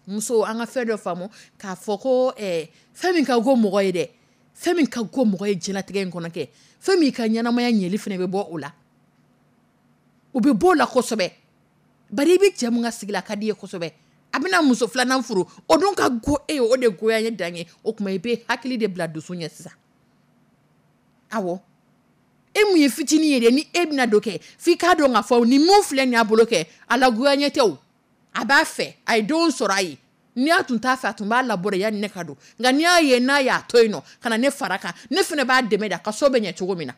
Muso, an ka fɛn dɔ faamu k'a fɔ ko fɛn min ka go mɔgɔ ye dɛ, fɛn min ka go mɔgɔ ye diɲɛlatigɛ in kɔnɔ kɛ, fɛn min ka ɲɛnamaya ɲɛli fana bɛ bɔ o la, o bɛ bɔ o la kosɛbɛ. Bari i bɛ cɛ min ka sigi la, a ka di i ye kosɛbɛ, a bɛna muso filanan furu, o dun ka go e ye, o de goya ye dan ye. O tuma i bɛ hakili de bila dusu ɲɛ sisan. Awɔ, e mun ye fitinin ye dɛ, ni e bɛna don kɛ, f'i k'a dɔn k'a fɔ ni mun filɛ nin y'a bolo kɛ, a la goya ɲɛ tɛ o, a b'a fɛ, a ye denw sɔrɔ a ye. N'i y'a tun t'a fɛ, a tun b'a labɔ de yanni ne ka don. Nka n'i y'a ye n'a y'a to yen nɔ ka na ne fara kan, ne fana b'a dɛmɛ de, a ka so bɛ ɲɛ cogo min na,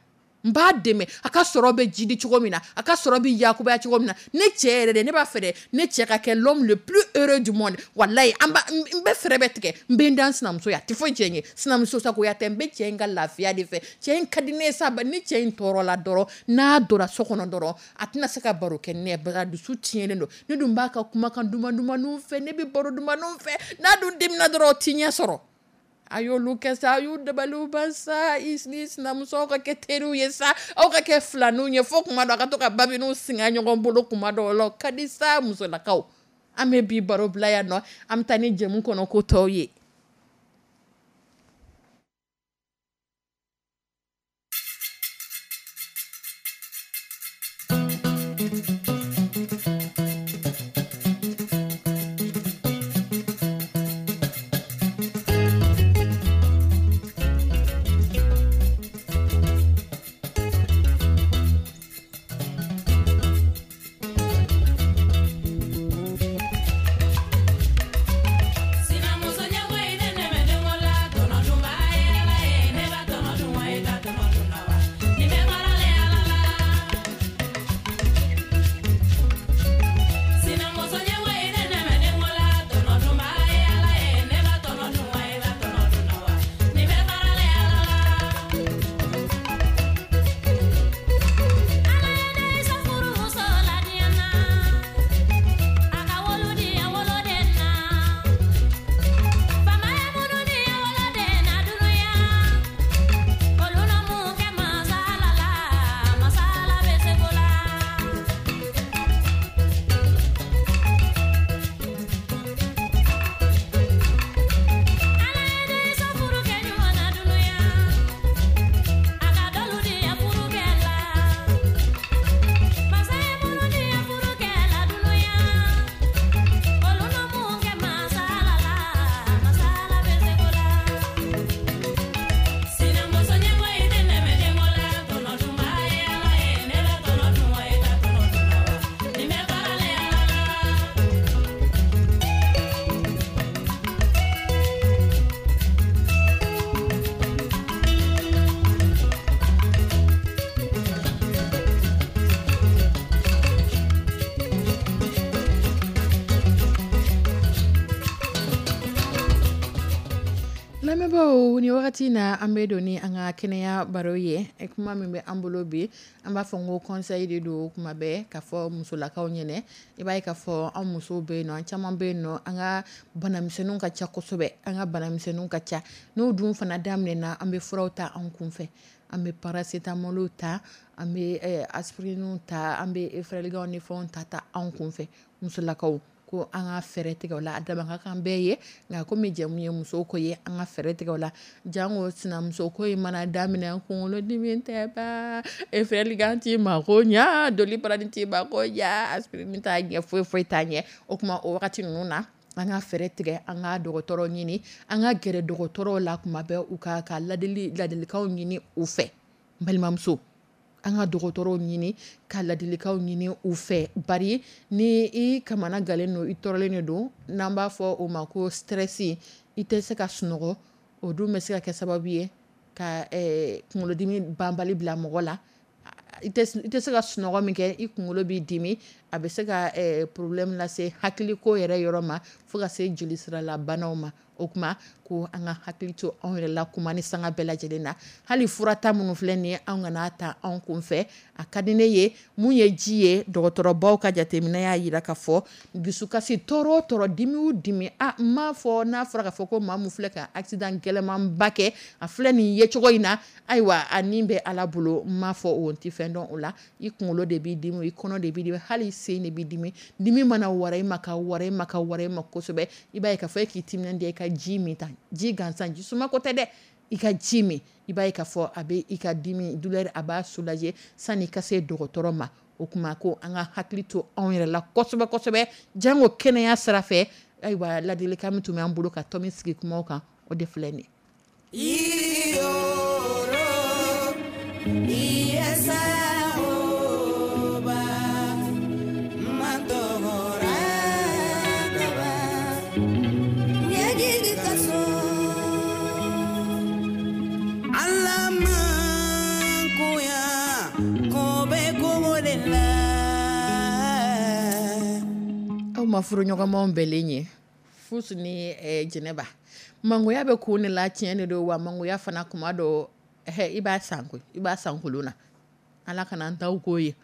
n b'a dɛmɛ, a ka sɔrɔ bɛ jidi cogo min na, a ka sɔrɔ bɛ yakubaya cogo min na. Ne cɛ yɛrɛ de, ne b'a fɛ dɛ, ne cɛ ka kɛ l'homme le plus heureux du monde. Walayi, an ba n bɛ fɛɛrɛ bɛɛ tigɛ, n bɛ n da n sinamuso ye, a tɛ foyi tiɲɛ n ye. Sinamuso sagoya tɛ, n bɛ cɛ in ka lafiya de fɛ. Cɛ in ka di ne ye sa, ni cɛ in tɔɔrɔla dɔrɔn, n'a donna so kɔnɔ dɔrɔn, a tɛna se ka baro kɛ ni ne ye, bari a dusu tiɲɛnen don. Ne dun b'a ka kumakan duman dumanninw fɛ, ne bɛ baro dumanninw fɛ. N'a dun dimina dɔrɔn, o t'i ɲɛ sɔrɔ. A y'olu kɛ sa, a y'u dabaliw ban sa. I ni sinamuso ka kɛ teriw ye sa, aw ka kɛ filaninw ye, fo kuma dɔ a ka to ka babiniw singa ɲɔgɔn bolo kuma dɔw la, o ka di sa. Musolakaw, an bɛ bi baro bila yan nɔ, an bɛ taa ni jɛmu kɔnɔ ko tɔw ye. Sinamuso. Lamɛnbaaw, ni wagati na, an bɛ don ni an ka kɛnɛya baro ye. Kuma min bɛ an bolo bi, an b'a fɔ n ko conseil de don kuma bɛɛ ka fɔ musolakaw ɲɛnɛ. I b'a ye k'a fɔ an musow bɛ yen nɔ, an caman bɛ yen nɔ, an ka banamisɛnninw ka ca kosɛbɛ. An ka banamisɛnninw ka ca. N'o dun fana daminɛna, an bɛ furaw ta an kunfɛ. An bɛ paracétamol ta, an bɛ aspirine ta, an bɛ Efferalgan ni fɛnw ta ta an kunfɛ. Musolakaw ko an ka fɛɛrɛ tigɛ o la. A dama ka kan bɛɛ ye, nka komi jɛmu ye musow ko ye, an ka fɛɛrɛ tigɛ o la. Jango sinamuso ko in mana daminɛ, kunkolodimi tɛ ban, Efferalgan t'i mako ɲa, Doliprane t'i mako ɲa, aspirine t'a ɲɛ, foyi foyi t'a ɲɛ. O tuma, o wagati ninnu na, an ka fɛɛrɛ tigɛ, an ka dɔgɔtɔrɔ ɲini, an ka gɛrɛ dɔgɔtɔrɔw la kuma bɛɛ, u ka ladili ladilikanw ɲini u fɛ. N balimamuso, an ka dɔgɔtɔrɔw ɲini ka ladilikanw ɲini u fɛ, bari ni i kamana galen don, i tɔɔrɔlen de don, n'an b'a fɔ o ma ko stress, i tɛ se ka sunɔgɔ. O dun bɛ se ka kɛ sababu ye ka kunkolodimi banbali bila mɔgɔ la. I tɛ se ka sunɔgɔ min kɛ, i kunkolo b'i dimi, a bɛ se ka problème lase hakiliko yɛrɛ yɔrɔ ma, fo ka se joli siralabanaw ma. O tuma ko an ka hakili to anw yɛrɛ la kuma ni sanga bɛɛ lajɛlen na. Hali furata minnu filɛ nin ye, an kana ta anw kun fɛ. A ka di ne ye mun ye ji ye. Dɔgɔtɔrɔbaw ka jateminɛ y'a jira ka fɔ dusukasi, tɔɔrɔ o tɔɔrɔ, dimi o dimi, a n m'a fɔ n'a fɔra k'a fɔ ko maa min filɛ ka accident gɛlɛnmanba kɛ, a filɛ nin ye cogo in na, ayiwa, a nin bɛ Ala bolo. N m'a fɔ o tɛ fɛn dɔn o la. I kunkolo de b'i dimi, i kɔnɔ de b'i dimi, hali sen de b'i dimi. Dimi mana wara i ma, ka wara i ma, ka wara i ma kosɛbɛ, i b'a ye k'a fɔ e k'i timinandiya, i ka ji min ta, ji gansan, ji suma ko tɛ dɛ, i ka ji min, i b'a ye k'a fɔ a bɛ i ka dimi, douleur, a b'a soulager sani i ka se dɔgɔtɔrɔ ma. O tuma ko an ka hakili to anw yɛrɛ la kosɛbɛ kosɛbɛ, jango kɛnɛya sira fɛ. Ayiwa, ladilikan min tun b'an bolo ka tɔmi sigi kumaw kan, o de filɛ nin ye. Aw ma furu ɲɔgɔnmaw bɛɛlen ye fusu ni Jɛnɛba. Mangoya bɛ kun de la, tiɲɛ de don wa. Mangoya fana, kuma dɔ i b'a san koyi, i b'a san kolon na. Ala kana an taw k'o ye,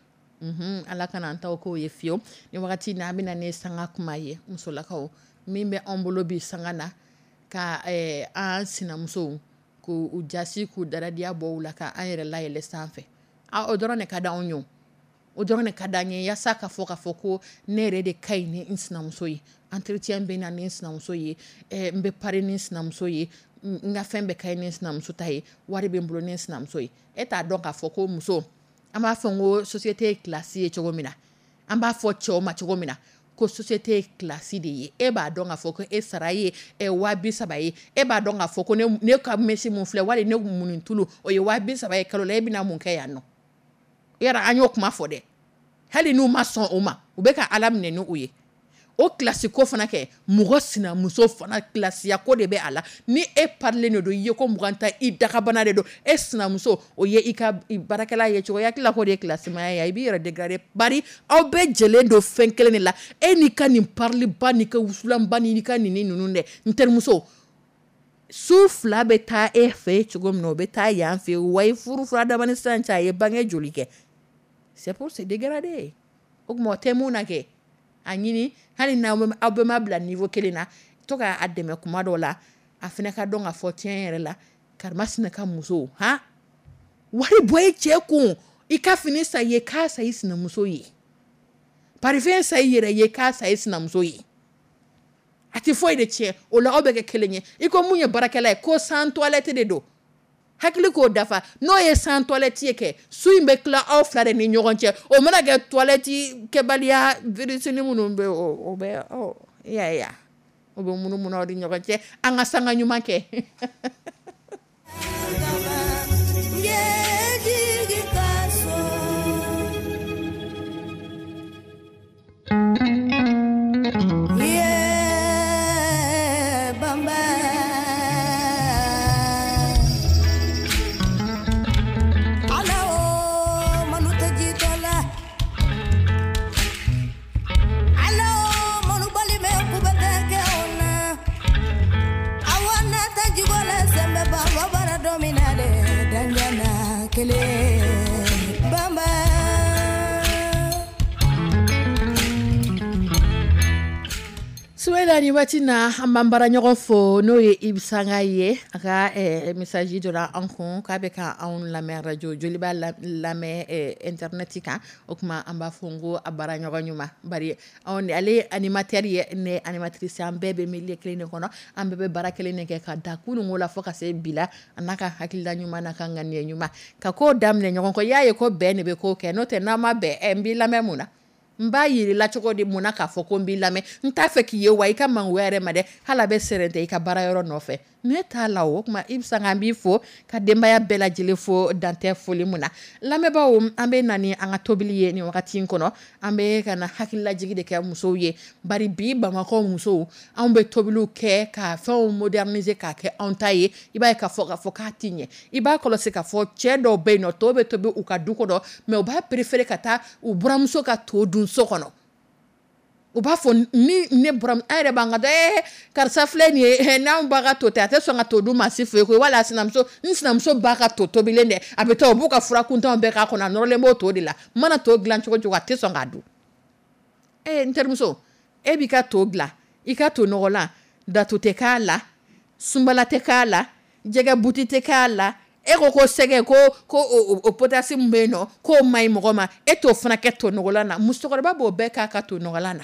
Ala kana an taw k'o ye fiyewu. Ni wagati n'a bɛna ne sanga kuma ye, musolakaw, min bɛ anw bolo bi sanga na ka an sinamusow k'u jasi, k'u daradiya bɔ u la, ka an yɛrɛ layɛlɛ sanfɛ, o dɔrɔn de ka di anw ye. O dɔrɔn de ka di an ye, yaasa ka fɔ k'a fɔ ko ne yɛrɛ de ka ɲi ni n sinamuso ye, entretien bɛ na ni n sinamuso ye, n bɛ pari ni n sinamuso ye, n ka fɛn bɛɛ ka ɲi ni n sinamuso ta ye, wari bɛ n bolo ni n sinamuso ye. E t'a dɔn k'a fɔ ko muso, an b'a fɔ ko société ye classe ye cogo min na, an b'a fɔ cɛw ma cogo min na ko société ye classe de ye. E b'a dɔn k'a fɔ ko e sara ye 30.000 ye. E b'a dɔn k'a fɔ ko ne ka mèche mun filɛ, wali ne munni tulu, o ye 30.000 ye kalo la. E bɛna mun kɛ yan nɔ? Yɔrɔ an y'o kuma fɔ dɛ. Hali n'u ma sɔn o ma, u bɛ ka Ala minɛ ni o ye. O classe ko fana kɛ, mɔgɔ sinamuso fana classe ko de bɛ a la. Ni e parilen de don, i ye ko 20 ta, i dagabana de don, e sinamuso o ye i ka baarakɛla ye cogo, i hakili la k'o de ye classe maya ye? I b'i yɛrɛ dégrader, bari aw bɛɛ jɛlen don fɛn kelen de la. E n'i ka nin pariliba, n'i ka wusulanba, n'i ka nin ninnu dɛ, n terimuso, su fila bɛ taa e fɛ cogo min na, o bɛ taa yan fɛ. Wa i furu fura dama ni sisan cɛ, a ye bange joli kɛ? C'est pour se dégrader. O tuma, o tɛ mun na kɛ, a ɲini hali n'aw aw bɛɛ ma bila niveau kelen na, to k'a dɛmɛ kuma dɔw la, a fana ka dɔn k'a fɔ tiɲɛ yɛrɛ la, karimasina ka muso han wari bɔ i cɛ kun, i ka fini san i ye, k'a san i sinamuso ye, parfum san i yɛrɛ ye, k'a san i sinamuso ye, a tɛ foyi de tiɲɛ o la. Aw bɛ kɛ kelen ye. I ko mun ye baarakɛla ye, ko sans toilette de don, hakili k'o dafa. N'o ye sans toilette ye kɛ, su in bɛ tila aw fila de ni ɲɔgɔn cɛ. O mana kɛ toilette kɛbaliya, virusini minnu bɛ o bɛ ɔ i y'a ye, o bɛ munumunu aw ni ɲɔgɔn cɛ. An ka sanga ɲuman kɛ. Don min na dɛ, danjana kelen banba. Suwela, ni waati na an b'an bara ɲɔgɔn fo, n'o ye Ibisanga ye. A ka message dɔ an kun k'a bɛ ka anw lamɛn radio Joliba lamɛn internet kan. O tuma an b'a fɔ n ko a baara ɲɔgɔn ɲuman, bari anw ale ye animateur ye, ne ye animatrice. An bɛɛ bɛ milieu kelen de kɔnɔ, an bɛɛ bɛ baara kelen de kɛ ka da kununko la fo ka se bi la. A n'a ka hakilila ɲuman n'a ka ŋaniya ɲuman ka ko daminɛ ɲɔgɔn kɔ. I y'a ye ko bɛn de bɛ ko kɛ, n'o tɛ n'an ma bɛn, n b'i lamɛn mun na? N b'a yir'i la cogo di mun na k'a fɔ ko n b'i lamɛn? N t'a fɛ k'i ye wa i ka mangoya yɛrɛ ma dɛ, hali a bɛ sɛrɛntɛ i ka baara yɔrɔ nɔfɛ, ne t'a la. O tuma i bɛ san, an b'i fo ka denbaya bɛɛ lajɛlen fo, dantɛ foli mun na. Lamɛnbaaw, an bɛ na ni an ka tobili ye nin wagati in kɔnɔ. An bɛ ka na hakililajigi de kɛ musow ye, bari bi Bamakɔ musow, anw bɛ tobiliw kɛ ka fɛnw moderniser k'a kɛ anw ta ye. I b'a ye k'a fɔ k'a ti ɲɛ. I b'a kɔlɔsi k'a fɔ cɛ dɔw bɛ yen nɔ, to bɛ tobi u ka du kɔnɔ, mais u b'a préférer ka taa u buramuso ka to dun so kɔnɔ. U b'a fɔ ni ne buram, an yɛrɛ b'an ka karisa filɛ nin ye, n'anw ba ka to tɛ, a tɛ sɔn ka to dun maa si fɛ yen koyi. Wala sinamuso, n sinamuso ba ka to tobilen dɛ, a bɛ taa u b'u ka fura kuntanw bɛɛ k'a kɔnɔ, a nɔrɔlen b'o to de la. N mana to dilan cogo cogo, a tɛ sɔn k'a dun. N terimuso, e b'i ka to dilan, i ka to nɔgɔlan, datu tɛ k'a la, sunbala tɛ k'a la, jɛgɛ buti tɛ k'a la. E ko sɛgɛ ko o potasse min bɛ yen nɔ, k'o man ɲi mɔgɔ ma, e t'o fana kɛ to nɔgɔlan na. Musokɔrɔba b'o bɛɛ k'a ka to nɔgɔlan na,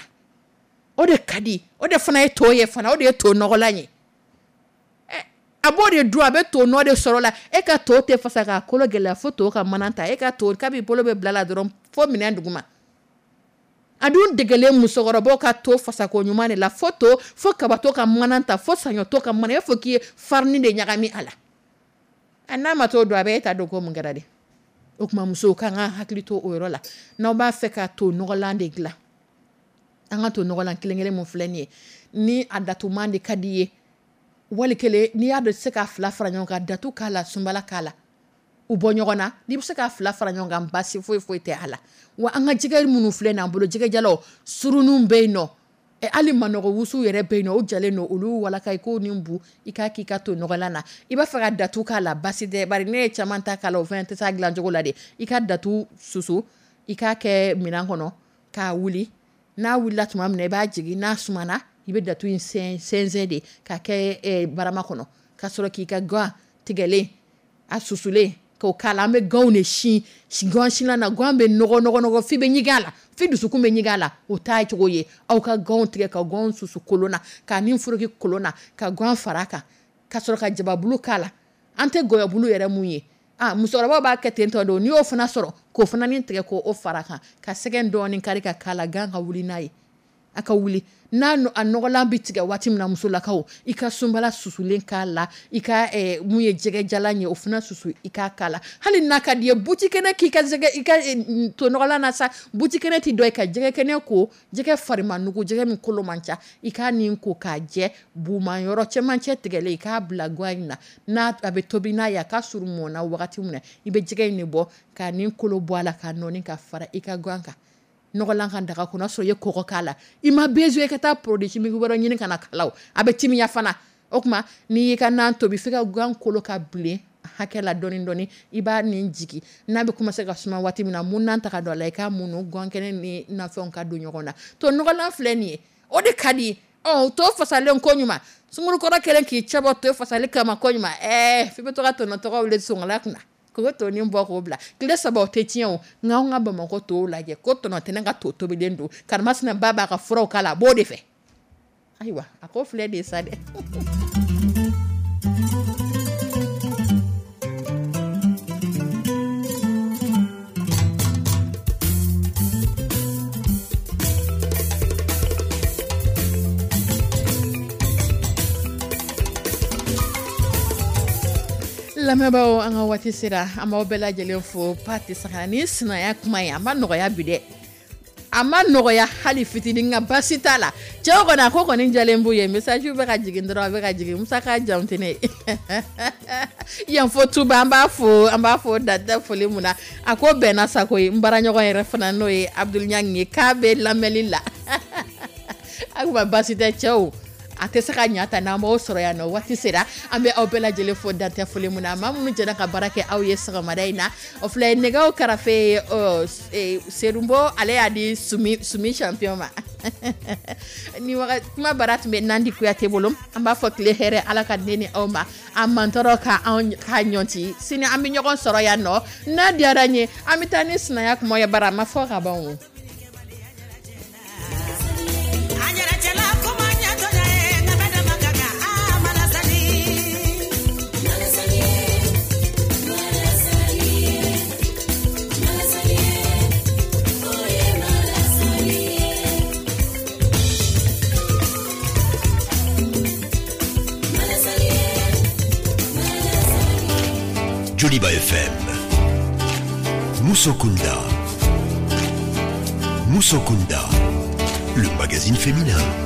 o de ka di, o de fana ye to ye fana, o de ye to nɔgɔlan ye. A b'o de dun, a bɛ to nɔ de sɔrɔ la. E ka to tɛ fasa k'a kolo gɛlɛya fo to ka mana ta. E ka to kabi bolo bɛ bila la dɔrɔn fo minɛn duguma. A dun degelen musokɔrɔbaw ka to fasako ɲuman de la, fo to, fo kabato ka mana ta, fo saɲɔto ka mana, e fo k'i ye farini de ɲagami a la. A n'a ma t'o dɔn, a bɛ e ta dɔn ko mun kɛra de. O tuma musow k'an ka hakili to o yɔrɔ la. N'aw b'a fɛ ka to nɔgɔlan de dilan, an ka to nɔgɔlan kelen kelen mun filɛ nin ye, ni a datuman de ka di i ye, wali kelen n'i y'a dɔn i tɛ se k'a fila fara ɲɔgɔn kan, datu k'a la, sunbala k'a la, u bɔ ɲɔgɔn na. N'i bɛ se k'a fila fara ɲɔgɔn kan, baasi foyi foyi tɛ a la. Wa an ka jɛgɛ minnu filɛ nin an bolo, jɛgɛjalaw surununw bɛ yen nɔ, hali manɔgɔ wusu yɛrɛ bɛ yen nɔ, o jalen don, olu walaka i k'o ni bu i k'a k'i ka to nɔgɔlan na. I b'a fɛ ka datu k'a la, baasi tɛ, bari ne ye caman ta k'a la, o fana tɛ s'a dilancogo la de. I ka datu susu, i k'a kɛ minɛn kɔnɔ k'a wuli. N'a wulila tuma min na, i b'a jigin. N'a sumana, i bɛ datu in sɛnsɛn de k'a kɛ barama kɔnɔ, ka sɔrɔ k'i ka gan tigɛlen a susulen k'o k'a la. An bɛ ganw de sin gan sinna na, gan bɛ nɔgɔ nɔgɔ nɔgɔ f'i bɛ ɲigin a la, f'i dusukun bɛ ɲigin a la. O t'a cogo ye. Aw ka ganw tigɛ ka ganw susu kolon na, k'a ni foroki kolon na, ka gan fara a kan, ka sɔrɔ ka jababulu k'a la. An tɛ gɔyɔbulu yɛrɛ mun ye, musokɔrɔbaw b'a kɛ ten tɔ don. N'i y'o fana sɔrɔ, k'o fana ni tigɛ k'o fara a kan, ka sɛgɛ dɔɔni kari ka k'a la, gan ka wuli n'a ye, a ka wuli n'a a nɔgɔlan bɛ tigɛ waati min na, musolakaw, i ka sunbala susulen k'a la, i ka mun ye jɛgɛjalan ye, o fana susu i k'a k'a la. Hali n'a ka di ye, buti kɛnɛ k'i ka jɛgɛ, i ka to nɔgɔlan na sa, buti kɛnɛ ti dɔ ye, ka jɛgɛ kɛnɛ ko, jɛgɛ farima nugu, jɛgɛ min kolo man ca, i k'a nin ko k'a jɛ, buman yɔrɔ cɛmancɛ tigɛlen, i k'a bila gan in na. N'a a bɛ tobi n'a ye, a ka surun mɔn na wagati min na, i bɛ jɛgɛ in de bɔ k'a nin kolo bɔ a la, k'a nɔɔni ka fara i ka gan kan, nɔgɔlan kan daga kɔnɔ, sɔrɔ i ye kɔgɔ k'a la. I ma besoin i ka taa produit chimique wɛrɛ ɲini ka na k'a la, o a bɛ timiya fana. O tuma n'i y'i ka nan tobi f'i ka gan kolo ka bilen hakɛ la dɔɔni dɔɔni, i b'a nin jigin. N'a bɛ commencer ka suma waati min na, mun nan ta ka don a la, i k'a munu, gan kɛnɛ ni nafɛnw ka don ɲɔgɔn na. To nɔgɔlan filɛ nin ye, o de ka di. To fasalen ko ɲuman, sungurukɔrɔ kɛlen k'i cɛbɔ to fasali kama ko ɲuman, f'i bɛ to ka tɔnɔ tɔgɔ wele songala kunna k'o to ni bɔ k'o bila tile 3, o tɛ tiɲɛ o. Nka anw ka Bamakɔ tow lajɛ, ko tɔnɔ tɛ ne ka to tobilen don, karimasina ba b'a ka furaw k'a la, a b'o de fɛ. Ayiwa, a ko filɛ de sa dɛ. Lamɛnbaaw, an ka waati sera, an b'aw bɛɛ lajɛlen fo. Pati Saga ni sinaya kuma ye, a ma nɔgɔya bi dɛ, a ma nɔgɔya hali fitinin, nka baasi t'a la. Cɛw kɔni, a ko kɔni jalen b'u ye, message bɛ ka jigin dɔrɔn, a bɛ ka jigin. Musa ka jamu tɛ ne ye yan fo Tuba, an b'a fo, an b'a fo dantɛ foli mun na. A ko bɛnna sako ye. N baaraɲɔgɔn yɛrɛ fana, n'o ye Abdul Ɲangi ye, k'a bɛ lamɛnli la. A kuma baasi tɛ cɛw. A tɛ se ka ɲa ta n'an b'aw sɔrɔ yan nɔ. Waati sera, an bɛ aw bɛɛ lajɛlen fo dantɛ foli mun na. Maa minnu jɛra ka baara kɛ aw ye sɔgɔmada in na, o filɛ nɛgɛw karafe, Serunbo, ale y'a di Sumi, Sumi champion ma. Ni kuma bara tun bɛ Nandi Kuyate bolo. An b'a fɔ tile hɛrɛ, Ala ka den ni aw ma a mantɔrɔ ka anw ka ɲɔnti. Sini an bɛ ɲɔgɔn sɔrɔ yan nɔ n'a diyara n ye. An bɛ taa ni sinaya kuma ye, bara a ma fɔ ka ban o. Joliba FM. Musokunda. Musokunda. Le magazine féminin.